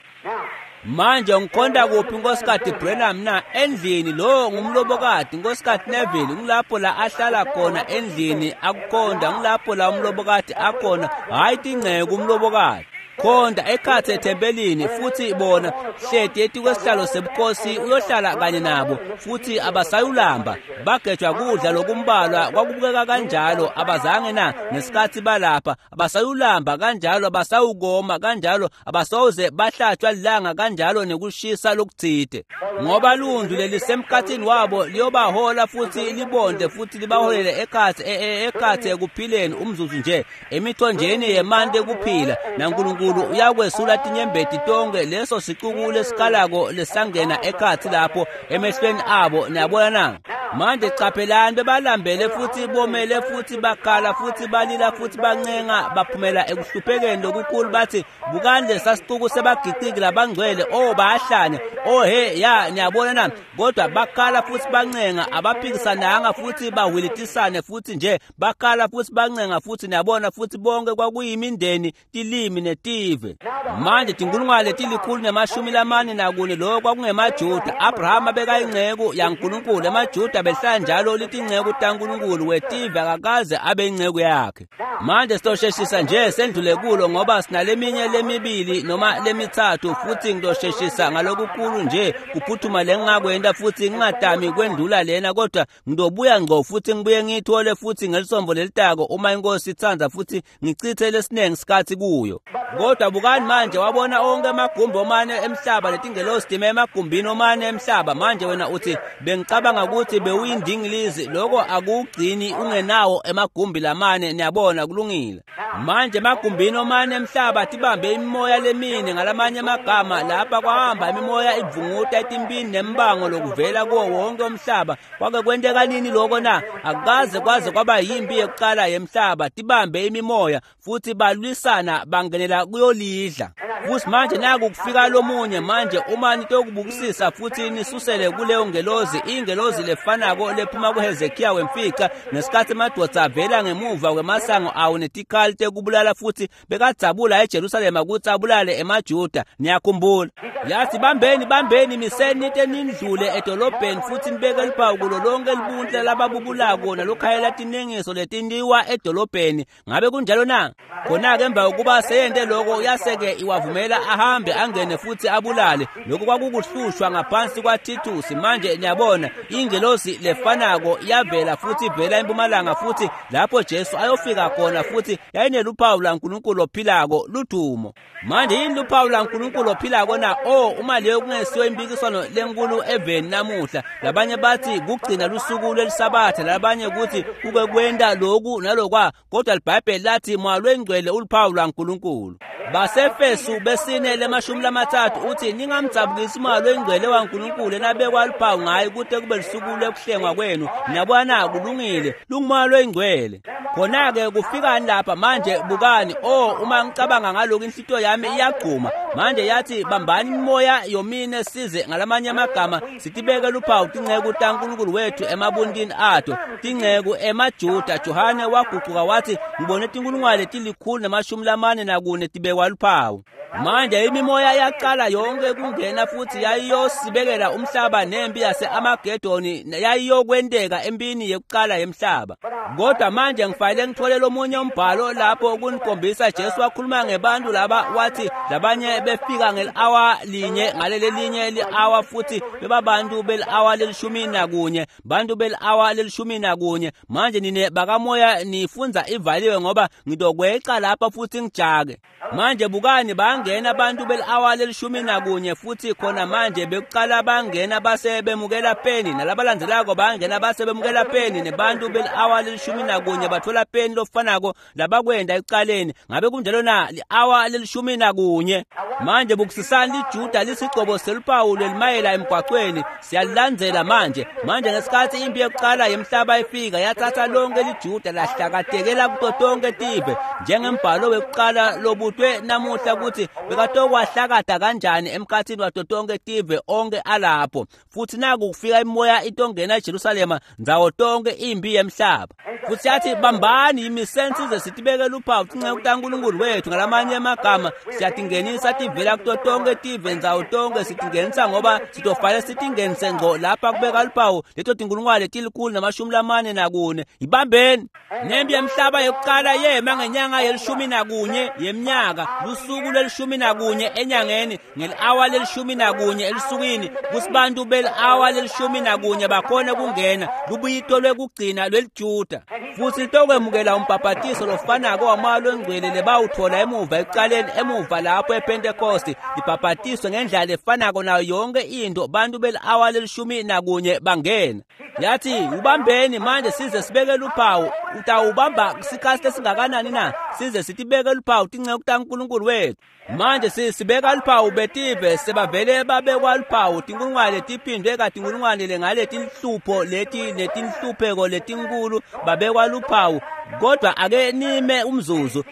Speaker 1: Manje ngikhonta kuphi Nkosikazi Branham na? Endlini. Lo ngumlobokati Nkosikazi Neville, ngilapho la ahlala khona endlini akukhonta, ngilapho la umlobokati akhona, hayi tingceke umlobokati. Khonta ekhatsi ethempelini futhi bona hleti etikwesihlalo sebukhosi uyohlala kanye nabo futhi abasayulamba, bagejwa kudla lokumbalwa kwakubukeka kanjalo, abazange na ngesikhathi balapha, abasayulamba kanjalo, abasawukoma kanjalo, abasawuze bahlatshwa lilanga kanjalo nekushisa lokutsite, ngoba lundlu lelisemkhathini wabo liyobahola futhi libonde futhi libaholele ekhatsi ekhatsi ekuphileni umzuzu nje emithonjeni yemanti ekuphila, naNkulunkulu uyakwesula tinyembeti tonke leso sicuku lesikalako lesangena ekhatsi lapho emehlweni abo, niyabona na? Manje caphelani, bebalambele futhi bomele futhi bakhala futhi balila futhi bancenga, baphumela ekuhluphekeni lokukhulu, bathi bukani lesasicuku sebagiciki labangcwele, oh bayahlanya, oh he ya, niyabona na? Kodwa bakhala futhi bancenga, abaphikisananga futhi bahwilitisane futhi nje bakhala futhi bancenga futhi, niyabona, futhi bonke kwakuyimindeni, tilimi netive. Manje tinkulungwane letilikhulu nemashumi lamane nakune, lokho kwakungemaJuda. Abrahama bekayinceku yaNkulunkulu, emaJuda behlala njalo litinceku taNkulunkulu, wetive akakaze abe inceku yakhe. Manje sitosheshisa nje sendlule kulo ngoba sinaleminye lemibili noma lemithathu, futhi ngitosheshisa ngalokukhulu nje kuphuthuma lengingakwenta futhi ngingadami kwendlula lena, kodwa ngidobuya ngqo futhi ngibuye ngiyithole futhi ngelisombo lelitako uma inkosi itsandza futhi ngichithe lesinengi sikhathi kuyo. Kodwa bukani manje, wabona onke amagumbi omane emhlaba letingelosi time emagumbini omane emhlaba. Manje wena uthi bengicabanga ukuthi bewuyindingilizi, lokho akugcini ungenawo emagumbi lamane, niyabona, kulungile. Manje emagumbini omane emhlaba tibambe imimoya lemine, ngalamanye amagama lapha kwahamba imimoya ivunguta etimpini nembango lokuvela kuwo wonke umhlaba. Kwake kwenteka nini lokho na? Akukaze kwaze kwaba yimpi yekuqala yemhlaba, tibambe imimoya futhi balwisana bangenela kuyolidla. Futhi manje naku kufika lomunye manje, uma nitokubukisisa futhi nisusele kuleyo ngelozi, ingelozi lefanako lephuma kuHezekiya wemfica ngesikhathi emadvodza avela ngemuva kwemasango awo netikhali tekubulala futhi bekadzabula eJerusalema kutsi abulale emaJuda, niyakhumbula. Yathi bambeni bambeni miseni nite nindlule edolobheni futhi nibeke luphawu kulo lonke libuntle lababubulako nalokhayela tinengiso letintiwa edolobheni. Ngabe kunjalo na? Khona-ke emva kokuba seyente lokho, yase-ke iwavumela ahambe angene futhi abulale. Lokho kwakukuhlushwa ngaphansi kwaThithusi. Manje niyabona ingelosi lefanako yavela futhi ivela empumalanga futhi lapho Jesu ayofika khona, futhi yayineluphawu laNkulunkulu ophilako, ludumo. Manje yini luphawu laNkulunkulu ophilako na? Oh, uma leyo kungesiyo impikiswano lenkulu eveni namuhla. Labanye bathi kugcina lusuku lwelisabatha, labanye kuthi kuke kwenta loku nalokwa, kodwa liBhayibheli lathi moya lwengcwele uluphawu lwaNkulunkulu. Basefesu besine lemashumi lamathathu uthi ningamdzabukisi umoya lwengcwele waNkulunkulu enabekwa luphawu ngaye kute kube lusuku lwekuhlengwa kwenu. Niyabona, kulungile, lungumoya lwengcwele. Khona-ke kufikani lapha manje, bukani. Oh, uma ngicabanga ngalokhu inhlitiyo yami iyagcuma. Manje yathi bambani imimoya yomine size, ngalamanye amagama sitibeke luphawu tinceku taNkulunkulu wethu emabuntini ato, tinceku emaJuda. Johane wagucuka wathi ngibone tinkulungwane 144 tibekwa luphawu. Manje imimoya yaqala yonke kungena futhi yayiyosibekela umhlaba nempi yase-Amagedoni yayiyokwenteka empini yekuqala yemhlaba. Kodwa manje ngifanele ngithole lomunye umbhalo lapho kunikhombisa Jesu wakhuluma ngebantu laba, wathi labanye befika ngeli-awa linye ngaleli linye li-awa futhi bebabantu beli-awa 11, bantu beli-awa 11. Manje nine bakamoya nifunza ivaliwe ngoba ngitokweqa lapha futhi ngijake. Manje bukani, bangena abantu beli-awa 11 futhi khona manje bekuqala bangena base bemukela peni, nalabalandzelako bangena base bemukela peni, nebantu beli-awa 11 bathola peni lofanako labakwenda ekuqaleni. Ngabe kunjalo na? Li-awa 11. Manje bukusisani liJuda lisigcobo seluphawu lelimayela emgwaqweni, siyalilandzela manje. Manje ngesikhathi impi yokuqala yemhlaba ifika yathatha lonke liJuda lahlakatekela kuto tonke tive, njengembhalo wekuqala lobutwe namuhla ukuthi bekatokwahlakada kanjani emkhathini wato tonke tive onke alapho. Futhi naku kufika imoya itongena eJerusalema ndzawo tonke impi yemhlaba. Futhi yathi bambani imisensize sitibeke luphawu tinceku taNkulunkulu wethu. Ngalamanye amagama siyatingenisa tivela kuto tonke tive ndzawo tonke, sitingenisa ngoba sitofanele sitingenise ngco lapha kubeka luphawu leto tinkulungwane 144. Ibambeni nempi yemhlaba yokuqala yema ngenyanga ye-11 yeminyaka, lusuku lwe-11 enyangeni, ngeli-awa 11 elusukwini, kusibantu beli-awa 11 bakhona kungena lubuyito lwekugcina lweliJuda. Futhi litokwemukela umbhabhatiso lofanako wamoya longcwele lebawuthola emuva ekuqaleni, emuva lapho ePentekoste, libhabhatiswe ngendlela efanako nayo yonke into. Bantu beli-awa 11 bangena. Yathi ubambeni manje size sibeke luphawu. Utawubamba sikhathi lesingakanani na? Size sitibeke luphawu tinceku taNkulunkulu wethu. Manje sibeka luphawu betive sebavele babekwa luphawu tinkulungwane tiphindwe katinkulungwane ngaletinhlupho leti netinhlupheko letinkulu babekwa luphawu. Kodwa ake nime umzuzu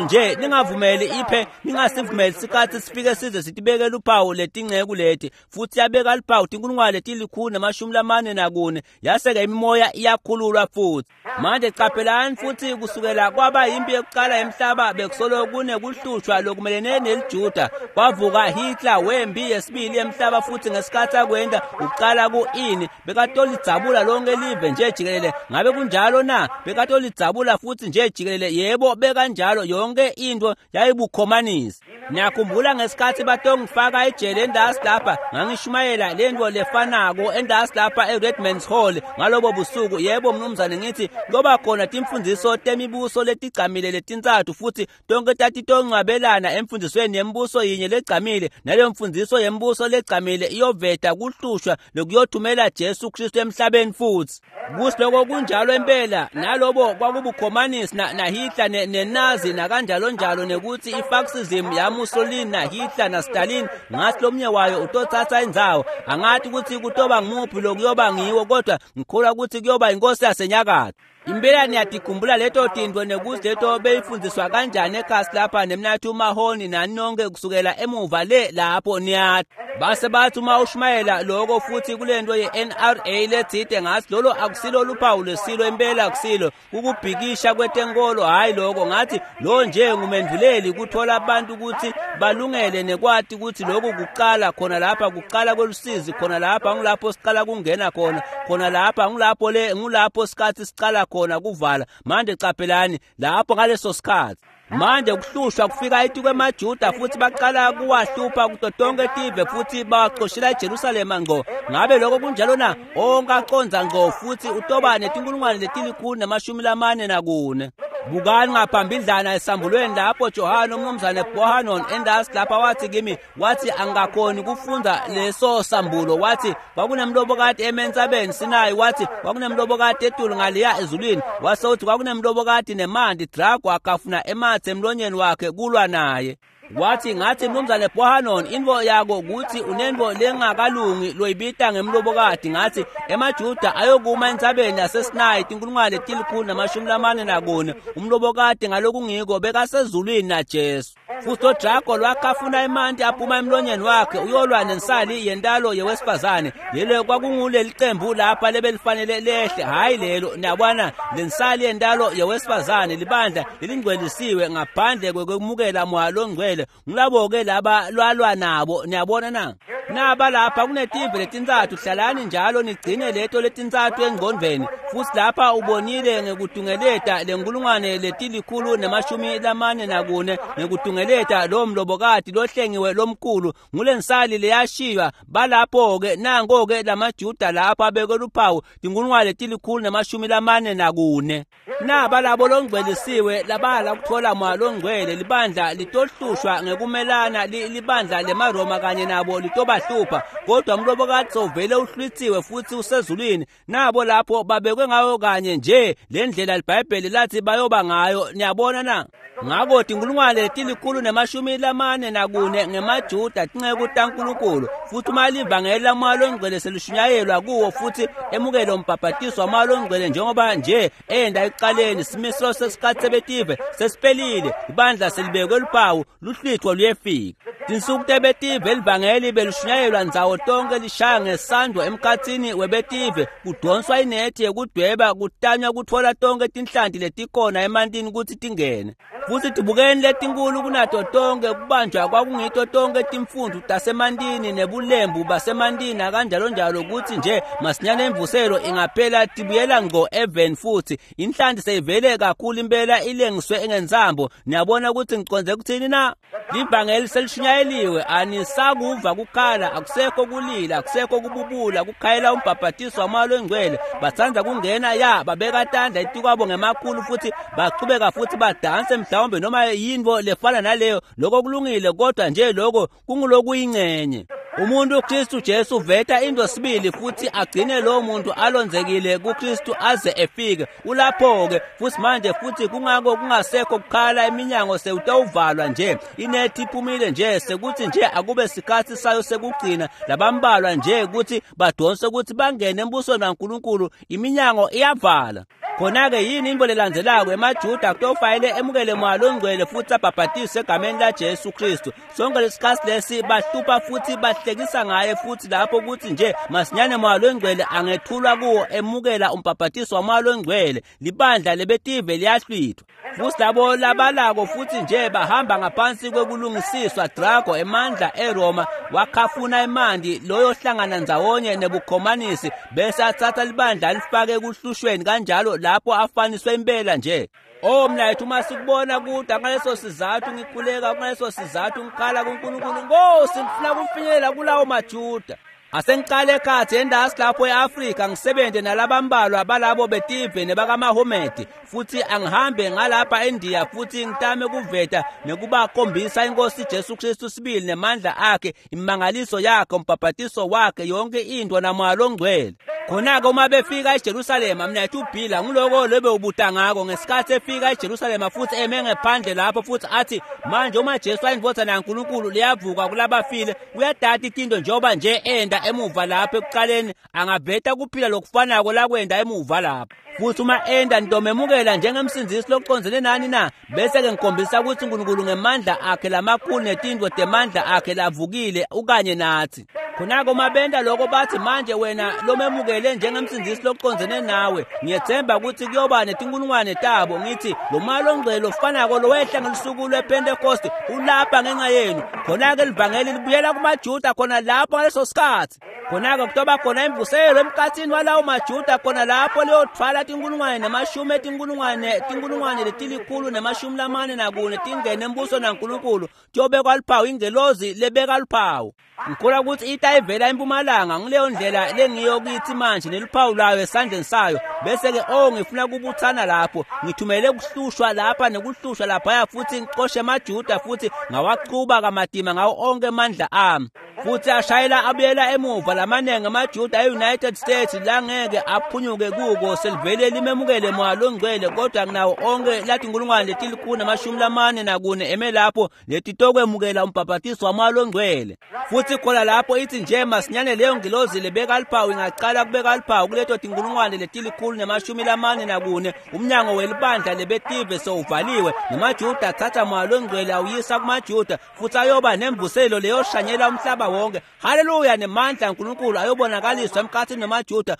Speaker 1: nje, ningavumeli iphe, ningasivumeli sikhathi sifike size sitibeke luphawu letinceku leti. Futhi yabeka luphawu tinkulungwane 144, yase-ke imimoya iyakhululwa futhi. Manje qaphelani futhi kusukela kwaba impi yokuqala yemhlaba bekusolo kunekuhlushwa lokumelene neliJuda. Kwavuka Hitler wempi yesibili yemhlaba, futhi ngesikhathi akwenda uqala ku-ini bekatolidzabula lonke live nje jikelele. Ngabe kunjalo na? Bekatolidzabula futhi nje jikelele. Yebo, bekanjalo, yonke into yayibukhomanisi. Niyakhumbula ngesikhathi batongifaka ejele endasi lapha, ngangishumayela lento lefanako endasi lapha eRedman's Hall ngalobo busuku. Yebo mnumzane, ngithi ngoba khona timfundiso temibuso letigcamile letintsatfu futhi tonke tatitongcwabelana emfundisweni yembuso yinye legcamile, naleyo mfundiso yembuso legcamile iyoveta kuhlushwa lokuyothumela Jesu Kristu emhlabeni futhi. Kusiloko kunjalo impela, nalobo kwakubukhomanisi na Hitler neNazi nakanjalo njalo, nekuthi ifascism yaMussolini na Hitler na Stalin ngathi lomnye wayo utothatha indzawo. Angathi ukuthi kutoba ngumuphi lokuyoba ngiwo, kodwa ngikholwa ukuthi kuyoba inkosi yasenyakatho. Impela niyatikhumbula leto tintfo nekuthi leto beyifundiswa kanjani ekhasi lapha nemnathi uMahoni nani nonke kusukela emuva le lapho niyathi. Base bathi uma ushumayela lokho futhi kulento ye-NRA letsite, ngathi lolo akusilo luphawu lwesilo, impela akusilo, kukubhikisha kwetenkolo, hhayi lokho. Ngathi lo nje ngumendvuleli kuthola abantu ukuthi balungele nekwati ukuthi lokhu kuqala khona lapha, kuqala kwelusizi khona lapha, ngulapho siqala kungena khona, khona lapha ngulapho le ngulapho sikhathi siqala khona kuvala. Manje qaphelani lapho ngaleso sikhathi manje kuhlushwa kufika etikwemaJuda futhi baqala kuwahlupha kuto tonke tive futhi bawaxoshela eJerusalema ngco. Ngabe lokho kunjalo na? Onke aconza ngco futhi utoba netinkulungwane 144. Bukani ngaphambidlana esambulweni lapho Johane umnumzane Bohanon endasi lapha wathi kimi, wathi angakhoni kufunda leso sambulo. Wathi kwakunemlobokati ementsabeni Sinayi, wathi kwakunemlobokati etulu ngaliya ezulwini, wase uthi kwakunemlobokati nemanti, drago akafuna emathe emlonyeni wakhe kulwa naye. Wathi ngathi mnumzane Bohanon intfo yako kutsi unentfo lengakalungi loyibita ngemlobokati. Ngathi emaJuda ayokuma entsabeni yaseSinayi 1444 umlobokati ngalokungiko bekasezulwini naJesu. Futhi lo drago lwakhafuna emanti aphuma emlonyeni wakhe uyolwa nensali yentalo yewesifazane. Lelo kwakunguleli qembu lapha lebelifanele lehle, hhayi lelo. Niyabona, lensali yentalo yewesifazane libandla lelingcwelisiwe ngaphandle kwekwemukela moya longcwele. Ngilabo-ke laba lwalwa nabo, niyabona na? Naba lapha kunetive letintsatfu, hlalani njalo nigcine leto letintsatfu engqondvweni. Futhi lapha ubonile ngekutungeleta lenkulungwane 144 ngekutungeleta lo mlobokati lohlengiwe lomkhulu ngulensali leyashiywa. Balapho-ke nanko-ke lamaJuda lapha abeke luphawu 1444. Naba labo longcwelisiwe labala kuthola moya longcwele. Libandla litohlushwa ngekumelana, libandla lemaRoma kanye nabo litobahlupha, kodwa umlobokati sovele uhlwitsiwe futhi usezulwini. Nabo lapho babekwe ngayo kanye nje le ndlela liBhayibheli lathi bayoba ngayo. Niyabona na? Ngako 1444 ngemaJuda tinceku taNkulunkulu. Futhi uma livangeli lamoya longcwele selishunyayelwa kuwo futhi emukele umbhabhatiso wamoya longcwele njengoba nje enda ekuqaleni, simiso sesikhathi sebetive sesiphelile, ibandla selibekwe luphawu, luhlwitho luyefika. Tinsuku tebetive livangeli belishunyayelwa ndzawo tonke, lishaya ngesandvo emkhatsini webetive, kudonswa inethi yekudweba, kutanywa kutfola tonke tinhlanti letikhona emantini kutsi tingene. Futhi tibukeni letinkulu kunato tonke, kubanjwa kwakungito tonke timfundvo tasemantini nebulembu basemantini nakanjalo njalo, kutsi nje masinyane imvuselo ingaphela tibuyela ngco eveni futhi. Inhlanti seyivele kakhulu impela ilengiswe ngentsambo. Niyabona ukuthi ngicondze kuthini na? Livangeli selishunyayeliwe, anisakuva kukhala, akusekho kulila, akusekho kububula, kukhayela umbhabhatiso wamoya longcwele. Batsandza kungena ya babeka tandla etikwabo ngemakhulu futhi bachubeka futhi badanse mhlawumbe noma yintfo lefana naleyo. Lokho kulungile, kodwa nje lokho kungulokuyincenye. Umuntu Kristu Jesu uveta into sibili futhi agcine lowo muntu alonzekile kuKristu aze efike. Ulapho-ke futhi manje, futhi kungako kungasekho kukhala, iminyango sewutawuvalwa nje, inethi iphumile nje, sekuthi nje akube sikhathi sayo sekugcina labambalwa nje ukuthi badonse ukuthi bangene embusweni waNkulunkulu. Iminyango iyavala. Khona-ke yini into lelandzelako? EmaJuda kutofanele emukele moya longcwele futhi abhabhatiswe egameni laJesu Kristu. Sonke lesikhathi lesi bahlupha futhi bahlekisa ngaye, futhi lapho kuthi nje masinyane moya longcwele angethulwa kuwo emukela umbhabhatiso wamoya longcwele, libandla lebetive liyahlwithwa. Futhi labo labalako futhi nje bahamba ngaphansi kwekulungisiswa drago emandla eRoma wakhafuna emanti loyo hlangana ndzawonye nebukhomanisi bese atsatsa libandla alifake ekuhlushweni kanjalo lapho afaniswe impela nje. Oh mnayethu, uma sikubona kude, ngaleso sizathu ngikhuleka, ngaleso sizathu ngikhala kuNkulunkulu. Nkosi, ngifuna kufinyelela kulawo maJuda. Asengiqale ekhathi endasi lapho e-Afrika ngisebenze nalabambalwa balabo betive nebakamaHomedi, futhi angihambe ngalapha eNdiya futhi ngitame kuveta nekubakhombisa inkosi Jesu Kristu sibili nemandla akhe, imangaliso yakhe, umbhabhatiso wakhe, yonke into namoya longcwele. Khona-ke uma befika eJerusalema, mnethu uBhila nguloko lobewubuta ngako ngesikhathi efika eJerusalema futhi eme ngephandle lapho futhi athi manje uma Jesu ayindvodzana yaNkulunkulu liyavuka kulabafile, uyadata itinto njengoba nje enda emuva lapho ekuqaleni, angaveta kuphila lokufanako lakwenda emuva lapho. Futhi uma enda nitomemukela njengemsindzisi lokucondzene nani na? Bese-ke ngikhombisa ukuthi uNkulunkulu ngemandla akhe lamakhulu netintfo temandla akhe lavukile ukanye nathi. Khona-ke uma benta lokho bathi manje wena lomemukele njengemsindzisi lokucondzene nawe, ngiyethemba ukuthi kuyoba netinkulungwane tabo. Ngithi lo moya longcwele lofanako lowehla ngelusuku lwePentekoste ulapha ngenxa yenu. Khona-ke livangeli libuyela kumaJuda khona lapho ngaleso sikhathi. Khona-ke kutoba khona imvuselo emkhatsini walawo maJuda khona lapho liyothwala tinkulungwane nemashumi etinkulungwane, tinkulungwane 144 tingene embusweni waNkulunkulu. Kuyobekwa luphawu, ingelozi lebeka luphawu. Ngikholwa ukuthi ita Yehla ivela empumalanga, ngileyo ndlela lengiyo kithi manje neluphawu lwayo esandleni sayo. Bese-ke ngifuna kubuthana lapho, ngithumele kuhlushwa lapha nekuhlushwa laphaya, futhi ngixoshe amaJuda futhi ngawachuba kamatima ngawo onke amandla ami. Futhi ashayela abuyela emuva lamanengi amaJuda e-United States langeke aphunyuke kuko, selivele limemukele moya longcwele, kodwa nginawo onke lathi inkulungwane letilikhulu namashumi lamane nakune eme lapho letitokwemukela umbhabhatiso wamoya longcwele. Futhi khona lapho ithi nje masinyane leyo ngilozi lebeka luphawu ingaqala kubeka luphawu kuleto tinkulungwane letilikhulu nemashumi lamane nakune, umnyango welibandla lebetive sowuvaliwe, nemaJuda athatha moya longcwele awuyisa kumaJuda, futhi ayoba nemvuselo leyoshanyela umhlaba wonke. Haleluya, nemandla kaNkulunkulu ayobonakaliswa emkhathini namaJuda.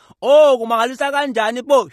Speaker 1: Kumangalisa kanjani bo!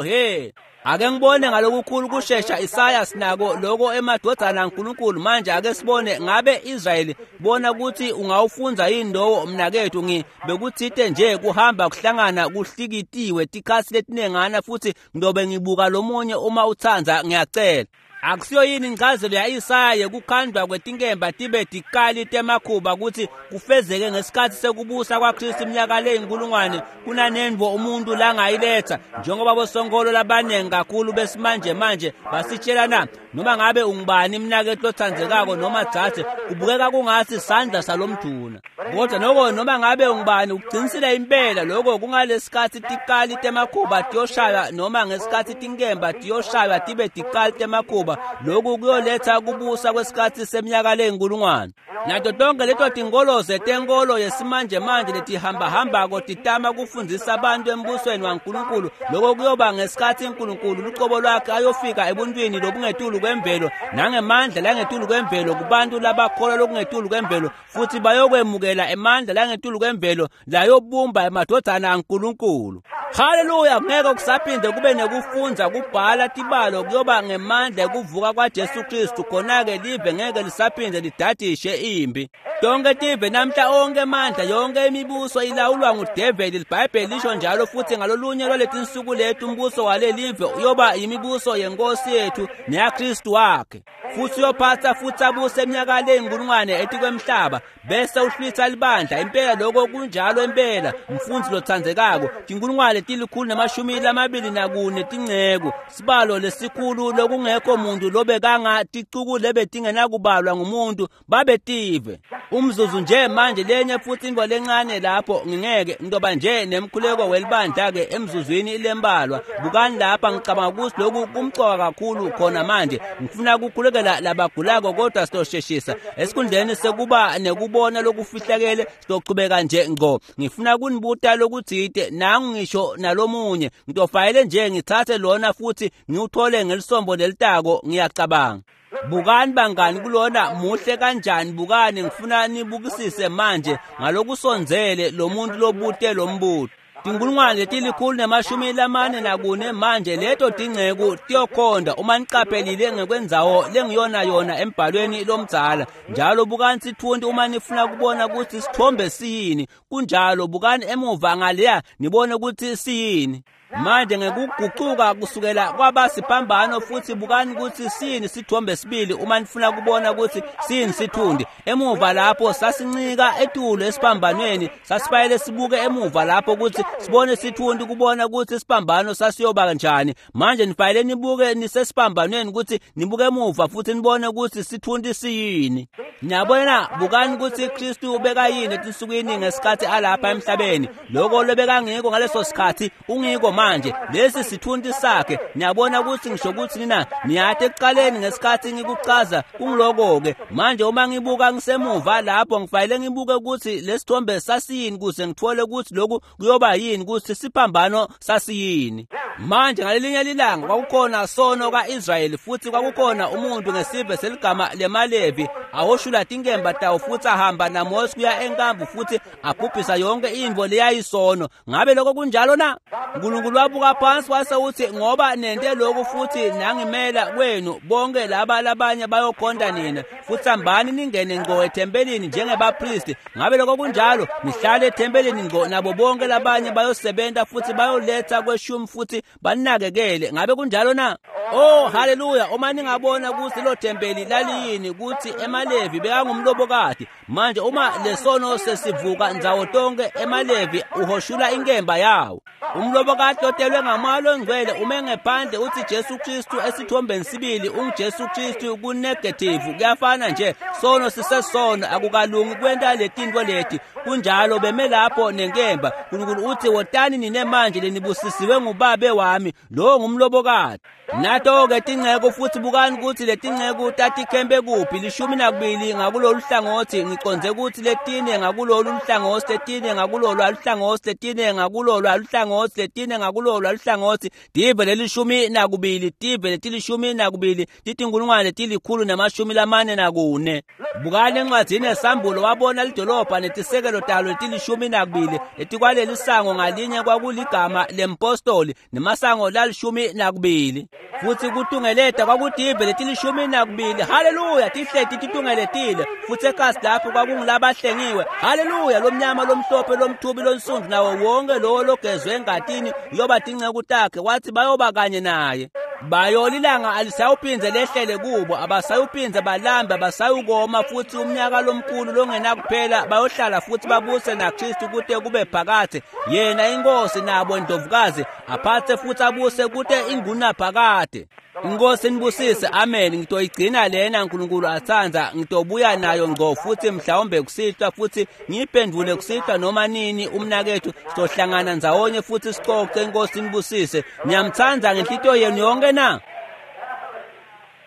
Speaker 1: He, ake ngibone ngalokukhulu kushesha. Isaya sinako lokho emadodana kaNkulunkulu. Manje ake sibone ngabe Israyeli, bona ukuthi ungawufunza yini lowo mnakethu. Bekuthite nje kuhamba kuhlangana kuhlikitiwe tikhatsi letinengana, futhi ngidobe ngibuka lomunye uma uthanza, ngiyacela. Akusiyo yini incazelo ya-Isaya yekukhandwa kwetinkemba tibe tikali temakhuba ukuthi kufezeke ngesikhathi sekubusa kwaKristu iminyaka leyinkulungwane kunanendvo umuntu langayiletha, njengoba bosonkolo labanengi kakhulu besimanje manje basitshela na? Noma ngabe ungubani mnakethu lothandzekako noma dzadze, kubukeka kungathi sandla salomduna, kodwa noko noma ngabe ungubani ugcinisile impela lokho kungalesikhathi tikali temakhuba tiyoshaywa, noma ngesikhathi tinkemba tiyoshaywa tibe tikali temakhuba. Lokhu kuyoletha kubusa kwesikhathi seminyaka leyinkulungwane. Nato tonke leto tinkolo zetenkolo yesimanje manje letihambahambako titama kufundzisa abantu embusweni waNkulunkulu, lokho kuyoba ngesikhathi uNkulunkulu lucobo lwakhe ayofika ebuntwini lobungetulu kwemvelo nangemandla langetulu kwemvelo kubantu labakholwa lokungetulu kwemvelo, futhi bayokwemukela emandla langetulu kwemvelo layobumba emadodana aNkulunkulu. Haleluya, ngeke kusaphinde kube nekufundza kubhala tibalo, kuyoba ngemandla ekuvuka kwaJesu Kristu. Khona-ke live ngeke lisaphinde lidadishe impi. Tonke tive namhla, onke amandla, yonke imibuso ilawulwa ngudeveli, iBhayibheli lisho njalo. Futhi ngalolunye lwaletinsuku lethu umbuso walelive uyoba imibuso yenkosi yethu neyaKristu wakhe, futhi uyophatha futhi abuse iminyaka leyinkulungwane etikwemhlaba, bese uhlwitha libandla. Impela lokho kunjalo impela, mfundzi lothandzekako. Tinkulungwane 124 tinceku, sibalo lesikhulu lokungekho muntu lobekanga ticuku lebetingenakubalwa ngumuntu babetive. Umzuzu nje manje, lenye futhi intfo lencane lapho, ngingeke ngizoba nje nemkhuleko welibandla-ke emzuzwini lembalwa. Bukani lapha, ngicabanga ukuthi lokhu kumcoka kakhulu khona manje. Ngifuna kukhulekela labagulako, kodwa sizosheshisa esikhundleni sekuba nekubona lokufihlakele, sizochubeka nje ngco. Ngifuna kunibuta lokutsite, nangu ngisho nalomunye, ngitofanele nje ngithathe lona futhi ngiwuthole ngelisombo lelitako, ngiyacabanga. Bukani bangani kulona muhle kanjani. Bukani, ngifuna nibukisise manje ngalokusondzele lo muntu lobute lombuto. Tinkulungwane 144 manje leto tinceku tiyokhonda uma niqaphelile ngekwendzawo lengiyona yona embhalweni lomdzala. Njalo bukani sitfunti uma nifuna kubona ukuthi sithombe siyini. Kunjalo, bukani emuva ngaleya nibone ukuthi siyini. Manje ngekugucuka kusukela kwaba siphambano, futhi bukani ukuthi siyini sithombe sibili uma nifuna kubona ukuthi siyini sithundi. Emuva lapho sasincika etulo esiphambanweni, sasifanele sibuke emuva lapho ukuthi sibone sithundi, kubona ukuthi isiphambano sasiyoba kanjani. Manje nifanele nibuke nisesiphambanweni ukuthi nibuke emuva futhi nibone ukuthi sithundi siyini. Niyabona, bukani ukuthi Kristu ubekayini etinsukwini ngesikhathi alapha emhlabeni. Lokho lobekangiko ngaleso sikhathi ungiko manje. Lesi sithundi sakhe. Niyabona ukuthi ngisho ukuthi nina niyade ekuqaleni ngesikhathi ngikuchaza kungiloko-ke. Manje uma ngibuka ngisemuva lapho, ngifanele ngibuke ukuthi lesithombe sasiyini ukuze ngithole ukuthi lokhu kuyoba yini, ukuthi siphambano sasiyini. Manje ngalelinye lilanga kwakukhona sono ka-Israyeli, futhi kwakukhona umuntu ngesive seligama lemaLevi awoshula tinkemba tawo futhi ahamba naMose kuya enkambu futhi abhubhisa yonke intfo leyayisono. Ngabe lokho kunjalo na? uNkulunkulu wabuka phansi wase uthi, ngoba nente lokhu futhi nangimela kwenu, bonke laba labanye bayokhonta nina, futhi hambani ningene ngqo ethempelini njengebapristi. Ngabe lokho kunjalo? Nihlale ethempelini ngqo nabo bonke labanye bayosebenza futhi bayoletha kweshumi futhi banakekele. Ngabe kunjalo na? Oh, haleluya! Uma ningabona kutsi lo thempeli laliyini, kutsi emaLevi bekangumlobokati. Manje uma lesono sesivuka ndzawo tonke, emaLevi uhoshula inkemba yawo. Umlobokati lotelwe ngamoya longcwele ume ngephandle uthi Jesu Kristu esithombeni sibili unguJesu Kristu kunegative. Kuyafana nje, sono sisesono, akukalungi kwenta letintfo leti. Kunjalo beme lapho nenkemba. Nkulunkulu uthi wotani nine manje lenibusisiwe ngubabe wami, lo ngumlobokati. Nato-ke tinceku futhi bukani kutsi letinceku tatikhempe kuphi, 12 ngakulolu hlangothi, ngicondze kutsi letine ngakulolu hlangothi, letine ngakulolu hlangothi, letine ngakulolu hlangothi, letine ngakulolu hlangothi, tive leli-12, tive leti-12, titinkulungwane leti-144. Bukani encwadzini yeSambulo, wabona lidolobha netisekelo talo leti-12, letikwaleli sango ngalinye kwakuligama lempostoli nemasango lali-12. Futhi kutungeleta kwakutive leti-12. Haleluya, tihleti titungeletile. Futhi ekasi lapho kwakungulabahlengiwe. Haleluya, lomnyama, lomhlophe, lomthubi, lonsundu, nawo wonke lowo logezwe engatini uyoba tinceku takhe. Wathi bayoba kanye naye. Bayolilanga alisayuphindze lehlele kubo, abasayuphindze balambe, abasayukoma, futhi umnyaka lomkhulu longenakuphela bayohlala futhi babuse naKristu kute kube phakadze. Yena inkosi nabo indlovukazi aphathe futhi abuse kute ingunaphakade. Inkosi nibusise, amen. Ngitoyigcina lena uNkulunkulu atsandza, ngitobuya nayo ngco futhi mhlawumbe kusihlwa, futhi ngiyiphendvule kusihlwa noma nini umnakethu. Sizohlangana ndzawonye futhi sicoce. Inkosi nibusise. Ngiyamtsandza ngenhlitiyo yenu yonke na?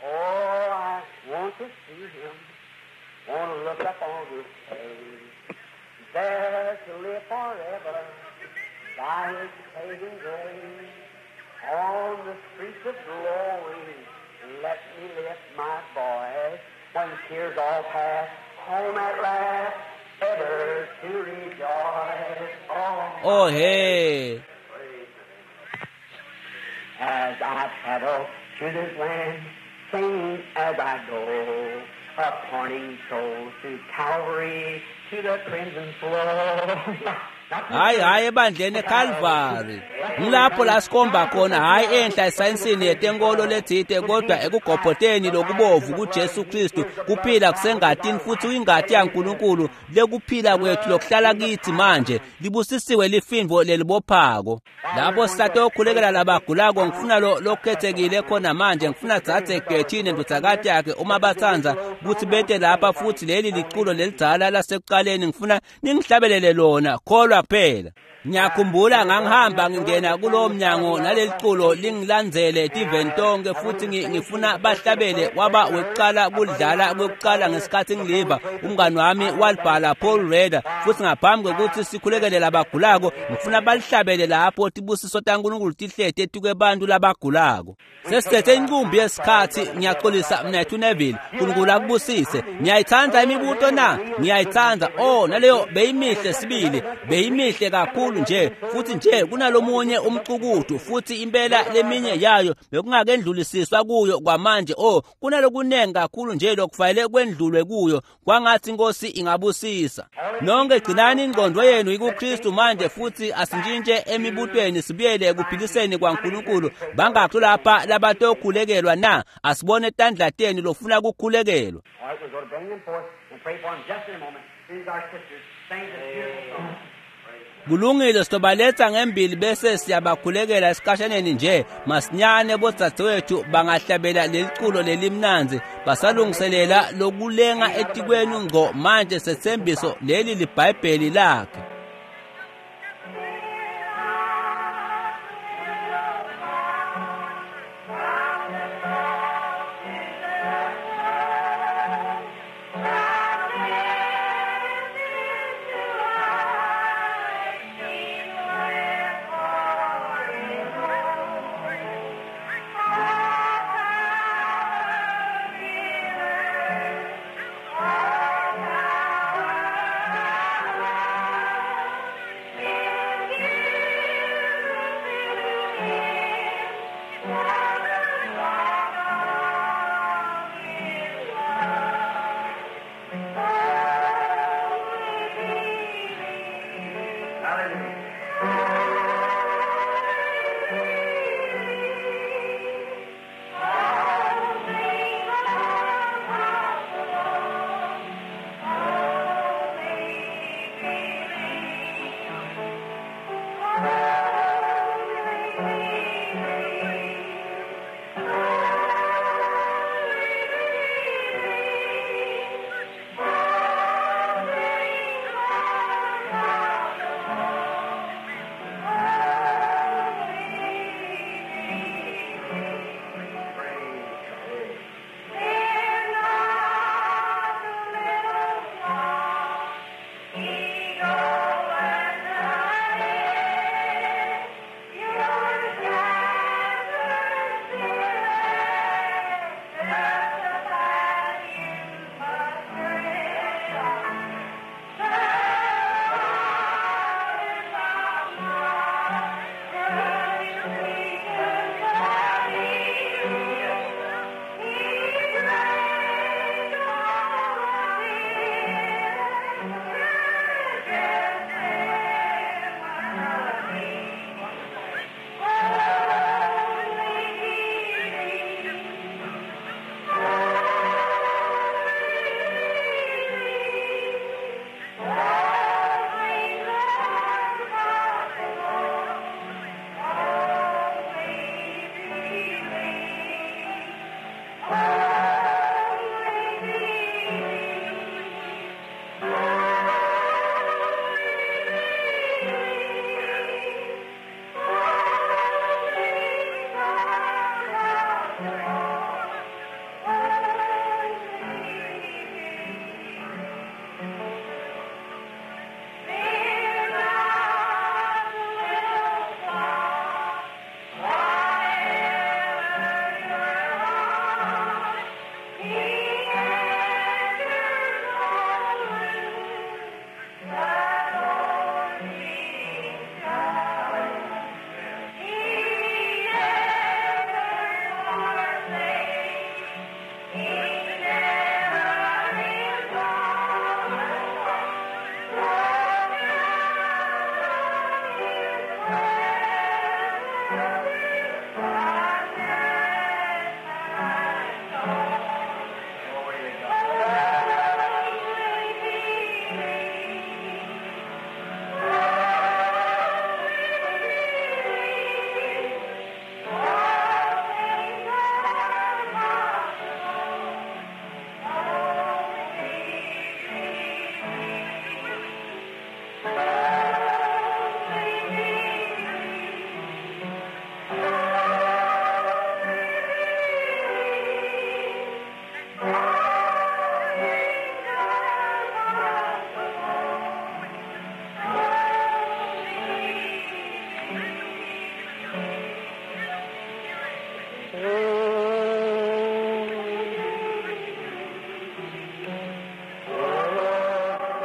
Speaker 2: Oh, I want to see him, want to look up on his face, there to live forever by his saving grace. On the streets of glory, let me lift my voice. When tears all pass, home at last, ever to rejoice. Oh,
Speaker 1: Oh hey.
Speaker 2: As I travel through this land, singing as I go, appointing souls to Calvary, to the crimson flow.
Speaker 1: Hayi hayi ebandleni eCalvary. Ngilapho la sikhomba khona, hayi enhla esayensini yetenkolo letsite, kodwa ekugobhoteni lokubovu kuJesu Kristu. Kuphila kusengatini futhi uyingati yaNkulunkulu lekuphila kwethu lokuhlala kithi manje. Libusisiwe lifindvo lelibophako. Lapho sisatokhulekela labagulako, ngifuna lokhethekile khona manje. Ngifuna dzadze Gethine ndvodzakati yakhe uma batsandza kutsi bete lapha, futhi leli liculo lelidzala lasekuqaleni ngifuna ningihlabelele lona. Kholwa kuphela. Ngiyakhumbula ngangihamba ngingena kulowo mnyango naleli culo lingilandzele tiveni tonke, futhi ngifuna bahlabele. Waba wekuqala kudlala kwekuqala ngesikhathi ngiliva. Umngani wami walibhala, Paul Reda. Futhi ngaphambi kwekuthi sikhulekele labagulako, ngifuna balihlabele lapho tibusiso taNkulunkulu tihlete etikwebantu labagulako. Sesithethe inqumbi yesikhathi. Ngiyaxolisa mnethu Neville. Nkulunkulu akubusise. Ngiyayithanda imibuto na? Ngiyayithanda. Oh, naleyo beyimihle sibili, beyimihle kakhulu nje. Futhi nje kunalomunye umcukudu, futhi impela leminye yayo bekungakendlulisiswa kuyo kwamanje. Oh, kunalokunengi kakhulu nje lokufanele kwendlulwe kuyo. Kwangathi inkosi ingabusisa nonke. Gcinani ingqondo yenu ikuKristu manje, futhi asintshintshe emibutweni sibuyele ekuphiliseni kwaNkulunkulu. Bangakhi lapha labatokhulekelwa na? Asibone tandla tenu lofuna kukhulekelwa.
Speaker 2: All right, we're going to bring them forth and pray for them just in a moment. These our sisters sing this beautiful song.
Speaker 1: Kulungile, sitobaletsa ngembili bese siyabakhulekela esikhashaneni nje. Masinyane bodzadzewethu bangahlabela leliculo lelimnandzi basalungiselela lokulenga etikwenu ngco manje. Setsembiso leli liBhayibheli lakhe.
Speaker 2: Power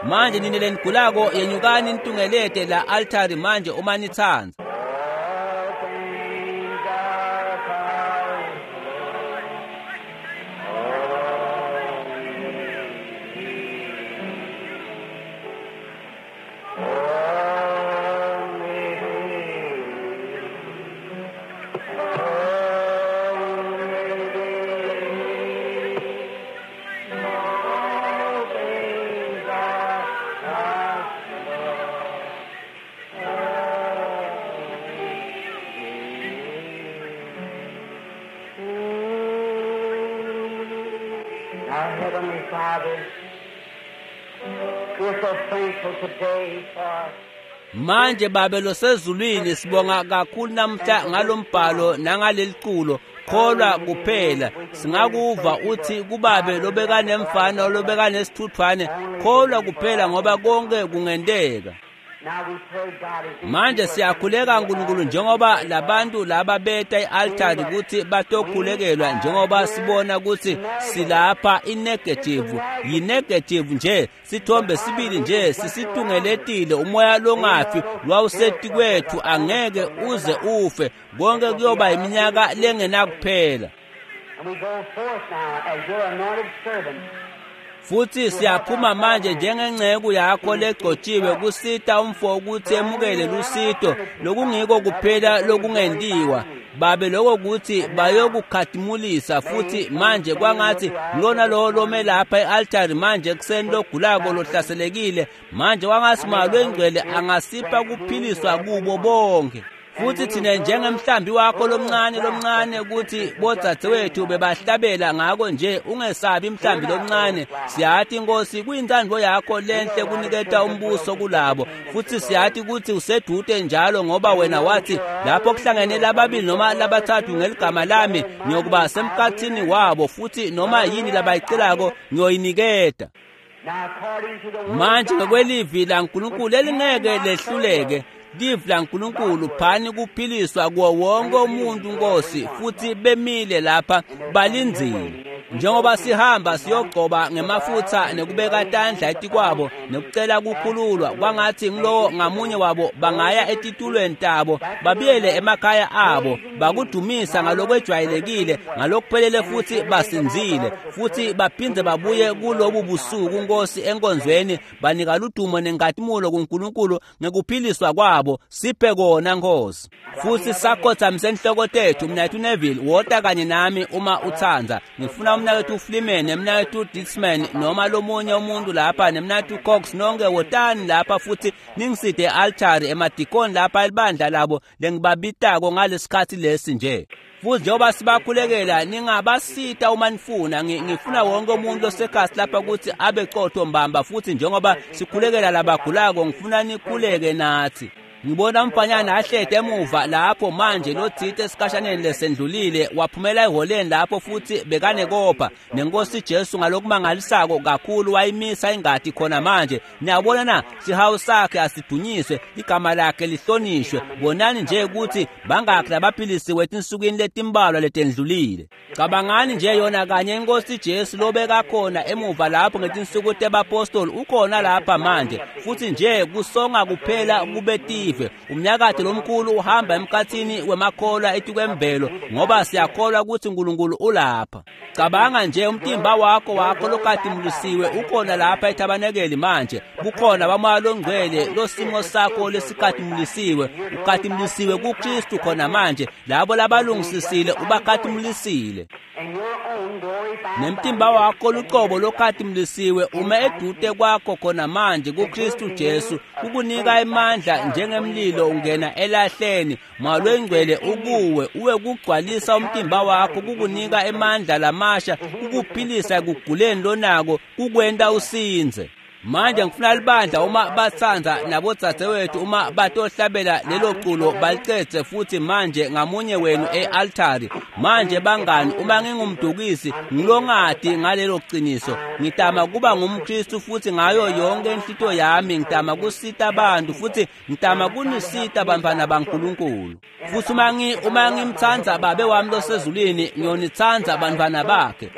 Speaker 1: Manje nina lenigulako yenyukani nitungelete la altari manje uma nitsandza.
Speaker 2: Our Heavenly Father, we're so thankful today for
Speaker 1: Manje Babe losezulwini sibonga kakhulu namhla ngalombhalo nangaleliculo kholwa kuphela. Singakuva uthi kubabe lobekanemfana lobekanesithuthwane, kholwa kuphela ngoba konke kungenteka.
Speaker 2: Now we pray, God, as these
Speaker 1: Manje
Speaker 2: people
Speaker 1: siyakhuleka nkulunkulu njengoba labantu laba beta i-altari kutsi batokhulekelwa, njengoba sibona kutsi silapha i-negative, yi-negative nje, sithombe sibili nje sisitungeletile. Umoya longafi lwawusetikwethu angeke uze ufe, konke kuyoba iminyaka lengenakuphela.
Speaker 2: And we go forth now as your anointed servant.
Speaker 1: Futhi siyaphuma manje njengenceku yakho legcotshiwe kusita umfo ukuthi emukele lusito lokungiko kuphela lokungentiwa. Babe, lokho kuthi bayokukhatimulisa. Futhi manje kwangathi lona lowo lome lapha e-altari manje ekuseni logulako lohlaselekile, manje kwangathi Moya Oyingcwele angasipha kuphiliswa kubo bonke. Futhi thina njengemhlambi wakho lomncane lomncane ukuthi bodzadzewethu bebahlabela ngako nje, ungesabi mhlambi lomncane. Siyathi Nkosi kuyintsandvo yakho lenhle kuniketa umbuso kulabo, futhi siyathi ukuthi usedude njalo, ngoba wena wathi lapho kuhlangene lababili noma labathathu ngeligama lami ngiyokuba semkhathini wabo, futhi noma yini labayicelako ngiyoyiniketa.
Speaker 2: Now, according to the word
Speaker 1: Manje
Speaker 2: of God,
Speaker 1: ngokwelivi laNkulunkulu elingeke lehluleke, livi laNkulunkulu phani kuphiliswa kuwo wonke umuntu Nkosi, futhi bemile lapha balindzile. Njengoba sihamba siyogcoba ngemafutha nekubeka tandla etikwabo nekucela kukhululwa, kwangathi ngilowo ngamunye wabo bangaya etitulweni tabo babuyele emakhaya abo bakudumisa ngalokwejwayelekile ngalokuphelele, futhi basinzile, futhi baphindze babuye kulobu busuku Nkosi enkonzweni, banika ludumo nenkhatimulo kuNkulunkulu ngekuphiliswa kwabo. Siphe kona Nkosi. Futhi sakhothamise inhloko tethu. Mnaketfu Neville, wota kanye nami uma utsandza. Ngifuna umnaketfu Fleeman nemnaketfu Ditsman noma lomunye umuntu lapha nemnaketfu Cox, nonke wotani lapha futhi ningiside e-altari, emadikoni lapha elibandla labo lengibabitako ngalesikhatsi lesi nje. Futhi njengoba sibakhulekela, ningabasita uma nifuna. Ngifuna wonke umuntu losekhasi lapha ukuthi abe qotho mbamba, futhi njengoba sikhulekela labagulako ngifuna nikhuleke nathi. Ngibona umfanyana ahlede emuva lapho manje lothite esikhashaneni lesendlulile waphumela eholeni lapho futhi bekanekopha nenkosi Jesu ngalokumangalisako kakhulu wayimisa ingadi khona manje. Niyabona na, sihawu sakhe asidunyiswe, igama lakhe lihlonishwe. Bonani nje ukuthi bangakhi labaphilisiwe etinsukwini letimbalwa letendlulile. Cabangani nje yona kanye inkosi Jesu lobekakhona emuva lapho ngetinsuku tebapostoli ukhona lapha manje, futhi nje kusonga kuphela kube tive. betive. Umnyakato lomkhulu uhamba emkhatsini wemakholwa etikwemvelo, ngoba siyakholwa kutsi uNkulunkulu ulapha. Cabanga nje umtimba wakho lokatimulisiwe ukhona lapha ethabanekeli manje. Bukhona baMoya loNgcwele losimo sakho lesikatimulisiwe, ukatimulisiwe kuKristu khona manje. Labo labalungisisile ubakatimulisile. Nemtimba wakho lucobo lokatimulisiwe ume edute kwakho khona manje kuKristu Jesu, kukunika emandla njengemlilo ungena elahleni. Moya loNgcwele ukuwe, uwe kugcwalisa umtimba wakho, kukunika emandla lamasha, kukuphilisa ekuguleni lonako, kukwenta usinze. Manje ngifuna libandla uma batsandza nabodzadzewethu uma batohlabela lelo culo balicedze futhi manje ngamunye wenu e-altari. Manje bangani, uma ngingumdukisi ngilongati ngalelo qiniso, ngitama kuba ngumKristu futhi ngayo yonke inhlito yami ngitama kusita abantu futhi ngitama kunisita bantfwana baNkulunkulu. Futhi uma ngimtsandza Babe wami losezulwini, ngiyonitsandza bantfwana bakhe.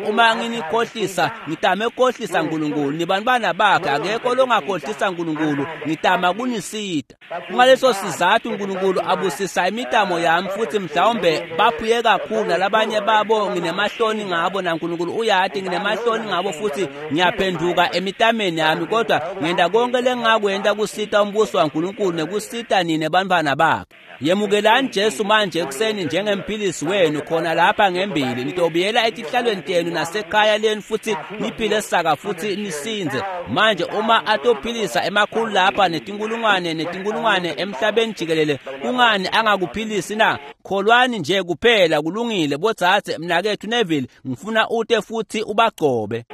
Speaker 1: Uma nginikhohlisa, ngitame ukukhohlisa uNkulunkulu. Bantwana bakhe, akekho longakhohlisa uNkulunkulu. Ngitama kunisita. Kungaleso sizathu uNkulunkulu abusisa imitamo yami, futhi mhlawumbe baphuye kakhulu nalabanye babo nginemahloni ngabo, naNkulunkulu uyati nginemahloni ngabo, futhi ngiyaphenduka emitameni yami, kodwa ngenta konke lengingakwenta kusita umbuso waNkulunkulu nekusita nine bantwana bakhe. Yemukelani Jesu manje ekuseni njengemphilisi wenu khona lapha ngembili. Nitobuyela etihlalweni tenu nasekhaya lenu futhi niphile saka futhi nisinze. Manje uma atophilisa emakhulu lapha netinkulungwane netinkulungwane emhlabeni jikelele, kungani angakuphilisi na? Kholwani nje kuphela, kulungile. Bodzadze, mnaketfu Neville, ngifuna ute futhi ubagcobe.